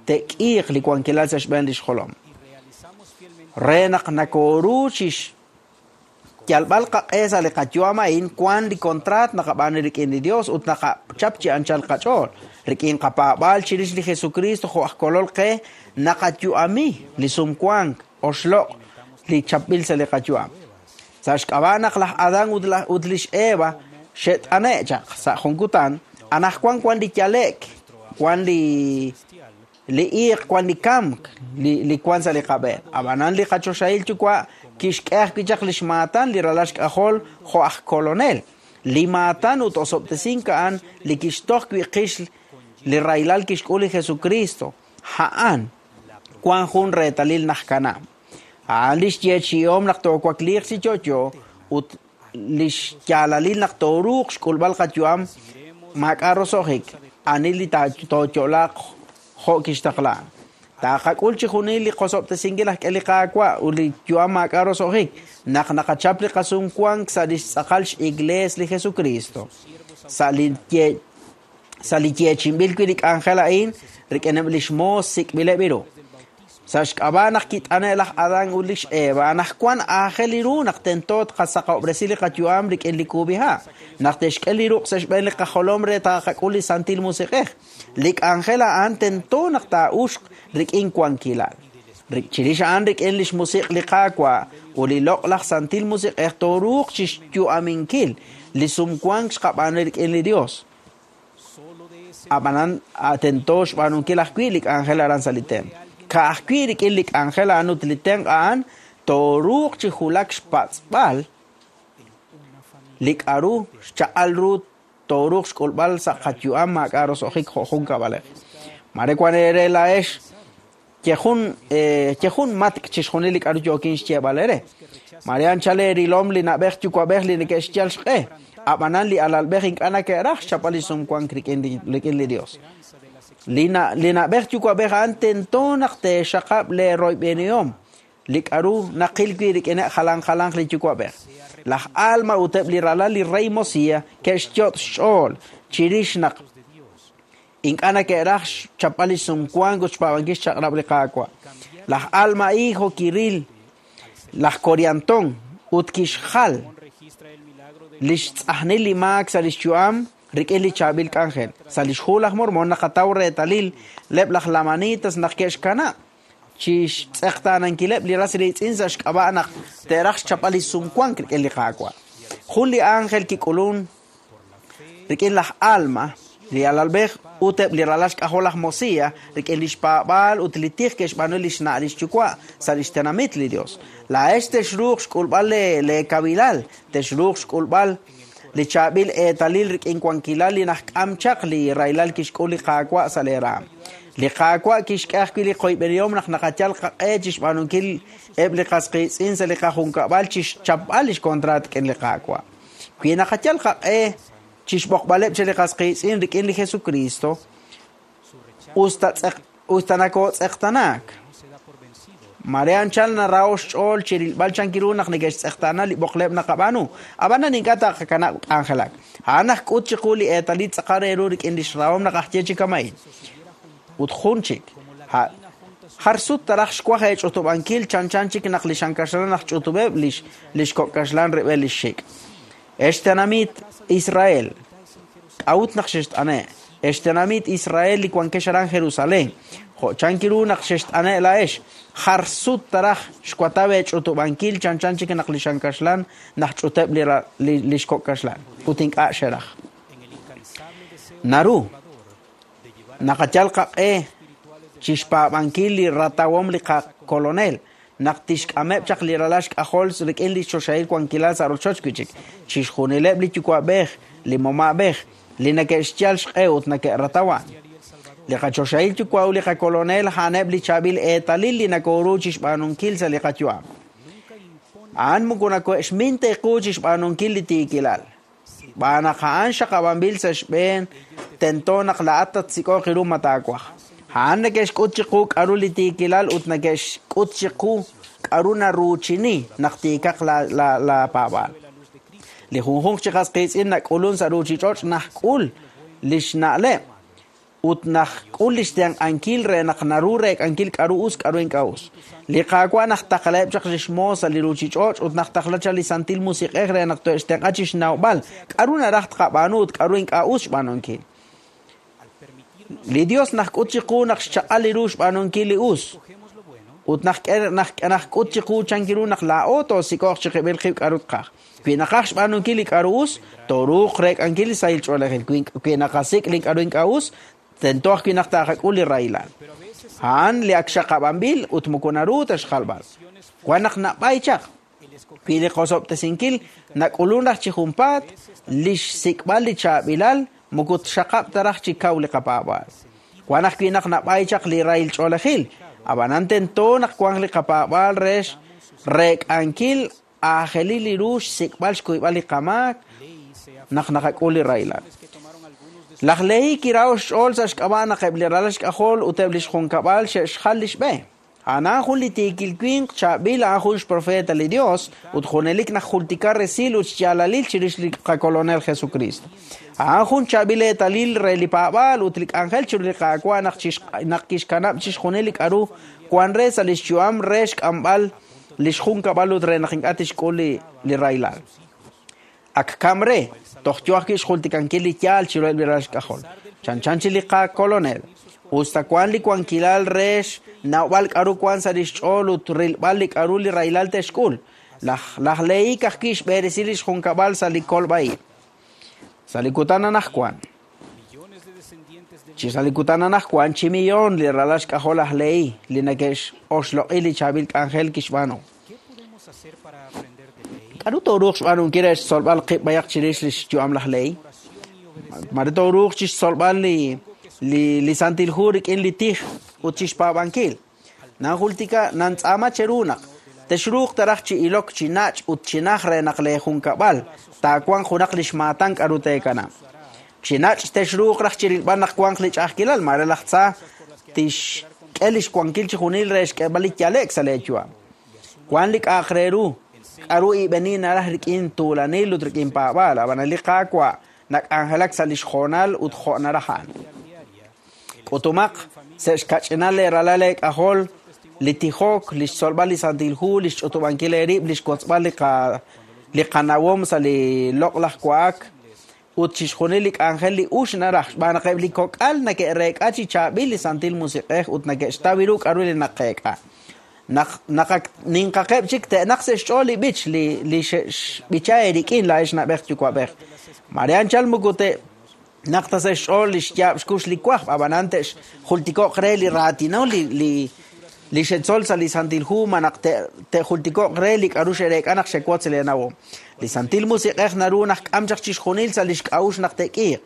te'k'iiq li wankilal sa' xb'een li xjolom. Re naq nakooru chi xyalb'al qaq'e sa' li qayu'am a'in, wan li kontraat naqab'aanu rik'in li Dios ut naqachap chi anchal qach'ool. Rik'in qapaab'aal chirix li Jesucristo jo' aj kolol qe, naqayu'ami li sumwank oxloq' li chapb'il sa' li qayu'am. Sa' xk'ab'a' naq laj Adán ut laj ut lix Eva xe't'ane' chaq sa' jun kutan, anajwan wan li yale'k, wan li li iiq, wan li kamk, li li wan sa' li qab'een. Ab'anan li qachoxahil yuwa' kixk'e ajwi' chaq li xmaatan li ralal xk'ajol jo' aj kolonel. Li maatan ut osob'tesink a'an li kixtoj wi' qix li rahilal kixk'ul li Jesucristo. A'an wan jun reetalil naj kanab'. A'an li xyeechi'om naq toowakliiq chi yo'yo ut li xyaalalil naq tooruuq xk'ulb'al qayu'am maak'a' roso'jik, ani li tooyo'laaq jo' kixtaqla. Taaqak'ul chi junil li qosob'tesinkil aj k'e li qaawa' ut li yu'am maak'a' roso'jik naq naqachap li qasumwank sa' li xtz'aqal x'iglees li Jesucristo. Sa' li ye sa' li yeechi'inb'il wi' li k'anjel a'in rik'ineb' li xmoos sik'b'ileb' ru. Sa' xk'ab'a' naq kit'ane' laj Adán ut lix Eva, anajwan aajel li ru naq tento tqasaqob'resi li qayu'am rik'in li kub'iha', naq te'xk'e li ruq' sa' xb'een li qajolom re taaqak'ul li Santil Musiq'ej. Li k'anjel a'an tento naq taa'uxq rik'in wankilal. Chirix a'an rik'in li xmusiq' li Qaawa' ut li loq'laj Santil Musiq'ej tooruuq chi xyu'aminkil li sumwank xqab'aanu rik'in li Dios. Ab'anan tento xb'aanunkil ajwi' li k'anjel aran sa' li templo. Ka'ajwi' rik'in li k'anjel a'an ut li tenq' a'an tooruuq chi julak xpatz'b'al li k'a'ru xchaq'al ru tooruuq xk'ulb'al sa' qayu'am maak'a' roso'jik jo' jun kab'alej. Mare wan eere laa'ex yejun yejun matk' chixjunil li k'a'ru yookin xyeeb'al eere. Mare anchal eerilom li na'b'ej yuwa'b'ej li neke'xyal xq'e, ab'anan li alalb'ej ink'a' neke'raj xchapb'al li sumwank rik'in li rik'in li Dios. Li na li na'b'ej yuwa'b'ej a'an tento naq te'xaqab' leeroyb'enihom li k'a'ru naqil wi' rik'ineb' jalan jalanq li yuwa'b'ej. Laj Alma ut eb' li ralal li rey Mosiah ke'xyot' xch'ool chirix naq ink'a' neke'raj xchapb'al li sumwank ut xpaab'ankil xchaq'rab' li Qaawa'. Laj Alma hijo kiril laj Coriantón ut kixjal li xtz'ajnil li maak sa' li xyu'am rik'in li chaab'il k'anjel. Sa' li xhu laj Mormon naqataw reetalil leb' laj Lamanitas naq ke'xkanab' chi xtz'eqtaanankileb' li ras riitz'in sa' xk'ab'a' naq te'raj xchapb'al li sumwank rik'in li Qaawa'. Jun li ángel kik'ulun rik'in laj Alma, li alalb'ej ut eb' li ralal xk'ajol laj Mosiah rik'in li xpaab'aal ut li tij ke'xb'aanu li xna' li xyuwa' sa' li xtenamit li Dios. Laa'ex texruuq xk'ulb'al le leekabilal, texruuq xk'ulb'al li chaab'il eetalil rik'in wankilal li najk'am chaq li rahilal kixk'ul li Qaawa' sa' leeraam. Li Qaawa' kixk'e ajwi' li qoyb'enihom naq naqayal qaq'e chi xb'aanunkil eb' li qas qiitz'in sa' li qajunkab'al chi xchapb'al li xkontraat rik'in li Qaawa'. Wi naqayal qaq'e chi xb'oqb'aleb' chi li qas qiitz'in rik'in li Jesucristo, usta tz'eq usta nakootz'eqtanaak. Mare anchal narao xch'ool chirilb'al chankiru naq neke'xtz'eqtaana li b'oqleb' naqab'aanu. Ab'anan ink'a' taqakanab' k'anjelak. A'an aj k'ut chiqu li eetalil tz'aqal re ru rik'in li xrahom naq aj ye chi kama'in. Ut jun chik, Jar sut taraj xwaj eech'utub'ankil chanchan chik naq li xankaxlan naq ch'utub'eb' lix lix kok'kaxlan rib'el lix xik'. Ex tenamit Israel, k'a'ut naq xext'ane'. Ex tenamit Israel li wankex aran Jerusalén. Jo' chankiru naq xext'ane' la'ex. Jar sut taraj xwatab eech'utub'ankil chanchan chik naq li xankaxlan naq ch'uteb' li li lix kok'kaxlan. Ut ink'a' xeraj. Naru naqayal qaq'e chixpaab'ankil li ratawom li qakolonel naq tixk'ameb' chaq li ralal xk'ajol rik'in li choxahil wankilal sa' rochoch wi' chik. Chixjunileb' li yuwa'b'ej, li moma'b'ej, li neke'xyal xq'e ut neke'ratawa. Li qachoxahil yuwa' ut li qakolonel a'aneb' li chaab'il eetalil li nakoru chixb'aanunkil sa' li qayu'am. A'an moko nako'xmin teequ chixb'aanunkil li tiikilal. B'aan naq a'an xaqab'anb'il sa' xb'een tento naq la'at tatsik'oq ru ma taawaj. A'an neke'xk'ut chiqu k'aru li tiikilal ut neke'xk'ut chiqu k'aru naruuchini naq tiikaq la la la paab'aal. Li junjunq chi qas qiitz'in nak'ulun sa' ruuchich'och' najk'ul li xna'leb' ut najk'ul li xtenq'ankil re naq naru reek'ankil k'aru us k'aru ink'a' us. Li Qaawa' najtaqlaheb' chaq li xmoos sa' li ruuchich'och' ut najtaqla chaq li Santil Musiq'ej re naq to'xtenq'a chi xnawb'al k'aru naraj tqab'aanu ut k'aru ink'a' us xb'aanunkil. Li Dios najk'ut chiqu naq xchaq'al li ru xb'aanunkil li us. Ut naq najk'ut chiqu chankiru naq laa'o toosik'oq chiqib'il qib' k'aru tqaj. Wi naqaj xb'aanunkil li k'aru us, tooruuq reek'ankil li sahil ch'oolejil. Wi naqasik' li k'aru ink'a' us, tento ajwi' naq taaqak'ul li rahilal. A'an li ak xaqab'anb'il ut moko naru ta xjalb'al. Wan naq nab'ay chaq. Wi li qosob'tesinkil nak'ulun raj chi junpaat, li xsik'b'al li chaab'ilal moko txaqab' ta raj chi kaw li qapaab'aal. Wan ajwi' naq nab'ay chaq li rahil ch'oolejil. Ab'anan tento naq wanq li qapaab'aal re reek'ankil aajelil li ru xsik'b'al xkuyb'al li qamaak naq naqak'ul li rahilal. Laj Lehi kiraho xch'ool sa' xk'ab'a' naq eb' li ralal xk'ajol ut eb' li xjunkab'al xe'xjal li xb'e. A'an jun li tiikil winq chaab'il a'an jun xprofeta li Dios ut junelik naq jultika resil ut xyaalalil chirix li qakolonel Jesucristo. A'an jun chaab'il eetalil re li paab'aal ut li k'anjel chiru li Qaawa' naq naq kixkanab' chixjunil li k'aru wan re sa' li xyu'am re xk'amb'al li xjunkab'al ut re naq ink'a' tixk'ul li li rahilal. Ak kam re, toj yo ajwi' xjultikankil li yaal chiruheb' li ralal xk'ajol. Chanchan chi li qakolonel. Usta wan li wankilal re xnawb'al k'aru wan sa' li xch'ool ut rilb'al li k'aru li rahilal te'xk'ul. Laj laj Lehi kajwi' xb'eresi li xjunkab'al sa' li kolb'a'ib'. Sa' li kutan anajwan. Chi sa' li kutan anajwan chi millón li ralal xk'ajol laj Lehi li neke'xoxloq'i li chaab'il k'anjel kixb'aanu. K'aru tooruuq xb'aanunkil re xtzolb'al qib' b'ayaq chirix li xyu'am laj Lehi? Mare tooruuq chixtzolb'al li li li Santil Hu rik'in li tij ut chixpaab'ankil. Nanjultika nantz'aama cheru naq texruuq taraj chi ilok chi nach' ut chi naj re naq le junkab'al taawanq junaq li xmaatan k'aru teekanab'. Chi nach' texruuq raj chirilb'al naq wanq li ch'a'ajkilal mare laj tza tixk'e li xwankil chi junil re xk'eeb'al li yale'k sa' leeyu'am. Wan li k'a'aq re ru k'aru ib'eni naraj rik'in tuulanil ut rik'in paab'aal ab'an li Qaawa' nak'anjelak sa' li xjoonal ut jo' naraj a'an. K'utumaq sa' xkach'inal le ralal leek'ajol li tijok, li xtzolb'al li Santil Hu, li xch'utub'ankil eerib', li xwotzb'al li qa li qanawom sa' li loq'laj wa'ak ut chixjunil li k'anjel li ux naraj xb'aan naq eb' li kok'al neke'reek'a chi chaab'il li Santil Musiq'ej ut neke'xtaw ru k'aru li naqeek'a. Naq naq ninqaqeb' chik te'naq sa' xch'ool li b'ich li li xb'icha eerik'in la'ex nab'ej yuwa'b'ej. Mare anchal moko te naq ta sa' xch'ool li xyaab' xkux li wajb' ab'anan te'xjultiko'q re li raatino li li li xetzol sa' li Santil Hu ma naq te'jultiko'q re li k'aru xe'reek'a naq xewotz leenawom. Li Santil Musiq'ej naru naq k'am chaq chixjunil sa' li xk'a'uxl naq te'k'iiq.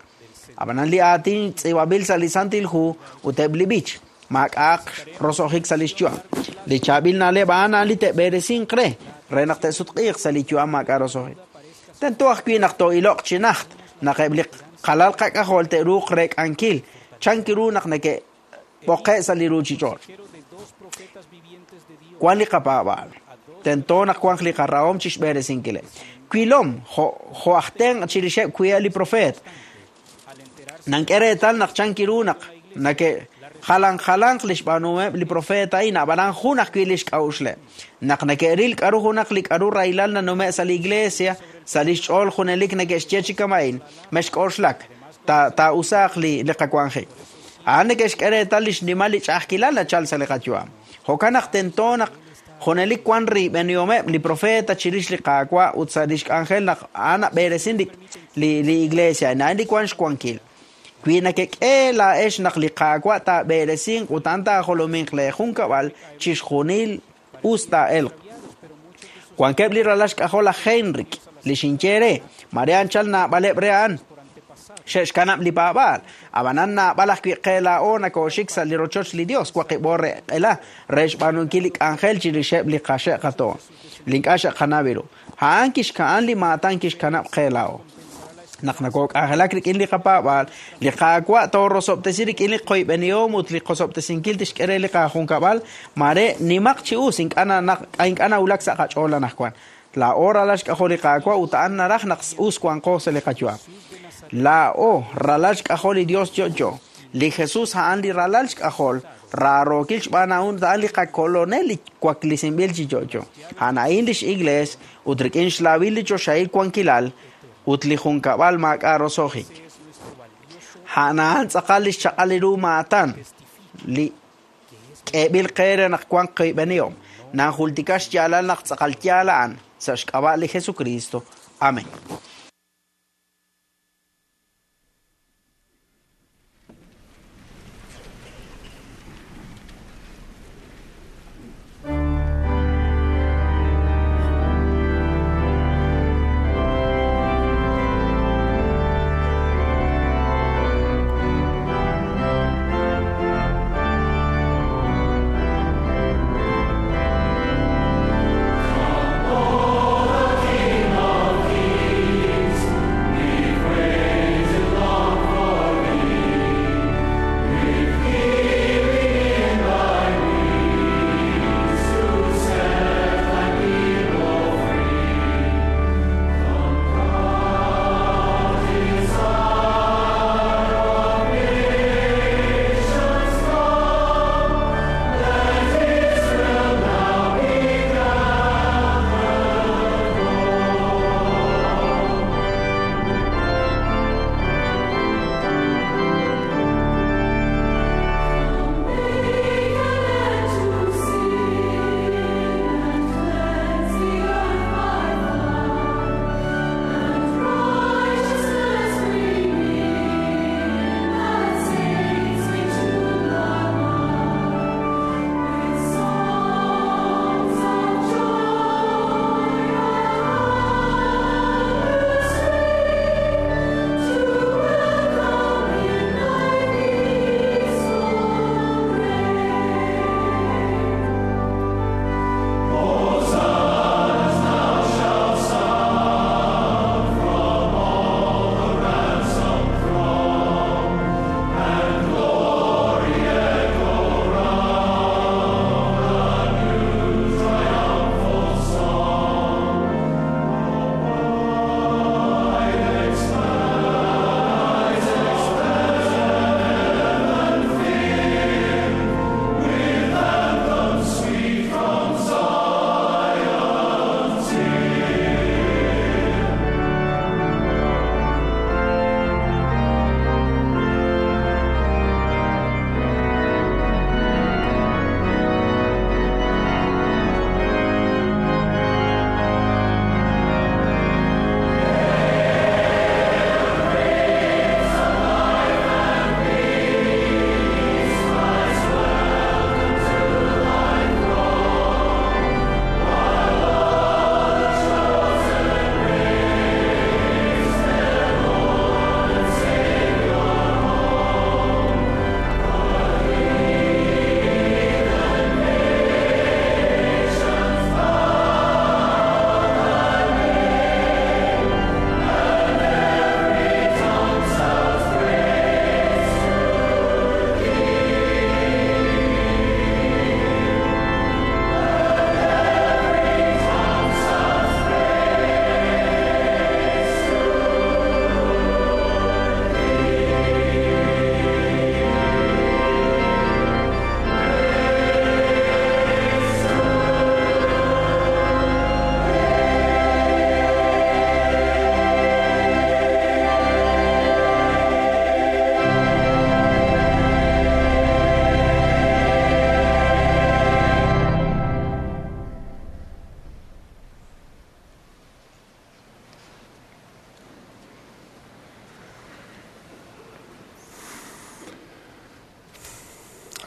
Ab'anan li aatin tz'iib'anb'il sa' li Santil Hu ut eb' li b'ich maak'a'aq roso'jik sa' li xyu'am. Li chaab'il na'leb' a'an a'an li te'b'eresinq re re naq te'sutq'iiq sa' li yu'am maak'a' roso'jik. Tento ajwi' naq too'iloq chi najt naq eb' li qalal qak'ajol te'ruuq reek'ankil chankiru naq neke'b'oqe' sa' li ruuchich'och'. Wan li qapaab'aal. Tento naq wanq li qarahom chi xb'eresinkileb'. Wilom jo' jo' aj tenq' chirixeb' wi'eb' li profeet. Nank'e reetal naq chankiru naq nake Jalan jalanq li xb'aanuhomeb' li profeta a'in, ab'anan jun ajwi' li xk'a'uxleb'. Naq neke'ril k'aru junaq li k'aru rahilal nanume' sa' li iglesia, sa' li xch'ool junelik neke'xye chi kama'in, mexk'oxlak, taa'usaaq li li qawanjik. A'an neke'xk'e reetal li xnimal li ch'a'ajkilal nachal sa' li qayu'am. Jo'kan naq tento naq junelik wan riib'enihomeb' li profeta chirix li Qaawa' ut sa' li xk'anjel naq a'an nab'eresin li li li iglesia, a'an li wan xwankil. Wi nakek'e laa'ex naq li Qaawa' taab'eresinq ut a'an taajolominq le junkab'al chixjunil us taa'elq. Wankeb' li ralal xk'ajol laj Heinrich, li xinye re, mare anchal naab'aleb' re a'an. Xe'xkanab' li paab'aal, ab'anan naab'al ajwi' qe laa'o nakooxik sa' li rochoch li Dios waqib'o re q'ela re xb'aanunkil li k'anjel chirixeb' li qaxe' qatoon, li ink'a' xe'qanaw ru. A'an kixka'an li maatan kixkanab' qe laa'o. Naq nakok'anjelak rik'in li qapaab'aal, li Qaawa' toorosob'tesi rik'in li qoyb'enihom ut li qosob'tesinkil tixk'e re li qajunkab'al, mare nimaq chi us ink'a' ink'a' nawulak sa' qach'ool anaqwan. Laa'o ralal xk'ajol li Qaawa' ut a'an naraj naq us wanqo sa' li qayu'am. Laa'o ralal xk'ajol li Dios yo'yo. Li Jesus a'an li ralal xk'ajol, raarookil xb'aan a'an a'an li qakolonel li waklisinb'il chi yo'yo. A'an a'in lix iglees ut rik'in xlaawil li choxahil wankilal ut li junkab'al maak'a' roso'jik. A'an a'an tz'aqal li xchaq'al ru maatan li k'eeb'il qe re naq wanq qoyb'enihom. Nanjultika xyaalal naq tz'aqal yaal a'an sa' xk'ab'a' li Jesucristo. Amén. King of Kings.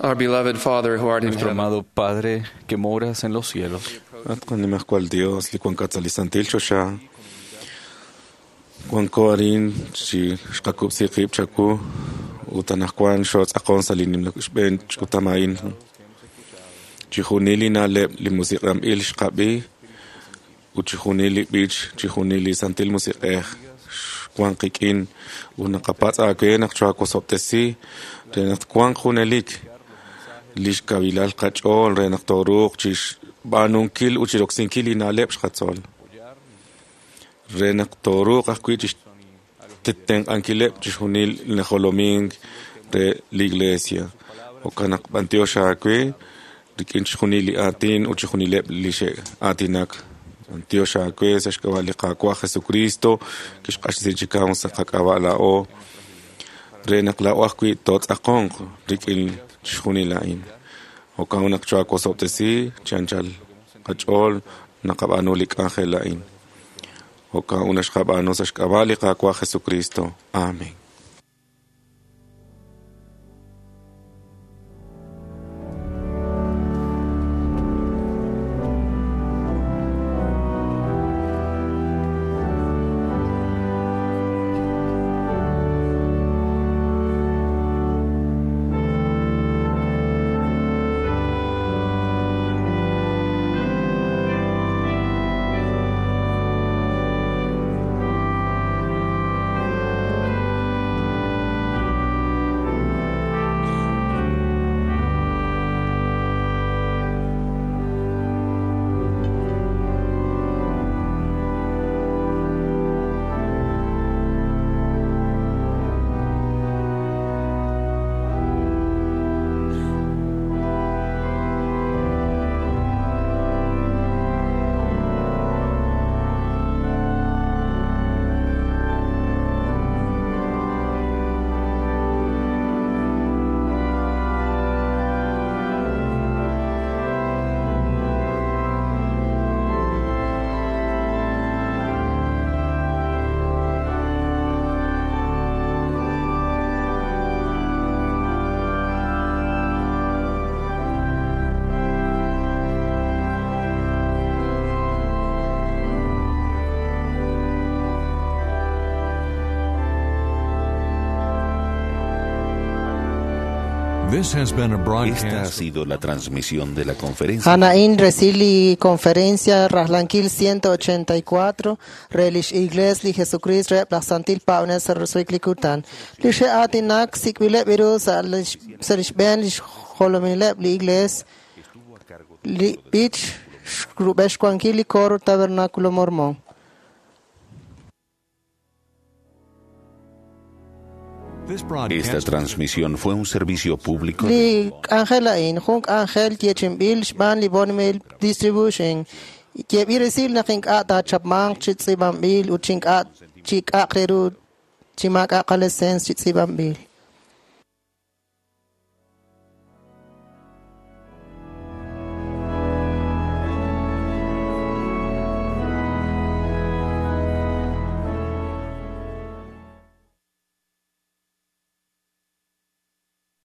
Our beloved Father who art in Nuestro heaven, amado Padre que moras en los cielos, At qanimajkual Dios li wankat sa li santil choxa wanko arin chi xqakub'si qib' chaku ut anaqwan xootz'aqon sa li nimla xb'een ch'utam a'in chijunil li na'leb' li musiq'anb'il xqab'i ut chijunil li b'ich chijunil li santil musiq'ej xwan qik'in ut naqapatz' aawe naq choawosob'tesi re naq twanq junelik lix kavilal qach'ool re naq tooruuq chixb'aanunkil ut chiroksinkil li na'leb' xqatzol re naq tooruuq ajwi' chixtenq'ankileb' chixjunil li najolomink re li iglesia jo'kan naq b'antiox aawe rik'in chixjunil li aatin ut chixjunileb' li xe'aatinak b'antiox aawe sa' xk'ab'a' li Qaawa' Jesucristo kixq'axtesi chi kaw sa' qak'ab'a' laa'o re naq laa'o ajwi' tootz'aqonq rik'in chixjunil a'in jo'kan naq choawosob'tesi chi anchal qach'ool naqab'aanu li k'anjel a'in jo'kan ut naxqab'aanu sa' xk'ab'a' li Qaawa' Jesucristo. Amén. This has been a Esta ha broadcast. sido la transmisión de la conferencia. Hanain Resili Conferencia Raslankil ciento ochenta y cuatro Relish Igles li Jesucrist Rep la Santil Paunes Rusuiklikutan Lishe Atinak Sikwile Biru Salish Ben Lish Holomilep li Igles Li Bich Rubeshkuankili Coro Tabernáculo Mormón. Esta transmisión fue un servicio público de Li Ángel Ain, Junk Ángel, Yechimbil, Shban, Libonmil, Distribution. Yebirisil Nakink Ata, Chapman, Chitzibambil, Uchink At, Chik Akreru, Chimak Akalesens, Chitzibambil.